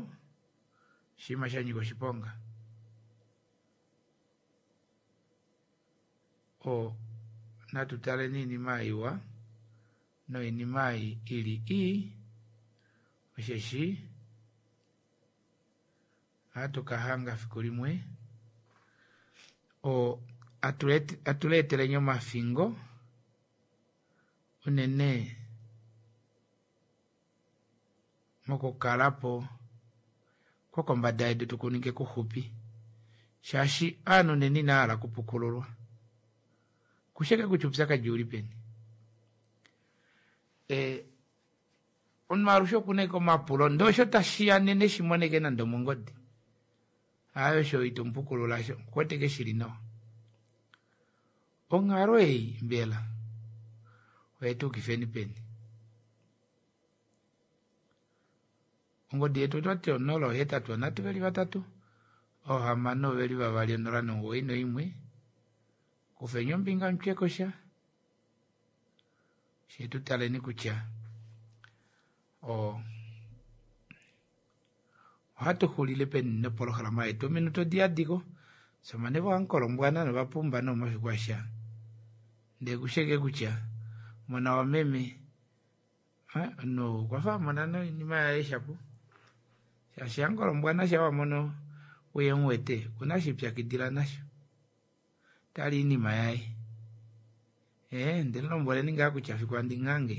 oshinima shanyika oshiponga oo natu taleni oinima iwa noinima ei ili ii osheshi ohatu kahanga fiku limwe oo atuleeteleni omafingo unene mokukalapo kwokombada yedu tukuninge kuxupi shaashi ovanhu nena inavahala okupukululwa kusheke kutya oupyakadi ouli peni ee omunhu alushe okuna ashike omapulo ndee osho tashiya nena eshimoneke nande omongodi aaye osho itomupukulula osho okuwete ashike shili nawa onghalo ei mbela oyetuukifeni peni ongodi yetu otwati onola ohetatu onhatu veli vatatu oohamano veli vavali onola nomuwoi noimwe kufeni ombinga mutyekosha fyee tutaleni kutya oo ohatu xulile peni nopolohalama yetu ominute odiyadiko shamane vohamukolombwana novapumba nee omafiku asha ndee kusheke kutya mona wameme omunhu okwafa amona noinima yaye shapo shaashi hamukolombwana shaa wamono uhemuwete okuna eshi elipyakidila nasho otali oinima yaye ee ndemulombweleni ngaa kutya fiku handi muhange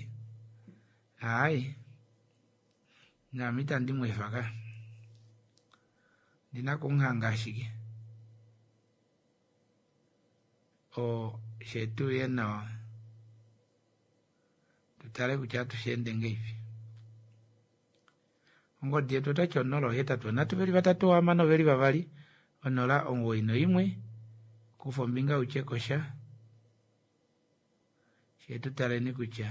aaye naame itandi mweefa ka ondina okumuhanga ashike oo fyee tuuye nawa tutale kutya ohatusheende ngahelipi ongodi yetu otwati onola ohetatu onhatu veli vatatu hamano veli vavali onola omuwoi noimwe kufa ombinga utyekosha fyee tutaleni kutya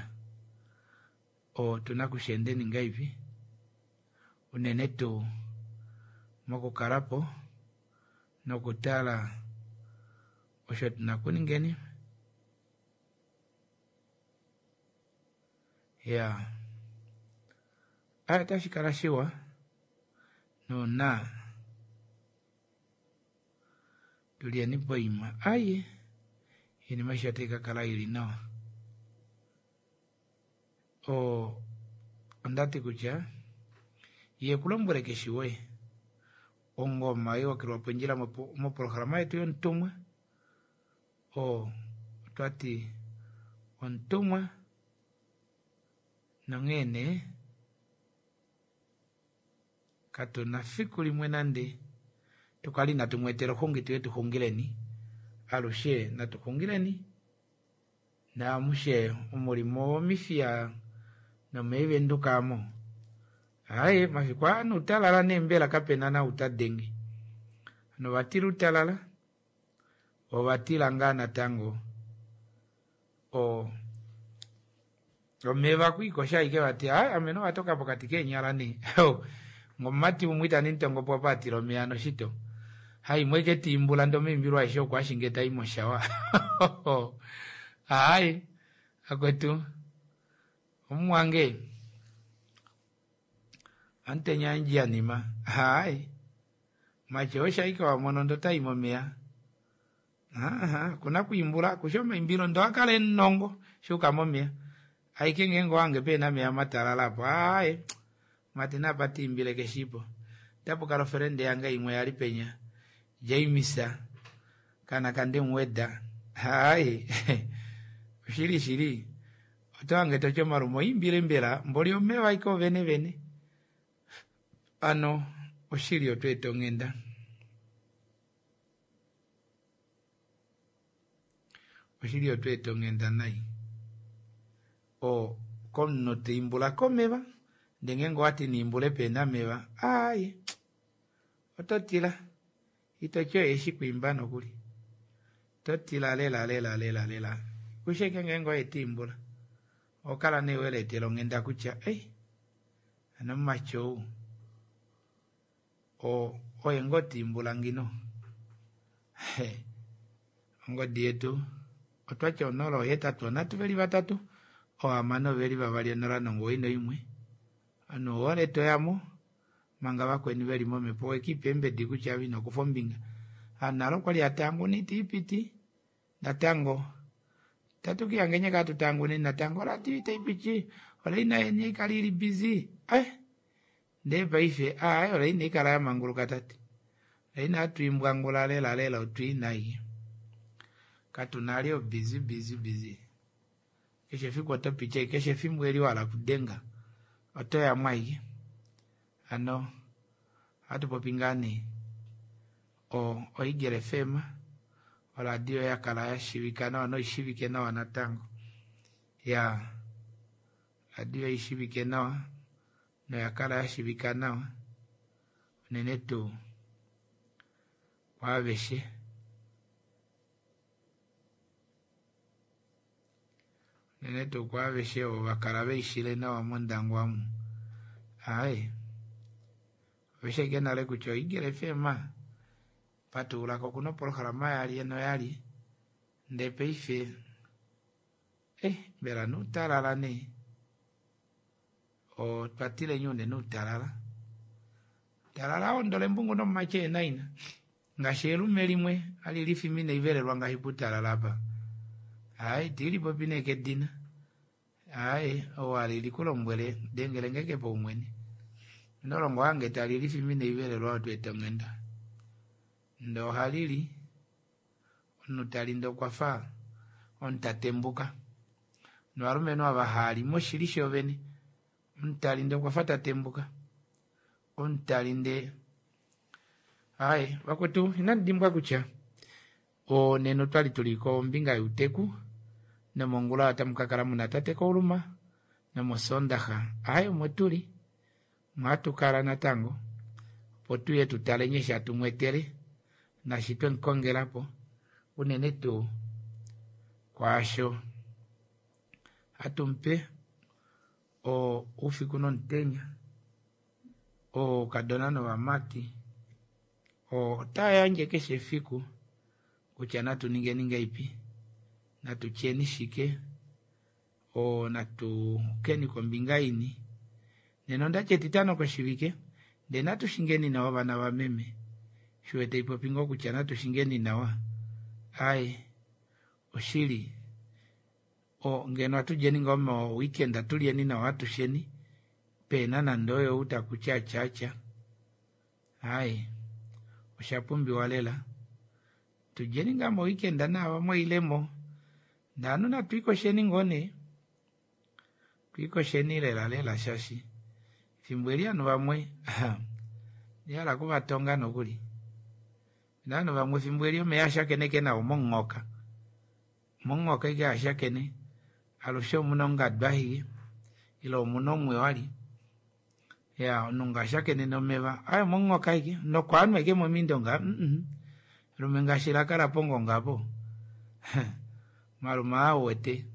otuna okusheendeni ngahelipi unene tuu mokukalapo nokutala osho tuna okuningeni iyaa Aya otashi kala shiwa nuuna tulyeni poima aye iinima aishe otayi ka kala ili nawa. O ondati kutya ye kulombwele keshe woye ongoma iwakilwa pondjila moprograma yetu yomutumwa o otwati omutumwa nonghee nee katuna fiku limwe nande tukali inatu mwetela oxungi tuye tuxungileni alushe natuxungileni naamushe omulimo womifiya nomeevenduka amo aye mafiku aa nuutalala nee mbela kapena nau tadenge hano ovatila utalala ovatila ngaa natango o omeva kwiikosha ashike vati ayi ame novatoka pokati keenyala nee ngomumati umwe itandi mutongopo apa atila omeya noshito haimwe ike tiimbula ndee omaimbilo aeshe oko ashinge tai moshawa ayi akwetu omumwange amutenya andjanima hayi macho osho ashike wamono ndee otayi momeya aha okuna kwiimbula kusha omaimbilo ndee ohakala emunongo shuuka momeya ashike ngeenge owange pena omeya matalala apo aaye mati napa tiimbile keshipo otapukala ofelende yange imwe yali penya James kana kandemuweda hayi oshili shili otohange toti omalume oimbile mbela mboli omeva ashike ovene vene ano oshili otweeta onghenda oshili otweeta onghenda nai o komunhu taimbula komeva ndee ngeenge owati naimbule pena omeva aaye ototila itoti oye eshi kwiimba nokuli totila lela lela lela lela kusha ashike ngeenge oye tiimbula ohokala nee weleetela onghenda kutya ei hano mumati ou oye ngoo tiimbula ngino ongodi yetu otwati onola ohetatu onhatu veli vatatu ohamano veli vavali onola nomugoyi noimwe ovanhu ouhole toyamo manga vakweni veli momepo wekipa eembedi kutya ave inokufa ombinga ovanhu nale okwali hatanguna itaipiti natango tatukihangenye kaa tutangune natango oradio itaipiti olaina yeni haikala ili busy eh ndee paife aaye olaina ikala yamanguluka tate olaina hatwiimbwangula lela lela otwiina aike katuna ali obusy busy busy keshe efiku otopiti ashike keshe efimbo eli wahala okudenga otoyamo ashike hano ohatu popi ngaa nee o Eagle F M oradio yakala yashivika nawa noishivike nawa natango ya oradio ishivike nawa noyakala yashivika nawa unene tuu kwaaveshe unene tuu kwaaveshe ovo vakala veishile nawa mondangwa omu aaye oveshi ashike nale kutya oEagle F M patululako okuna oprograma yalye noyalye ndee paife eh mbela nuutalala nee otwatilenye unene uutalala talala aondola embungu nomumati eenaina ngaashi elume limwe hali lifimine ivelelwa ngaashi putalala apa hayi tiilipopi nee kedina hayi ou ali likulombwele dengelenge kepaumwene inolongo wange tali lifimine ivelelwa otweeta onghenda ndee ohalili omunhu tali ndee okwafa omunhu tatembuka novalumenhu ava haali moshili shoovene omunhu tali ndee okwafa tatembuka omunhu tali ndee aaye vakwetu inamu dimbwa kutya nena otwali tuli kombinga youteku nomongula otamu kakala muna tate Kauluma nomosondaxa aaye omo tuli omo natango opo tuye tutale nghee hatu mwetele nashi twemukongelapo unene tuu kwaasho hatumupe oufiku nomutenya oukadona novamati otayandje keshe efiku kutya natu ningeni ngahelipi natutyeni shike natukeni kombinga ini Nena ondati etitano koshivike ndee natu shingeni nawa vana vameme. Shiwete ipopi ngoo kutya natu shingeni nawa. Ai oshili o ngeno atulyeni ngoo mo weekend atulyeni nawa atusheni pena nande oyo ou takutya atyaatya. Ai osha pumbiwa lela. Tulyeni ngaa mo weekend naava mwailemo. Ndee ovanhu natwiikosheni ngoo nee. Twiikosheni lela lela shaashi efimbo eli ovanhu vamwe ndihala okuvatonga nokuli. Opena ovanhu vamwe efimbo eli omeya ashakeneke nao momunghoka. Momunghoka ashike ashakene alushe omuna ongadu ashike ile omuna omwiyo ali. Ya omunhu nga ashakene nomeva aye omomunghoka ashike nokwaanwa ashike momindo nga mm lume ngaashi lakala pongonga apo malume aa uwete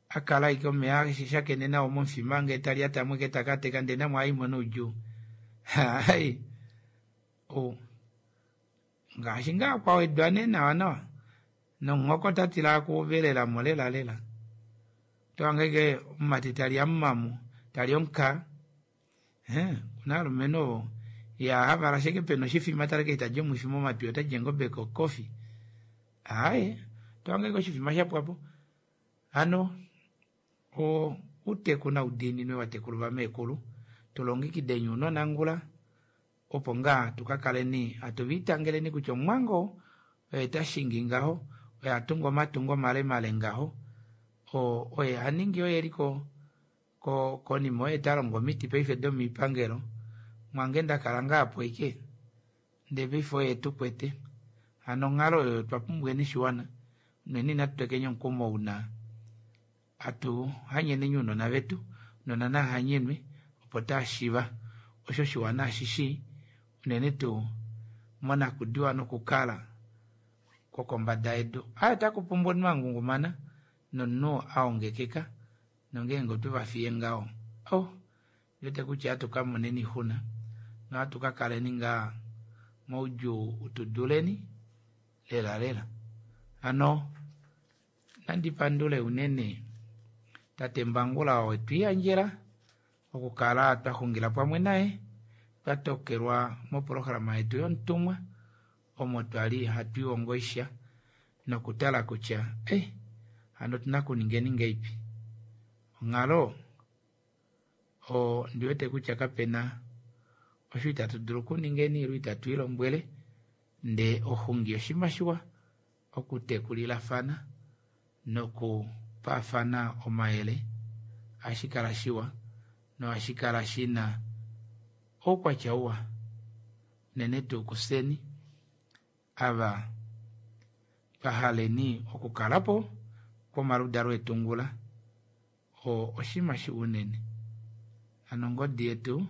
akala ashike omeya ashakene nao momufima ngee tali atamwe ke takateka ndee namwe aimo noudjuu. Hai o ngaashi ngaa kwawedwa nee nawa nawa nomunghoka otatila okuvelelamo lela lela. Otohange ashike omumati tali amumamu tali omukaa okuna ovalumenhu ovo ya havala ashike pena oshifima taleke eshi tali omwifi momatwi otali eengobe kokofi. Aaye otohange ashike oshifima shapwapo. Hano o outeku naudiininwe vatekulu vameekulu tulongekideni ounona ngula opo ngaa tukakaleni hatu viitangeleni kutya omumwange oo oye tashingi ngaho oye atunga omatungo malemale ngaho o oye aningi oye eli ko ko konima oye talongo omiti paife domoipangelo mwange ndakala ngaa apo ashike ndee paife oye tukwete. Hano onghalo oyo otwa pumbweni shiwana unene inatu tekeni omukumo una atu hanyeneni ounona vetu ounona nahanyenwe opo taashiva osho shiwana ashishi unene tuu monakudiwa nokukala kwokombada yedu. Aaye otaku pumbwa omunhu angungumana nomunhu aongekeka nongeenge otwevafiye ngaho oh ndiwete kutya ohatu kamoneni oixuna nohatu kakaleni ngaa moudjuu utuduleni lela lela. Hano nandi pandule unene tate Mbangula oo etwiiyandjela okukala twaxungila pamwe naye twatokelwa moprograma yetu yomutumwa omo twali hatu ihongo oisha nokutala kutya eh hano otuna okuningeni ngeipi. Onghalo o ndiwete kutya kapena osho itatu dulu okuningeni ile itatu ilombwele ndee oxungi oshinima shiwa okutekulilafana nokupaafana omayele ohashi kala shiwa nohashi kala shina oukwatya uwa unene tuu kufyeni ava twahaleni okukalapo kwomaludalo etu ngula o oshinima shiwa unene. Hano ongodi yetu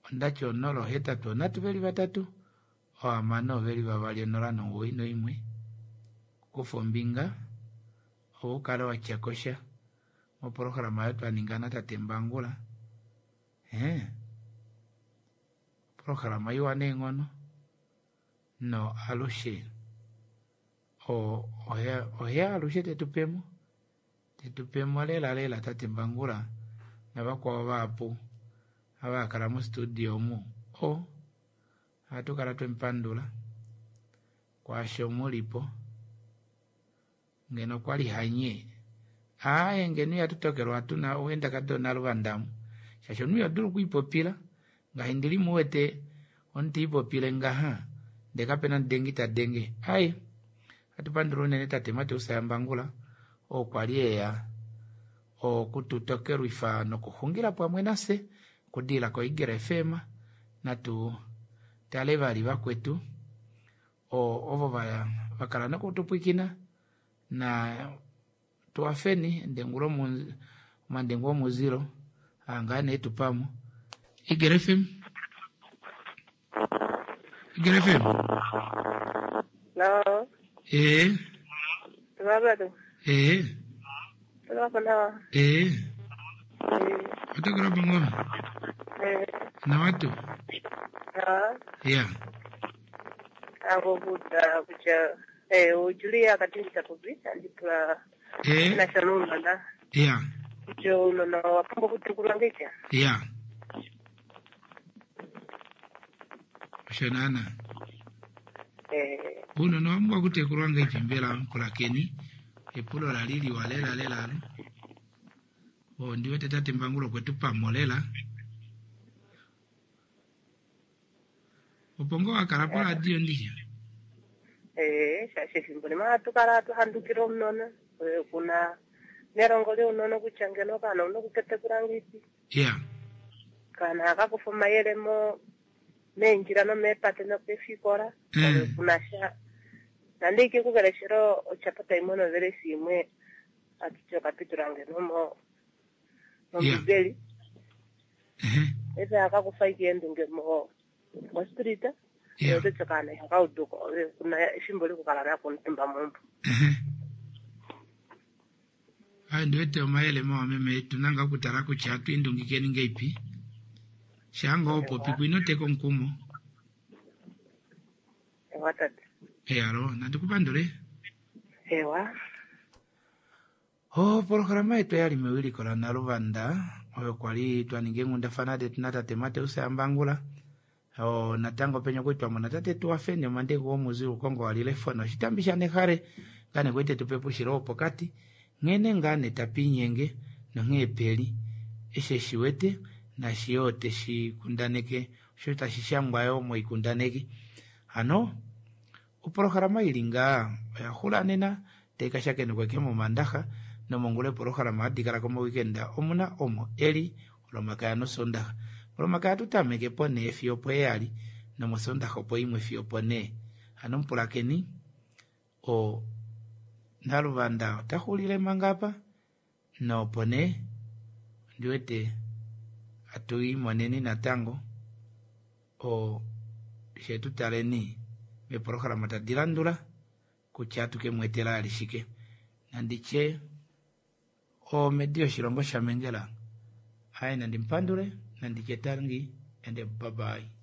ondati onola ohetatu onhatu veli vatatu ohamano veli vavali onola nomugoyi noimwe. Kufa ombinga opo ukale watyakosha moprograma oyo twaninga natate Mbangula. Ee oprograma iwa neenghono no alushe o oheya alushe tetupemo tetupemo lela lela tate Mbangula navakwao vahapu ava hakala mo studio omu o ohatu kala twemupandula kwaasho mulipo. Ngeno okwali hanye aaye ngeno ihatu tokelwa tuna owenda donaluvandamu shaashi omunhu ihodulu okwiipopila ngaashi ndili muwete omunhu tiipopile ngaha ndee kapena omudengi tadenge. Ai ohatu pandula unene tate Mateus yaMbangula oo kwali eya okututokelwifa nokuxungila pamwe nafye okudilila ko Eagle F M. Natu tale vali vakwetu ovo vakala nokutupwikina na tuwafeni omandengu omuzilo aa nee tupamo. Eagle F M. Eagle F M. No. Eh. Robert. Eh. Robert. Eh. Otokora bangoma. Eh. Na watu. No. Yeah. Ako kuta kucha eh ujulia katindi takubi andipula Eh. na shalom na Yeah. Kutya ounona owa pumbwa okutekulwa ngeipi? Ya. Osho naana. Eh, Uunona owa pumbwa okutekulwa ngeipi mbela mupulakeni? Epulo lali liwa lela lela alo. Ondi wete tate Mbangula okwe tu pamo lela. Opo ngoo wa kala poradio ndishi? eh, shaashi efimbo limwe ohatu kala hatu handukile omunona. Eh, Kuna nelongo lyounona kutya ngeno okaana ouna okuketekula ngeipi. Ya. Kaana haka kufa omayele mo meendjila nomeepate nopeefikola. Mm. Kuna sha nande ike kukeleshela ochapata imwe novelesi imwe atuti okapitula ngeno mo mombibeli. Efe haka kufa ike eendunge mo mostrita. Yeah. Ototi okaana ihakauduko kuna efimbo lokukala nako omutumba meumbo. Ayi ndiwete omayele mawa meme yetu nanga okutala kutya atwiindungikeni ngeipi. Shaanga opopi kwino teka omukumo. Ewa tate. Eyalo, nandikupandule. Ewa. Opolohalama yetu oyali mewiliko la Naluvanda oyo kwali twaninga eenghundafana detu natate Mateus Ambangula o natango penya okwali twamona tate Tuwafeni omandeko womuzi Lukongo walilefona oshitambi shanehale ngaa nee kwali tetupe pushilo wopokati nghene ngaa nee tapiinyenge nonghee peli eshi eshiwete naashi yoo teshi kundaneke osho tashi shangwa yoo moikundaneki hano opolohalama ili ngaa oya xula nena taikashakenekwa ke momandaxa nomongula epolohalama hadi kala komawikenda omuna omo eli olomakaya nosondaxa olomakaya atutameke ponhee fiyo opo heyali nomosondaxa opo imwe fiyo opo nhee hano mupulakeni o Naluvanda otaxulile manga apa nopo nee ondiwete atuimoneni natango o fyee tutaleni meepolohalama tadi landula kutya atukemweetela vali shike nanditye omedi yoshilongo shamengela aaye nandimupandule nanditye tangi ende bye bye.